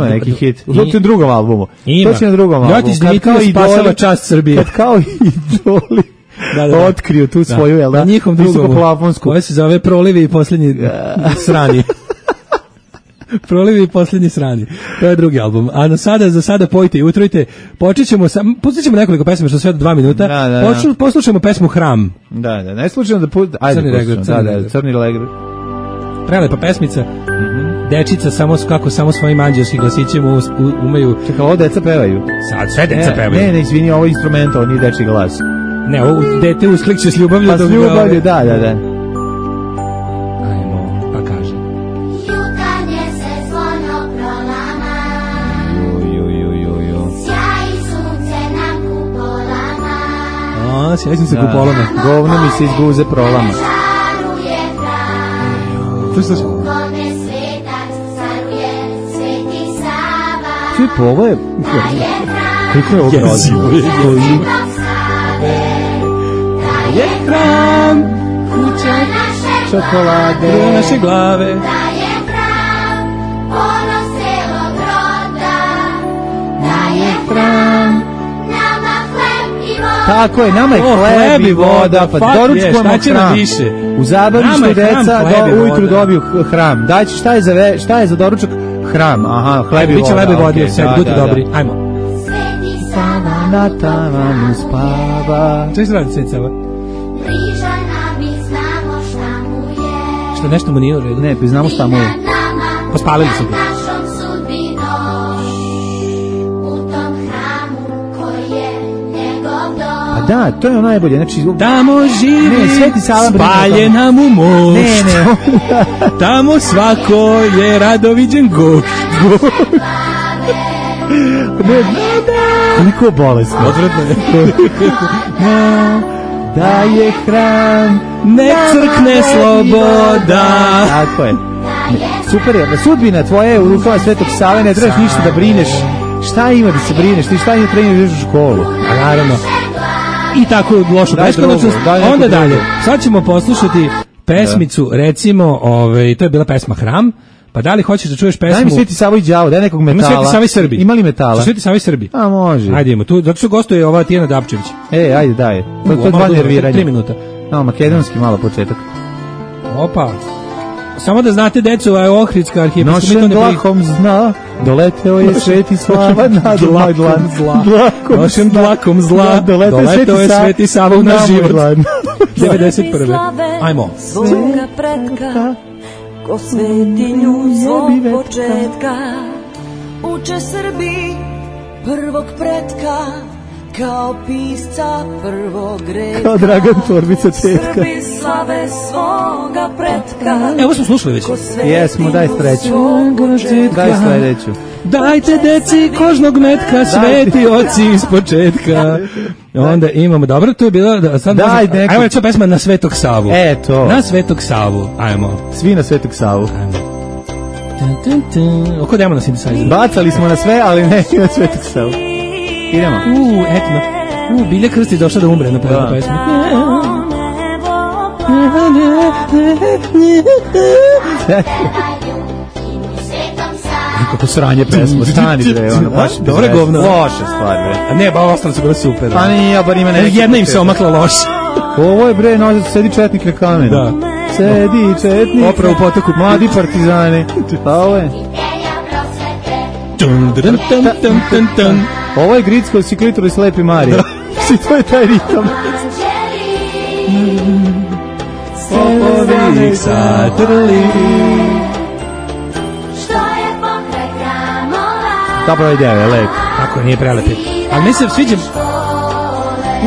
neki hit. To je na drugom albumu. Ima. To će na drugom albumu. Ljotić Dimitriju spasava čast Srbije. Kad kao idoli otkriju tu svoju, jel da? Visokoplafonsku. Koja se zove Prolivi i posljednji srani. Prolivi i posljednji srani. To je drugi album. A za sada pojte i utrojite. Pustit ćemo nekoliko pesma, što sve do 2 minuta. Poslušamo pesmu Hram. Ne slušamo da Crni regler. Prelepa pesmica. Dečica samo svojim anđelskim glasićem umeju. Čekaj, ovo deca pevaju. Sad sve deca pevaju. Ne, izvini, ovo je instrument, ovo nije dečji glas. Ne, ovo dete usklikće s ljubavlju. Pa s ljubavlju, da. Ajmo, pa kaže. Jutarnje se zvono prolama. Sjaj sunce nam kupolama. Sjaj sunce kupolama. Govno mi se iz guze prolama. Žaruje hram. To što smo? Pa ovo je... Koliko je ovo grozno? Je hram, kuća čokolade, naše glave. Da je hram, ponos celog roda. Da je hram, nama hleb i voda. Tako je, nama je hleb i voda, pa doručkujemo hram. U zabavištu deca ujutru dobiju hram. Dajte, šta je za doručak? Hram, hleb i voda. Biće hleb i voda, sve, budite dobri. Ajmo. Sveti Sava na tavanu spava. Što se radi Sveti Sava? Bliža nam i znamo šta mu je. Što nešto mu nije u redu? Ne, pa znamo šta mu je. Pospalili su ga. Našom sudbinom u tom hramu koji je njegov dom. A da, to je ono najbolje. Znači, tamo živi Sveti Sava spaljena mu moć. Ne. Tamo svako je radoviđen gošt. Koliko bolesno. Odvratno je. Da je hram, nek crkne sloboda. Tako je. Super je, da sudbina tvoja je u rukama Svetog Save, ne trebaš ništa da brineš. Šta ima da se brineš? Ti šta ima treniraš u školu? A naravno. I tako lošu beskonačnost. Onda dalje. Sad ćemo poslušati pesmicu, recimo, to je bila pesma Hram. Pa da li hoćeš da čuješ pesmu? Daj mi Sveti Savo i đavo, daj nekog metala. Sveti Sava i Srbi. Ima li metala? Sveti Sava i Srbi. A može. Ajde idemo, tu, zato što gostuje ova Tijana Dapčević. Ajde, daj. To je dva nerviranja. 3 minuta. Makedonski malo početak. Opa. Samo da znate, deco, Ohridska arhijepiskop. Nošen dlakom zna, doleteo je Sveti Sava na moj dlan. Nošen dlakom zla, doleteo je Sveti Sava u naš život. 91. Ajmo. Svoga pretka, ko svetinju svog početka, uče Srbi prvog pretka, kao pisca prvog reka. Kao Dragan Torbica tetka. Srbi slave svoga pretka. Evo smo slušali već. Jesmo, daj treću. Daj sledeću. Dajte deci kožnog metka, sveti oci iz početka. Onda imamo, dobro, to je bilo... Ajmo reći pesma Na Svetog Savu. Eto. Na Svetog Savu, ajmo. Svi na Svetog Savu. Oko demo na synthesizer. Bacali smo na sve, ali ne na Svetog Savu. Idemo. Etno. Bilja Krstić došla da umre na pojedinu pesmu. Kako sranje pesmu, stani bre, ono baš dobro govno. Loša stvar bre. A ne, ba ostalo su bilo super. Pa nije, bar ima neki. Jedna im se omakla loše. Ovo je bre, no, sedi četnik na kamenu. Da. Sedi četnik. Opra u potoku. Mladi partizani. Pa ovo je. Ovo je Gricko, Siklitor i Slepi Marija. I to je taj ritam. Popovi ih satrli. Dobro ideja, je lep. Kako nije prelepi. Ali mi se sviđa...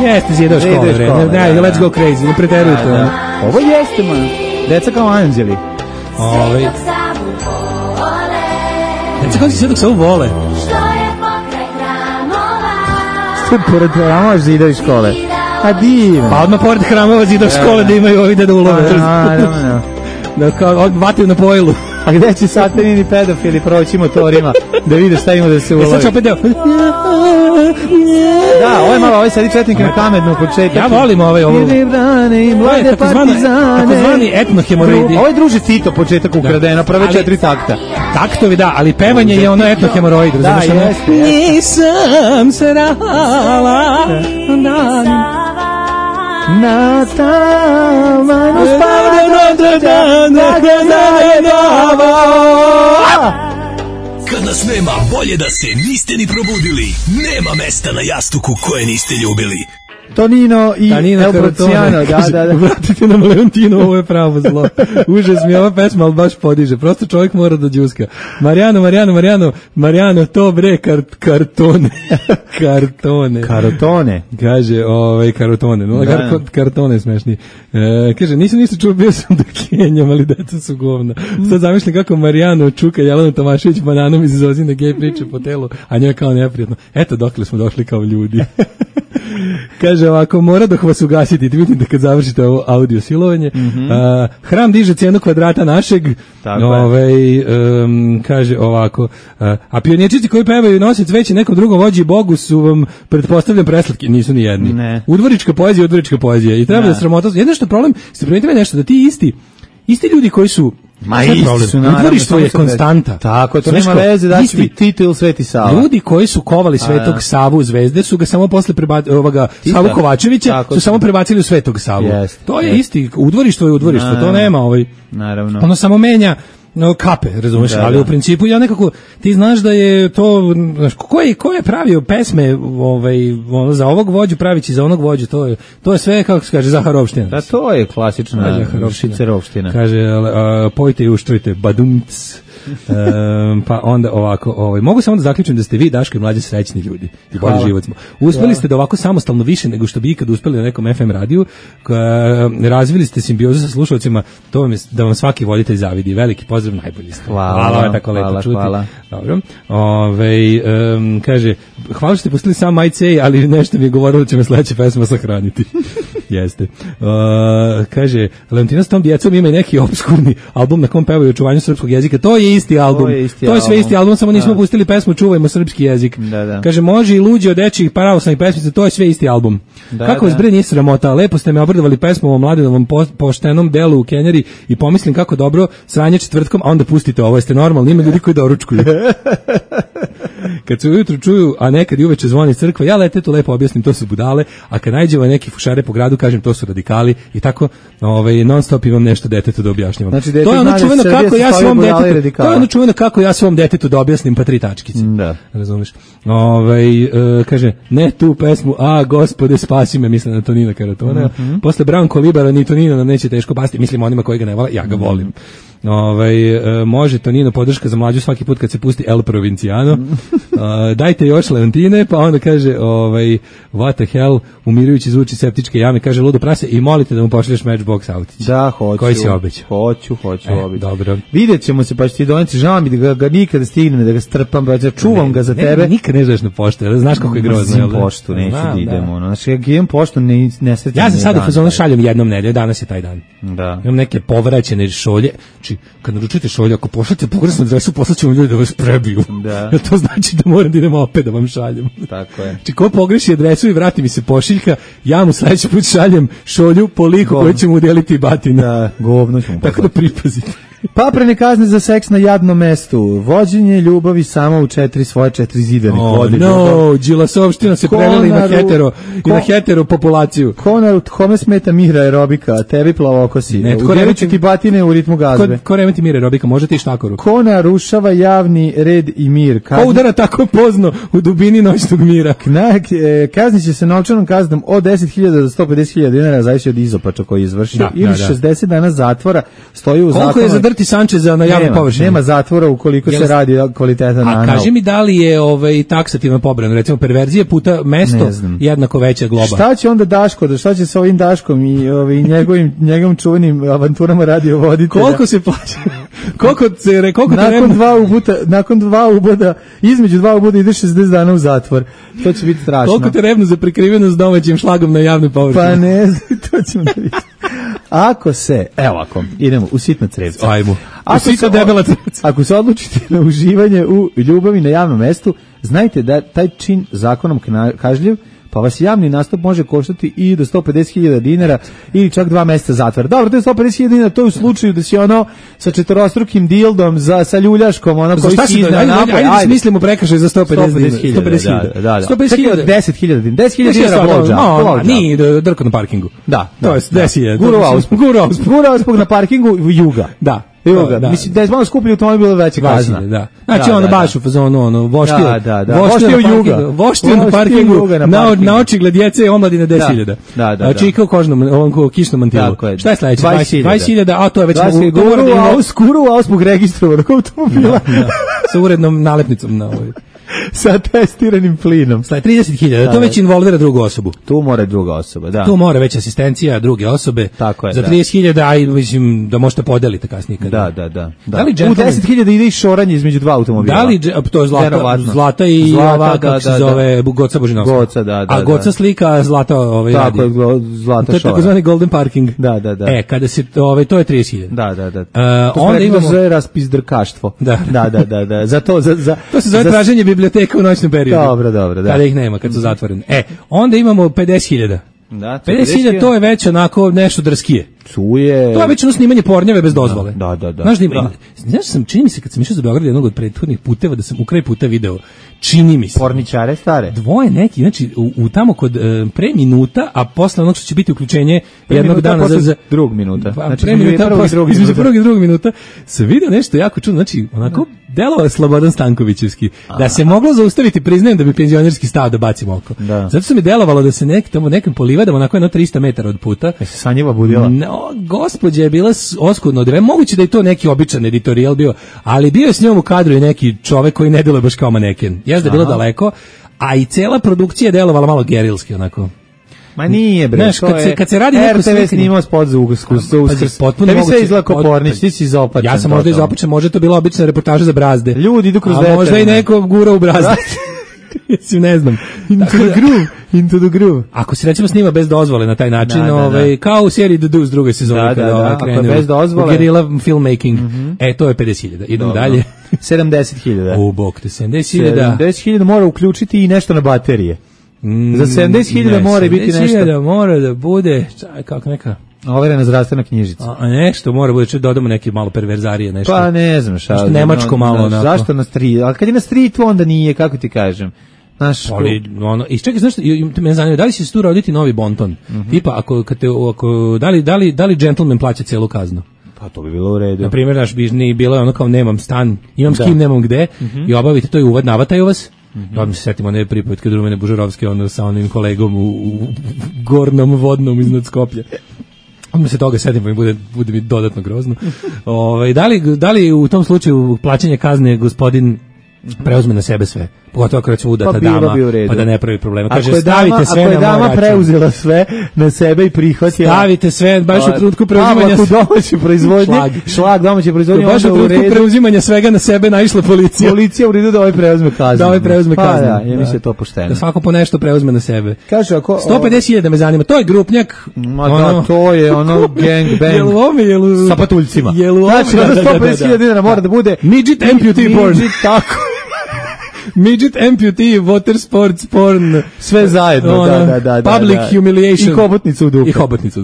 Jeste, zidao škole, bre. Let's go crazy, ne preterujte. Ovo jeste, man. Deca kao anđeli. Deca kao si sve dok se ovo vole. Sve pored hramova zidao škole. A divno. Pa odmah pored hramova zidao škole da imaju ovi da ulove. Da kao vataju na pojilu. A gde će satanini pedofili proći motorima da vide šta ima da se ulovi? Sad ću opet deo. Da, ovo je malo, ovo je sad i četnik na kamenu početak. Ja volim ovo. Ili brane i mlade partizane. Takozvani etnohemoroidi. Ovo je druže Tito početak ukradeno, prve 4 takta. Taktovi, da, ali pevanje je ono etnohemoroid. Da, jeste. Nisam se rala na tavanu spada Kad nas nema, bolje da se niste ni probudili. Nema mesta na jastuku koje niste ljubili. Tonino i El Porciano, da. Vratite nam Leontino, ovo je pravo zlo. Užas mi ova pesma, ali baš podiže. Prosto čovjek mora da džuska. Marijano, to bre, kartone. Karotone. Kaže, karotone. Kartone smešni. Kaže, nisam ništa čuo, bio sam do Kenjam, ali deca su govna. Sad zamišljam kako Marijano čuka Jelenu Tomašević bananom iz Zozine gej priče po telu, a njoj kao neprijatno. Eto dokle smo došli kao ljudi. Kaže ovako, mora dok vas ugasiti, vidim da kad završite ovo audio silovanje. Hram diže cijenu kvadrata našeg. Kaže ovako, a pionirčici koji pevaju nosi cveće nekom drugom vođi Bogu su vam, pretpostavljam, preslatki, nisu ni jedni. Udvorička poezija i treba da sramota. Jedno što problem, ste primetili nešto, da ti isti ljudi koji su udvorištvo je konstanta. Tako, to nema veze da će biti Tito ili Sveti Sava. Ljudi koji su kovali Svetog Savu zvezde su ga samo posle Savu Kovačevića su samo prebacili u Svetog Savu. To je isti, udvorištvo je udvorištvo, to nema naravno. Ono samo menja kape, razumeš, ali u principu ja nekako, ti znaš da je to, ko je pravio pesme za ovog vođu pravići za onog vođu, to je sve, kako se kaže, Zaharovština. Da, to je klasična Šicerovština. Kaže, pojte i uštrujte, badumc. Pa onda ovako, mogu samo da zaključim da ste vi, Daško i Mlađe, srećni ljudi i bolji život smo. Uspeli ste da ovako samostalno više nego što bi ikad uspeli na nekom FM radiju, razvili ste simbiozu sa slušalcima, to vam je da vam svaki voditelj zavidi. Veliki pozdrav, najbolji ste. Hvala, tako lepo čuti. Dobro. Kaže, hvala što ste pustili sam Majcej, ali nešto mi je govorilo da će me sledeća pesma sahraniti. Jeste. Kaže, Leontina s tom djecom ima i neki obskurni album na kom pevaju očuvanju srpskog jezika. To je isti album. To je sve isti album, samo nismo pustili pesmu Čuvajmo srpski jezik. Kaže, može i luđi od dečjih pravoslavnih pesmica, to je sve isti album. Kako vas bre nije sramota, lepo ste me obradovali pesmom o Mladenovom poštenom delu u Kenjari i pomislim kako dobro sranje četvrtkom, a onda pustite ovo, jeste normalni, ima ljudi koji doručkuju. Kad se ujutru čuju, a nekad i uveče zvoni crkva, ja letetu lepo objasnim, to su budale, a kad najđemo neki fušare po gradu, kažem to su radikali i tako non stop imam nešto detetu da objašnjavam. Znači, to je ono čuveno kako ja svom detetu, to je ono čuveno kako ja svom detetu da objasnim pa 3 tačkice. Da. Razumeš? Kaže, ne tu pesmu, a gospode spasi me, mislim na Tonina Karatona. Posle Branko Libera ni Tonina nam neće teško pasti, mislim onima koji ga ne vole, ja ga volim. Može Tonino podrška za mlađu svaki put kad se pusti El Provinciano. Dajte još Leontine, pa onda kaže what the hell, umirujući zvuči septičke jame, kaže ludo prase i molite da mu pošalješ Matchbox autić. Da, hoću. Koji si obećao? Hoću obećao. Dobro. Vidjet ćemo se, pa ću ti doneti, žao mi da ga nikada stignem, da ga strpam, pa čuvam ga za tebe. Nikad ne znaš na poštu, znaš kako je grozno. Zim poštu, neću da idemo. Znači, ja imam poštu, ne srećem. Ja sam sad u fazonu šaljem jednom nedelju, danas je taj dan. Da. Imam neke povraćene šolje. Znači, kad naručujete šolje, ako pošaljete pogrešnu adresu, poslaćemo ljudi da vas prebiju. Da. To znači da moram da idem opet da vam šaljem. Tako je. Znači, ko pogreši adresu i vrati mi se pošiljka, ja mu sledeći put šaljem šolju po liku koju ćemo udeliti batina. Da, govno ćemo. Tako da pripazite. Paprene kazne za seks na jadnom mestu. Vođenje ljubavi samo u 4 zidane. Đilasovština se prelili na hetero populaciju. Kome smeta Mira aerobika, tebi plavokosi. Udjelit ti batine u ritmu gazbe. Ko remeti Mira aerobika, možete i štakoru. Ko narušava javni red i mir. Ko udara tako pozno u dubini noćnog mira. Kaznit će se novčanom kaznom od 10.000 do 150.000 dinara, zavisi od izopača koji je izvršio. Ili 60 dana zatvora. Stoji u zakonu. Koliko je zadrti Sančeza na javnom površini? Nema zatvora ukoliko se radi kvalitetan anal. A kaži mi da li je taksativno pobrojano, recimo perverzije puta mesto jednako veća globa. Šta će onda Daško, šta će sa ovim Daškom i njegovim čuvenim avanturama radiovoditelja? Koliko se plaća? Nakon 2 uboda, između 2 uboda ide 60 dana u zatvor. To će biti strašno. Koliko te revno za prikrivenost domaćim šlagom na javnoj površini? Pa ne znam, to ćemo da vidimo. Ako se, evo ako, idemo u sitna crevca. Ajmo. Ako se odlučite na uživanje u ljubavi na javnom mestu, znajte da taj čin zakonom kažljiv, pa vas javni nastup može koštati i do 150.000 dinara ili čak 2 meseca zatvora. Dobro, to je 150.000 dinara, to je u slučaju da si sa 4-strukim dildom, sa ljuljaškom, koji si iznao napoj. Ajde da smislimo prekršaj za 150.000. 150.000. Da. 150.000. 10.000 dinara. 10.000 dinara blowjob. Nije drko na parkingu. Da. To je 10.000. Gura auspog na parkingu Juga. Da. Mislim da je malo skuplji automobil bilo veća kazna. Da. Znači baš u fazonu voštio na parkingu na očigled djece i omladine 10.000. Da. Čika u kožnom, ovom kišnom mantilu. Šta je sledeće? 20.000, a to je već skuru auspog registrovanog automobila. Sa urednom nalepnicom na ovoj. Sa testiranim plinom. 30.000, to već involvira drugu osobu. Tu mora druga osoba, da. Tu mora već asistencija druge osobe. Tako je, za 30.000, aj mislim da možete podeliti kasnije. Da. Da li u 10.000 ide i šoranje između 2 automobila. Da li, to je Zlata i ova, kako se zove, Goca Božinovska. Goca, da. A Goca slika, Zlata radi. Tako je, Zlata šora. To je takozvani golden parking. Da. Kada se, to je 30.000. Da. Onda imamo zove raspizdrkaštvo. Da. To se zove traženje biblioteka u noćnom periodu. Dobro, da. Kada ih nema, kad su zatvoreni. Onda imamo 50.000. Da, 50.000 to je već onako nešto drskije. To je već snimanje pornjave bez dozvole. Da. Znaš sam, čini mi se kad sam išao za Beograd jednog od prethodnih puteva da sam u kraj puta video, čini mi se. Porničare stare. Dvoje neki, znači u tamo kod pre minuta, a posle onog što će biti uključenje jednog dana za drugog minuta. Znači između prvog i drugog minuta se vidio nešto jako čudno, znači onako delovao Slobodan Stankovićevski. Da se moglo zaustaviti, priznajem da bi penzionerski stao da bacim oko. Zato se mi delovalo da se nekim polivadama onako 300 metara od puta. Se Sanjeva budila. Gospođa je bila oskudno odrevena, moguće da je to neki običan editorijal bio, ali bio je s njom u kadru i neki čovek koji ne deluje baš kao maneken. Jeste da je bilo daleko, a i cela produkcija je delovala malo gerilski onako. Ma nije bre, znaš, kad se radi neko RTV snimao spot za Uskrs. Tebi sve izgleda kao Pornić, ti si izopačen. Ja sam možda izopačen, možda to bila obična reportaža za brazde. Ljudi idu kroz veter. A možda i neko gura u brazde. Mislim, ne znam. Into the groove. Ako se recimo snima bez dozvole na taj način, kao u seriji The Deuce druge sezone kada krenu bez dozvole, guerrilla filmmaking, to je 50.000. Idemo dalje. 70.000. U bok te 70.000. 70.000 mora uključiti i nešto na baterije. Za 70.000 mora biti nešto. 70.000 mora da bude, kako neka overena zdravstvena knjižica. A nešto mora bude, dodamo neke malo perverzarije, nešto. Pa ne znam šta. Nemačko malo onako. Zašto na street? Ali kad je na streetu onda nije, kako ti kažem. Znaš, ali ono, i čekaj, znaš, me zanima, da li će se tu roditi novi bonton? Tipa, ako da li gentleman plaća celu kaznu? Pa to bi bilo u redu. Na primjer, naš bi bilo ono kao nemam stan, imam s kim, nemam gde, i obavite to i uvad, navataju vas. Odmah se setimo one pripovetke Drumene Bužarovske, ono sa onim kolegom u gornom vodnom iznad Skoplja. Odmah se toga setimo i bude mi dodatno grozno. Da li u tom slučaju plaćanje kazne gospodin preuzme na sebe sve? Pogotovo ako recimo udata dama, pa da ne pravi problema. Kaže, stavite sve na moj račun. Ako je dama preuzela sve na sebe i prihvatila... Stavite sve, baš u trenutku preuzimanja... domaće proizvodnje, šlag domaće proizvodnje... Baš u trenutku preuzimanja svega na sebe naišla policija. Policija u redu da ovaj preuzme kaznu. Da ovaj preuzme kaznu. Da, ja mislim to pošteno. Da svako po nešto preuzme na sebe. Kaže, ako... 150.000 me zanima, to je grupnjak... Ma da, to je ono gang bang. Sa patuljcima. Znači, 150.000 dinara mora da bude... Midget amputee porn. Tako. Midget amputee, water sports porn, sve zajedno, da. Public humiliation. I hobotnicu u dupe.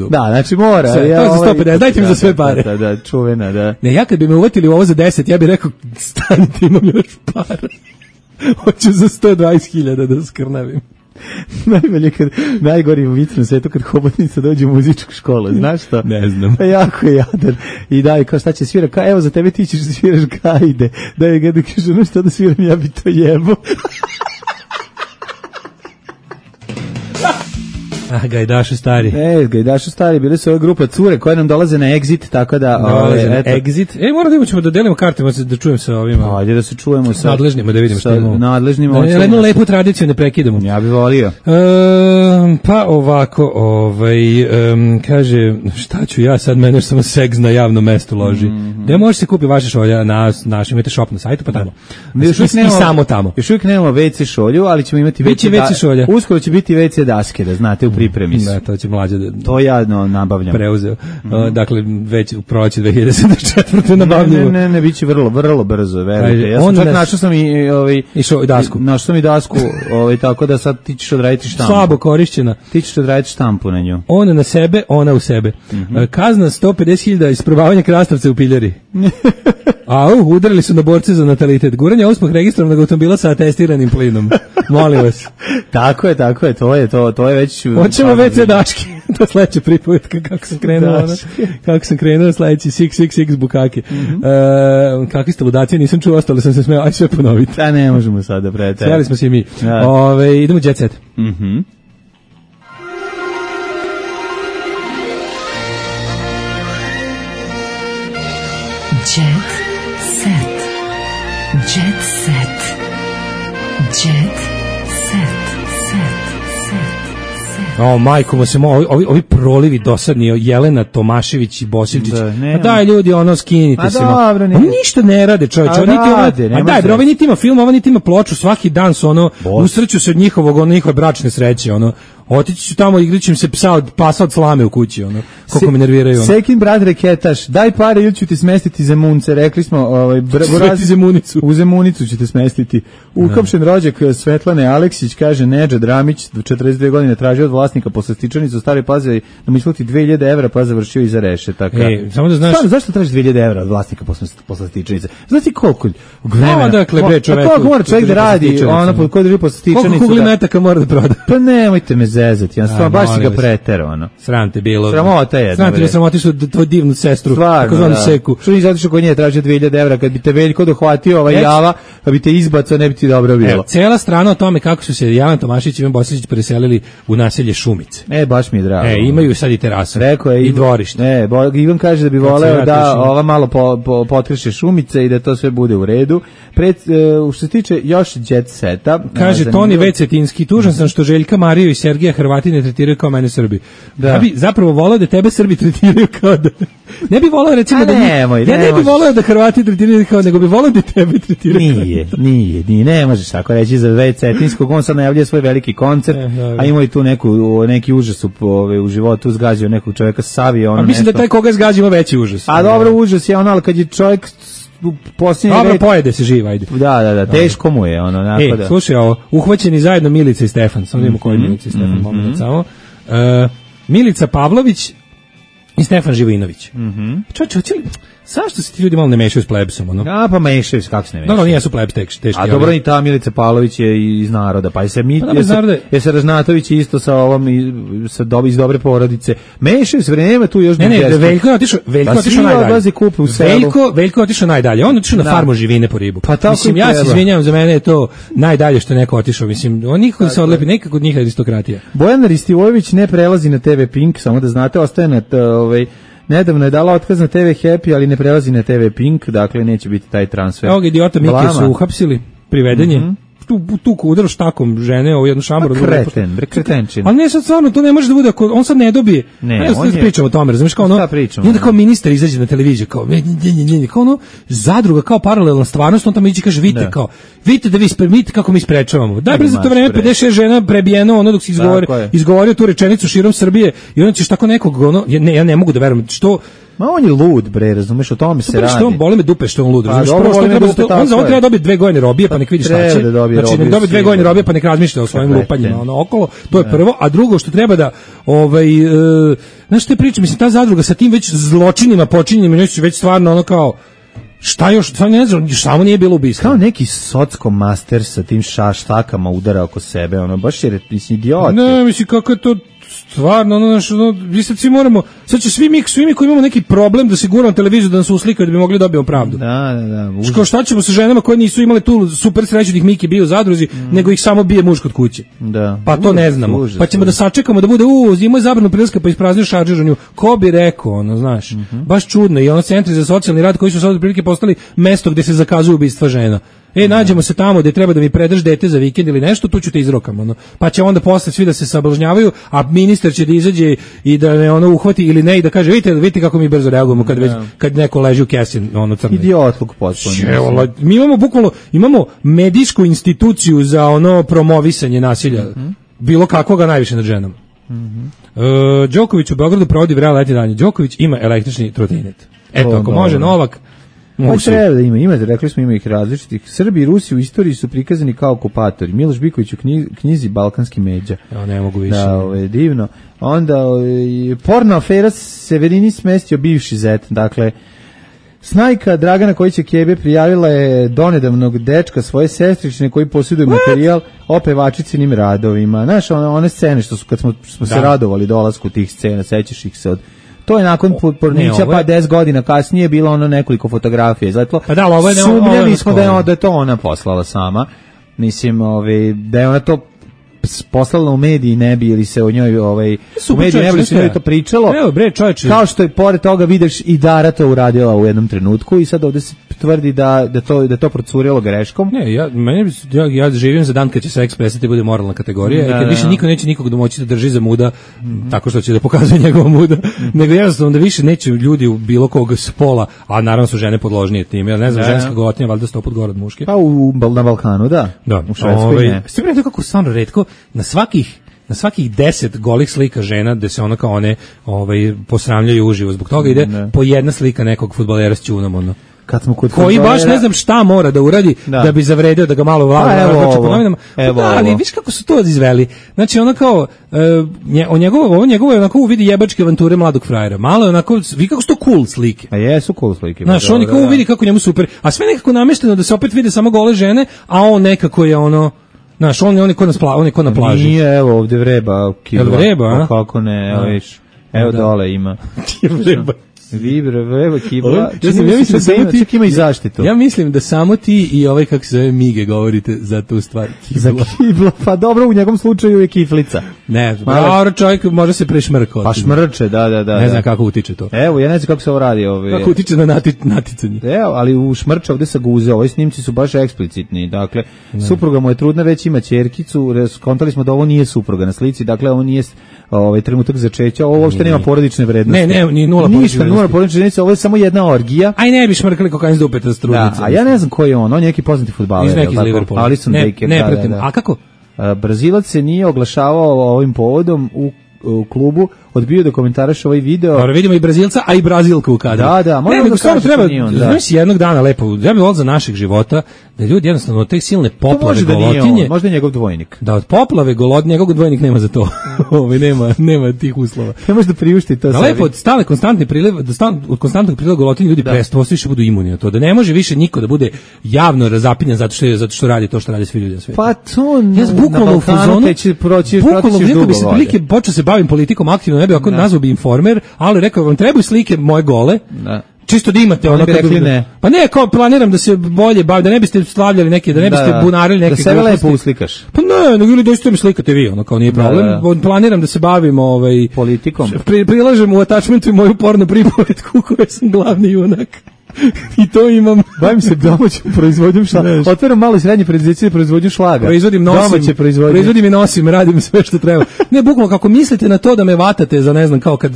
Da, znači mora. Sve, to je za 150, dajte mi za sve pare. Da, čuvena, da. Ne, ja kad bi me uvatili u ovo za 10, ja bih rekao, stanite, imam još para. Hoću za 120.000 da skrnavim. Najbolje najgori vic na svetu kad hobotnica dođe u muzičku školu, znaš što? Ne znam. Pa jako je jadan. I daj, kao šta će svira, kao evo za tebe ti ćeš da sviraš gajde. Daj ga da kaže, no što da sviram, ja bi to jebo. Gajdašu stari. Gajdašu stari, bili su ova grupa cure koje nam dolaze na Exit, tako da... Exit. Moramo da dodelimo karte, da čujem sa ovima. Ajde da se čujemo sa... nadležnima, da vidimo što imamo. Nadležnima. Jednu lepu tradiciju ne prekidamo. Ja bih volio. Pa ovako, kaže, šta ću ja sad, mene samo seks na javnom mestu loži. Gde može se kupi vaše šolja na našem, imate shop na sajtu, pa tamo. I samo tamo. Još uvijek nemamo WC šolju, ali ćemo imati WC šolja. Uskoro će biti WC daske, da znate, u pripremi su. Da, to će mlađe to ja nabavljam. Preuzeo. Dakle, već u proleće 2024. nabavljamo. Ne, biće vrlo brzo, verujte. Ja sam čak našao sam i dasku. Našao sam i dasku, tako da sad ti ćeš odraditi štampu. Slabo korišćena. Ti ćeš odraditi štampu na nju. Ona na sebe, ona u sebe. Kazna 150.000 isprobavanja krastavca u piljari. Udarili su na borce za natalitet. Guranje uspeh registrovanog automobila sa atestiranim plinom. Molim vas. Tako je, to je već... Hoćemo WC daške. To je sledeća pripovetka kako sam krenuo sledeći 666 bukake. Kakvi ste ludacije, nisam čuo, ostalo sam se smeo, aj sve ponoviti. Da, ne možemo sada, brete. Smijali smo se i mi. Idemo Jet Set. Jet Set. Jet Set. Jet Set. Majko, ovi prolivi dosadni, Jelena Tomašević i Bosiljčić. Daj ljudi, skinite se. Oni ništa ne rade, čovječe. Ovi niti ima film, ovo niti ima ploču, svaki dan su usreću se od njihove bračne sreće, otići ću tamo, igrićem se pasa od slame u kući, koliko me nerviraju. Sekin brat reketaš, daj pare ili ću ti smestiti Zemunce, rekli smo, Zemunicu. U Zemunicu ću te smestiti. Uhapšen rođak Svetlane Aleksić, kaže Nedžad Ramić, 42 godine tražio od vlasnika poslastičanicu u Staroj Pazovi da mu isplati 2.000 evra, pa završio iza rešetaka. Samo da znaš... Zašto tražiš 2.000 evra od vlasnika poslastičanice? Znaš ti koliko vremena? Dakle, bre, čoveku. Koliko mora čovjek da radi, ko drži poslastičanicu? Koliko kugli metaka mora da proda? Pa nemojte me zezati, baš si ga preterao, Sram te bilo. Sramota je. Sramoti su tvoju divnu sestru, takozvanu Seku. Što nisi otišao kod nje, tražio 2.000 evra, kad bi te Veljko dohvatio java, kad bi te izbacao, ne bi ti dobro bilo. Cijela strana o tome kako su se Jelena Tomašić i Ivan Bosilić preselili u naselje Šumice. Baš mi je drago. Imaju sad i terasu. Rekao je i dvorište. Ivan kaže da bi voleo da ova malo potreše Šumice i da to sve bude u redu. Što se tiče još Jet Seta, kaže Toni Vecetinski, tužan sam što Željka Mariju i Sergeja Hrvati ne tretiraju kao mene Srbi. Ja bi zapravo voleo da tebe Srbi tretiraju kao da... Ne bi voleo recimo da... Ja ne bi voleo da Hrvati tretiraju kao, nego bi voleo da tebe tretiraju. Nije, ne možeš tako reći za Vecetinskog, on sad najavljuje svoj veliki koncert, a imao i tu neki užas u životu, zgađao nekog čovjeka, savio ono nešto. Mislim da taj koga zgađa ima veći užas. A dobro, užas je ali kad je čovjek dobro, pojede se živ, ajde. Da, teško mu je slušaj ovo, uhvaćeni zajedno Milica i Stefan, samo vidimo koji je Milica i Stefan, moment samo. Milica Pavlović i Stefan Živojinović. Zašto se ti ljudi malo ne mešaju s plebsom, ono? A, pa mešaju se, kako se ne mešaju? No, nijesu plebs teški. A dobro, i ta Milica Pavlović je iz naroda, pa je se Ražnatović isto sa ovom, iz dobre porodice. Mešaju se, nema tu još... Ne, Veljko je otišao najdalje. Veljko je otišao najdalje, on otišao na farmu živine po ribu. Pa mislim, ja se izvinjavam, za mene je to najdalje što je neko otišao, mislim, on nikako se odlepi, nekako od njih aristokratija. Bojana Ristivojević ne prelazi na TV Pink, samo da znate, ostaje na nedavno je dala otkaz na TV Happy, ali ne prelazi na TV Pink, dakle neće biti taj transfer. Ovog idiota Mike su uhapsili, privedenje. Tu udaru štakom žene, ovo jednu šambaru. Kretenčin. Ali ne, sad stvarno, to ne može da bude, on sad ne dobije. Ne, on je... Pričamo o tome, razumiješ, kao ono, i onda kao ministar izađe na televiziju, kao ono, zadruga, kao paralelna stvarnost, on tamo ići kaže, vidite da vidite kako mi sprečavamo. Daj, bre, za to vreme 56 žena prebijeno, ono dok si izgovorio tu rečenicu širom Srbije, i onda ćeš tako nekog, ono, ja ne mogu da verujem, što... Ma on je lud, bre, razumeš, o tome se radi. Što on boli me dupe što on lud, razumeš? On za ovo treba dobiti 2 godine robije, pa nek vidi šta će. Znači, nek dobiti 2 godine robije, pa nek razmišlja o svojim lupanjima, ono, okolo, to je prvo. A drugo što treba da, znaš što te pričam, mislim, ta zadruga sa tim već zločinima počinjenim, već stvarno ono kao, šta još, ne znam, samo nije bilo ubistvo. Kao neki socko master sa tim štakama udara oko sebe, ono, baš je, mislim, idiot. Ne, mislim, kako je to... Stvarno, ono, vi sad svi moramo, sad će svi mi koji imamo neki problem da se guramo televiziju da nas uslikaju da bi mogli dobiti pravdu. Da. Šta ćemo sa ženama koje nisu imale tu super sreću da ih Miki bio u zadruzi, nego ih samo bije muž kod kuće. Da. Pa to ne znamo. Pa ćemo da sačekamo da bude, imao je zabranu prilaska pa ispraznio šaržer u nju. Ko bi rekao, ono, znaš, baš čudno. I ono centri za socijalni rad koji su sad prilike postali mesto gde se zakazuju ubistva žena. Nađemo se tamo gde treba da mi predaš dete za vikend ili nešto, tu ću te izrokam, ono. Pa će onda posle svi da se sablažnjavaju, a ministar će da izađe i da me ono uhvati ili ne i da kaže vidite kako mi brzo reagujemo kad neko leži u kesi, ono, crno. Idiotluk potpuno. Mi imamo bukvalno medijsku instituciju za ono promovisanje nasilja, bilo kakvoga najviše nad ženom. Đoković u Beogradu provodi vrelo leti danje. Đoković ima električni trotinet. Eto, ako može Novak. Pa treba da ima, rekli smo, ima ih različitih. Srbi i Rusi u istoriji su prikazani kao okupatori. Miloš Biković u knjizi Balkanski međa. Ja ne mogu više. Da, divno. Onda porno afera Severini smestio bivši zet. Dakle, snajka Dragana Kojića Kebe prijavila je donedavnog dečka svoje sestrične koji posjeduje materijal o pevačicinim radovima. Znaš, one scene što su, kad smo se radovali dolasku tih scena, sećaš ih se od... To je nakon pornića, pa 10 godina kasnije bilo ono nekoliko fotografija izletlo. Pa da, ovo je sumnjali smo da je to ona poslala sama. Mislim, da je ona to poslala u mediji, ne bi ili se o njoj u mediji ne bi se njoj to pričalo. Evo bre, čoveče. Kao što je pored toga vidiš i Dara to uradila u jednom trenutku i sad ovde se tvrdi da to procurilo greškom. Ne, ja živim za dan kad će seks prestati bude moralna kategorija i kad više niko neće nikog domoći da drži za muda tako što će da pokazuje njegova muda, nego jednostavno da više neće ljudi u bilo kog spola, a naravno su žene podložnije tim. Ja ne znam, ženska gotnja valjda 100 put gore od muške. Pa na Balkanu, da. U Švedskoj ne. Sve pre kako stvarno retko na svakih 10 golih slika žena gde se ono kao one posramljaju uživo. Zbog toga ide po jedna slika nekog fudbalera s ćunom, ono. Kad smo kod koji baš ne znam šta mora da uradi da bi zavredio da ga malo vlada po novinama. Ali viš kako su to izveli. Znači ono kao njegovo je onako uvidi jebačke avanture mladog frajera. Malo je onako, vi kako su to cool slike. A jesu cool slike. Znaš, on kao uvidi kako njemu super. A sve nekako namešteno da se opet vide samo gole žene, a on nekako je ono... Znaš, on je ko na plaži. Nije, evo ovdje vreba kibla. Vreba, a? Kako ne, evo viš. Evo dole ima. Vreba. Vreba kibla. Čak ima i zaštitu. Ja mislim da samo ti i ovaj, kako se zove, Mige govorite za tu stvar. Za kibla, pa dobro, u njegovom slučaju je kiflica. Ne, dobro, čovjek može se prešmrkati. Pa šmrče, da. Ne znam kako utiče to. Evo, ja ne znam kako se ovo radi. Kako utiče na naticanje. Evo, ali u šmrče ovdje sa guze, ovi snimci su baš eksplicitni. Dakle, supruga mu je trudna, već ima ćerkicu, skontali smo da ovo nije supruga na slici, dakle, ovo nije trenutak začeća, ovo uopšte nema porodične vrednosti. Ne, ni nula porodične vrednosti, ovo je samo jedna orgija. Aj ne bi šmrkali kokain s dupeta s trudnicom. Da, a ja ne znam ko je on je neki poznati fudbaler. Iz nekih Liverpoola. Alisson Becker. Ne, pratim. A kako? Brazilac se nije oglašavao ovim povodom u klubu odbio da komentariš ovaj video. Dobro, vidimo i Brazilca, a i Brazilku u kadru. Da, možemo da samo treba, znaš, jednog dana lepo, ja bih volio za naših života, da ljudi jednostavno od te silne poplave golotinje. Možda je njegov dvojnik. Da, od poplave golotinje, njegov dvojnik nema za to. nema tih uslova. Ne može da priušti to sebi. Da lepo, od stale konstantni priliv, od konstantnog priliva golotinje ljudi prestanu, više budu imuni na to. Da ne može više niko da bude javno razapinjan zato što radi to što radi svi ljudi na svetu. Pa to bukvalno u fazonu, bukvalno bi se prilike počeo se bavim politikom aktivno, ne bi ako nazvao bi Informer, ali rekao vam trebaju slike moje gole. Da. Čisto da imate ono kad ne. Pa ne, kao planiram da se bolje bavim, da ne biste slavljali neke, da ne biste bunarili neke. Da sebe lepo uslikaš. Pa ne, nego ili dođete mi slikate vi, ono kao nije problem. Planiram da se bavim politikom. Prilažem u attachmentu moju porno pripovetku u kojoj sam glavni junak. I to imam. Bavim se domaćom proizvodnjom šlaga. Otvaram malo i srednje preduzeće proizvodnju šlaga. Proizvodim i nosim, radim sve što treba. Ne, bukvalno kako mislite na to da me vatate za ne znam kao kad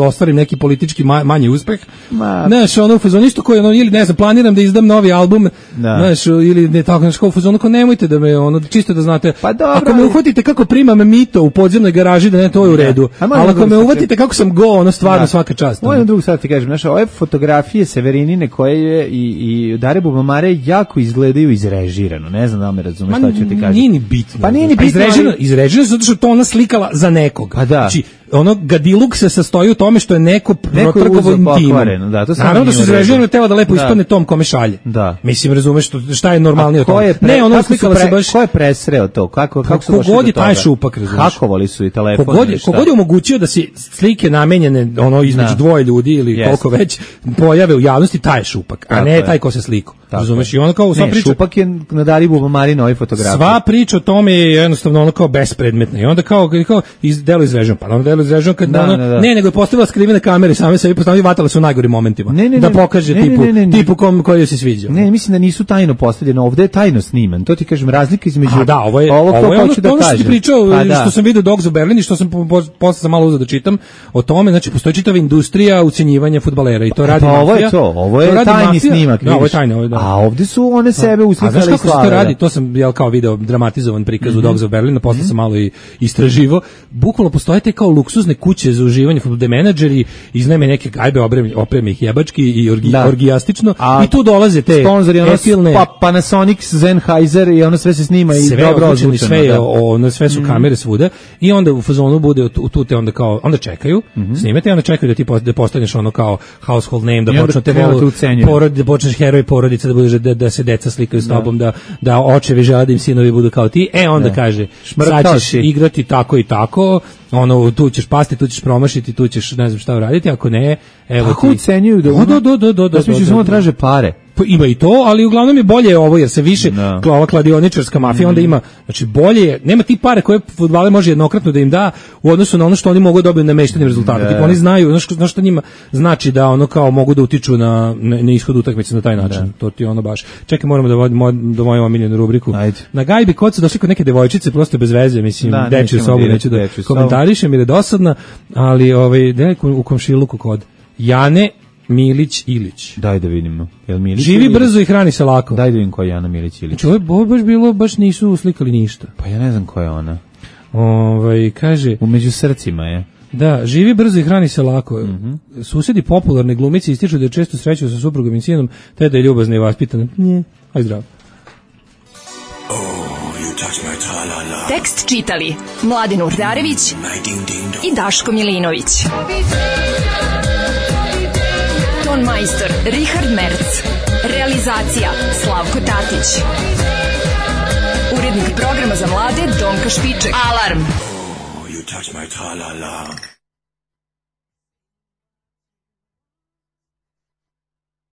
ostvarim neki politički manji uspeh. Znaš, ono u fazonu isto koji ili ne znam, planiram da izdam novi album, znaš, ili ne tako, znaš, kao u fazonu kao nemojte da me čisto da znate. Pa dobro, ako me uhvatite kako primam mito u podzemnoj garaži, da ne, to je u redu. Ali ako me uhvatite kako sam stvarno svaka čast. Moje drugo sad ti kažem, znaš, ove fotografije Severini koje je i Dare Bubamare jako izgledaju izrežirano. Ne znam da me razumeš šta ću ti kažem. Nije ni bitno. Pa nije ni bitno. Izrežirano zato što to ona slikala za nekog. Pa da. Znači, ono gadiluk se sastoji u tome što je neko protrgovo intimom. Naravno da su izrežirano tela da lepo ispadne tom kome šalje. Da. Mislim, razumeš šta je normalnije od toga. Ne, ono slikala se baš. Ko je presreo to? Kako su došli do toga? Kogod je taj šupak, razumeš. Hakovali su i telefon. Kogod je omogućio da se slike namenjene između dvoje ljudi ili koliko već pojave u javnosti, taj je šupak, a ne taj ko se sliku. Razumeš, i ono kao sva priča. Šupak je na Dari Bubamari na ovoj fotografiji. Sva priča o tome je jednostavno ono kao bespredmetna. I onda kao delo izreženo, pa onda delo izreženo kad ne, nego je postavila skrivene kamere same sebi, postavili vatale su u najgorim momentima. Da pokaže tipu koji se sviđa. Ne, mislim da nisu tajno postavljeno, ovde je tajno sniman. To ti kažem, razlika između ovo je ono što ti pričao, što sam vidio Dogs u Berlin i što sam posle sam malo uzeo da čitam o tome, znači postoji čitava industrija ucenjivanja fudbalera i to radi mafija. Ovo je tajni snimak. Ovo je tajno, a ovdje su one sebe uslikali i slave. A znaš kako se to radi? To sam kao video dramatizovan prikaz u Dogs of Berlin, posle sam malo i istraživo. Bukvalno postoje te kao luksuzne kuće za uživanje, fudbalde menadžeri, iznajme neke gajbe, opreme ih jebački i orgijastično, i tu dolaze te etilne... Panasonic, Sennheiser i ono sve se snima i dobro ozvučeno. Sve su kamere svuda i onda u fazonu bude tu te onda čekaju, snimete i onda čekaju da postaneš ono kao household name, da počnete da počneš heroj porodice, da se deca slikaju s tobom, da očevi žele da im sinovi budu kao ti, onda kaže, sad ćeš igrati tako i tako, ono, tu ćeš pasti, tu ćeš promašiti, tu ćeš ne znam šta uraditi, ako ne, evo ti. Ako ucenjuju da smišljaju samo traže pare. Ima i to, ali uglavnom je bolje ovo, jer se više ova kladioničarska mafija onda ima, znači bolje, nema ti pare koje fudbaler može jednokratno da im da u odnosu na ono što oni mogu dobiti nameštenim rezultatom. Tipo, oni znaju, znaš što njima znači da ono kao mogu da utiču na ishod utakmice na taj način. To ti ono baš. Čekaj, moramo da vodimo do moju omiljenu rubriku. Ajde. Na gajbi kod su došli kod neke devojčice, prosto bez veze, mislim, dečju sobu, neću da komentarišem jer je dosadna, ali u komšiluku kod Jane Milić Ilić. Daj da vidimo. Živi brzo i hrani se lako. Daj da vidim ko je Jana Milić Ilić. Znači, ovo baš nisu uslikali ništa. Pa ja ne znam ko je ona. Kaže... Umeđu srcima je. Da, živi brzo i hrani se lako. Susedi popularne glumice ističu da je često sreću sa suprugom i sinom, te da je ljubazna i vaspitana. Aj zdravo. Tekst čitali Mladin Urdarević i Daško Milinović. Ton majstor Richard Merc. Realizacija Slavko Tatić. Urednik programa za mlade Donka Špiček. Alarm! You touch my tra-la-la.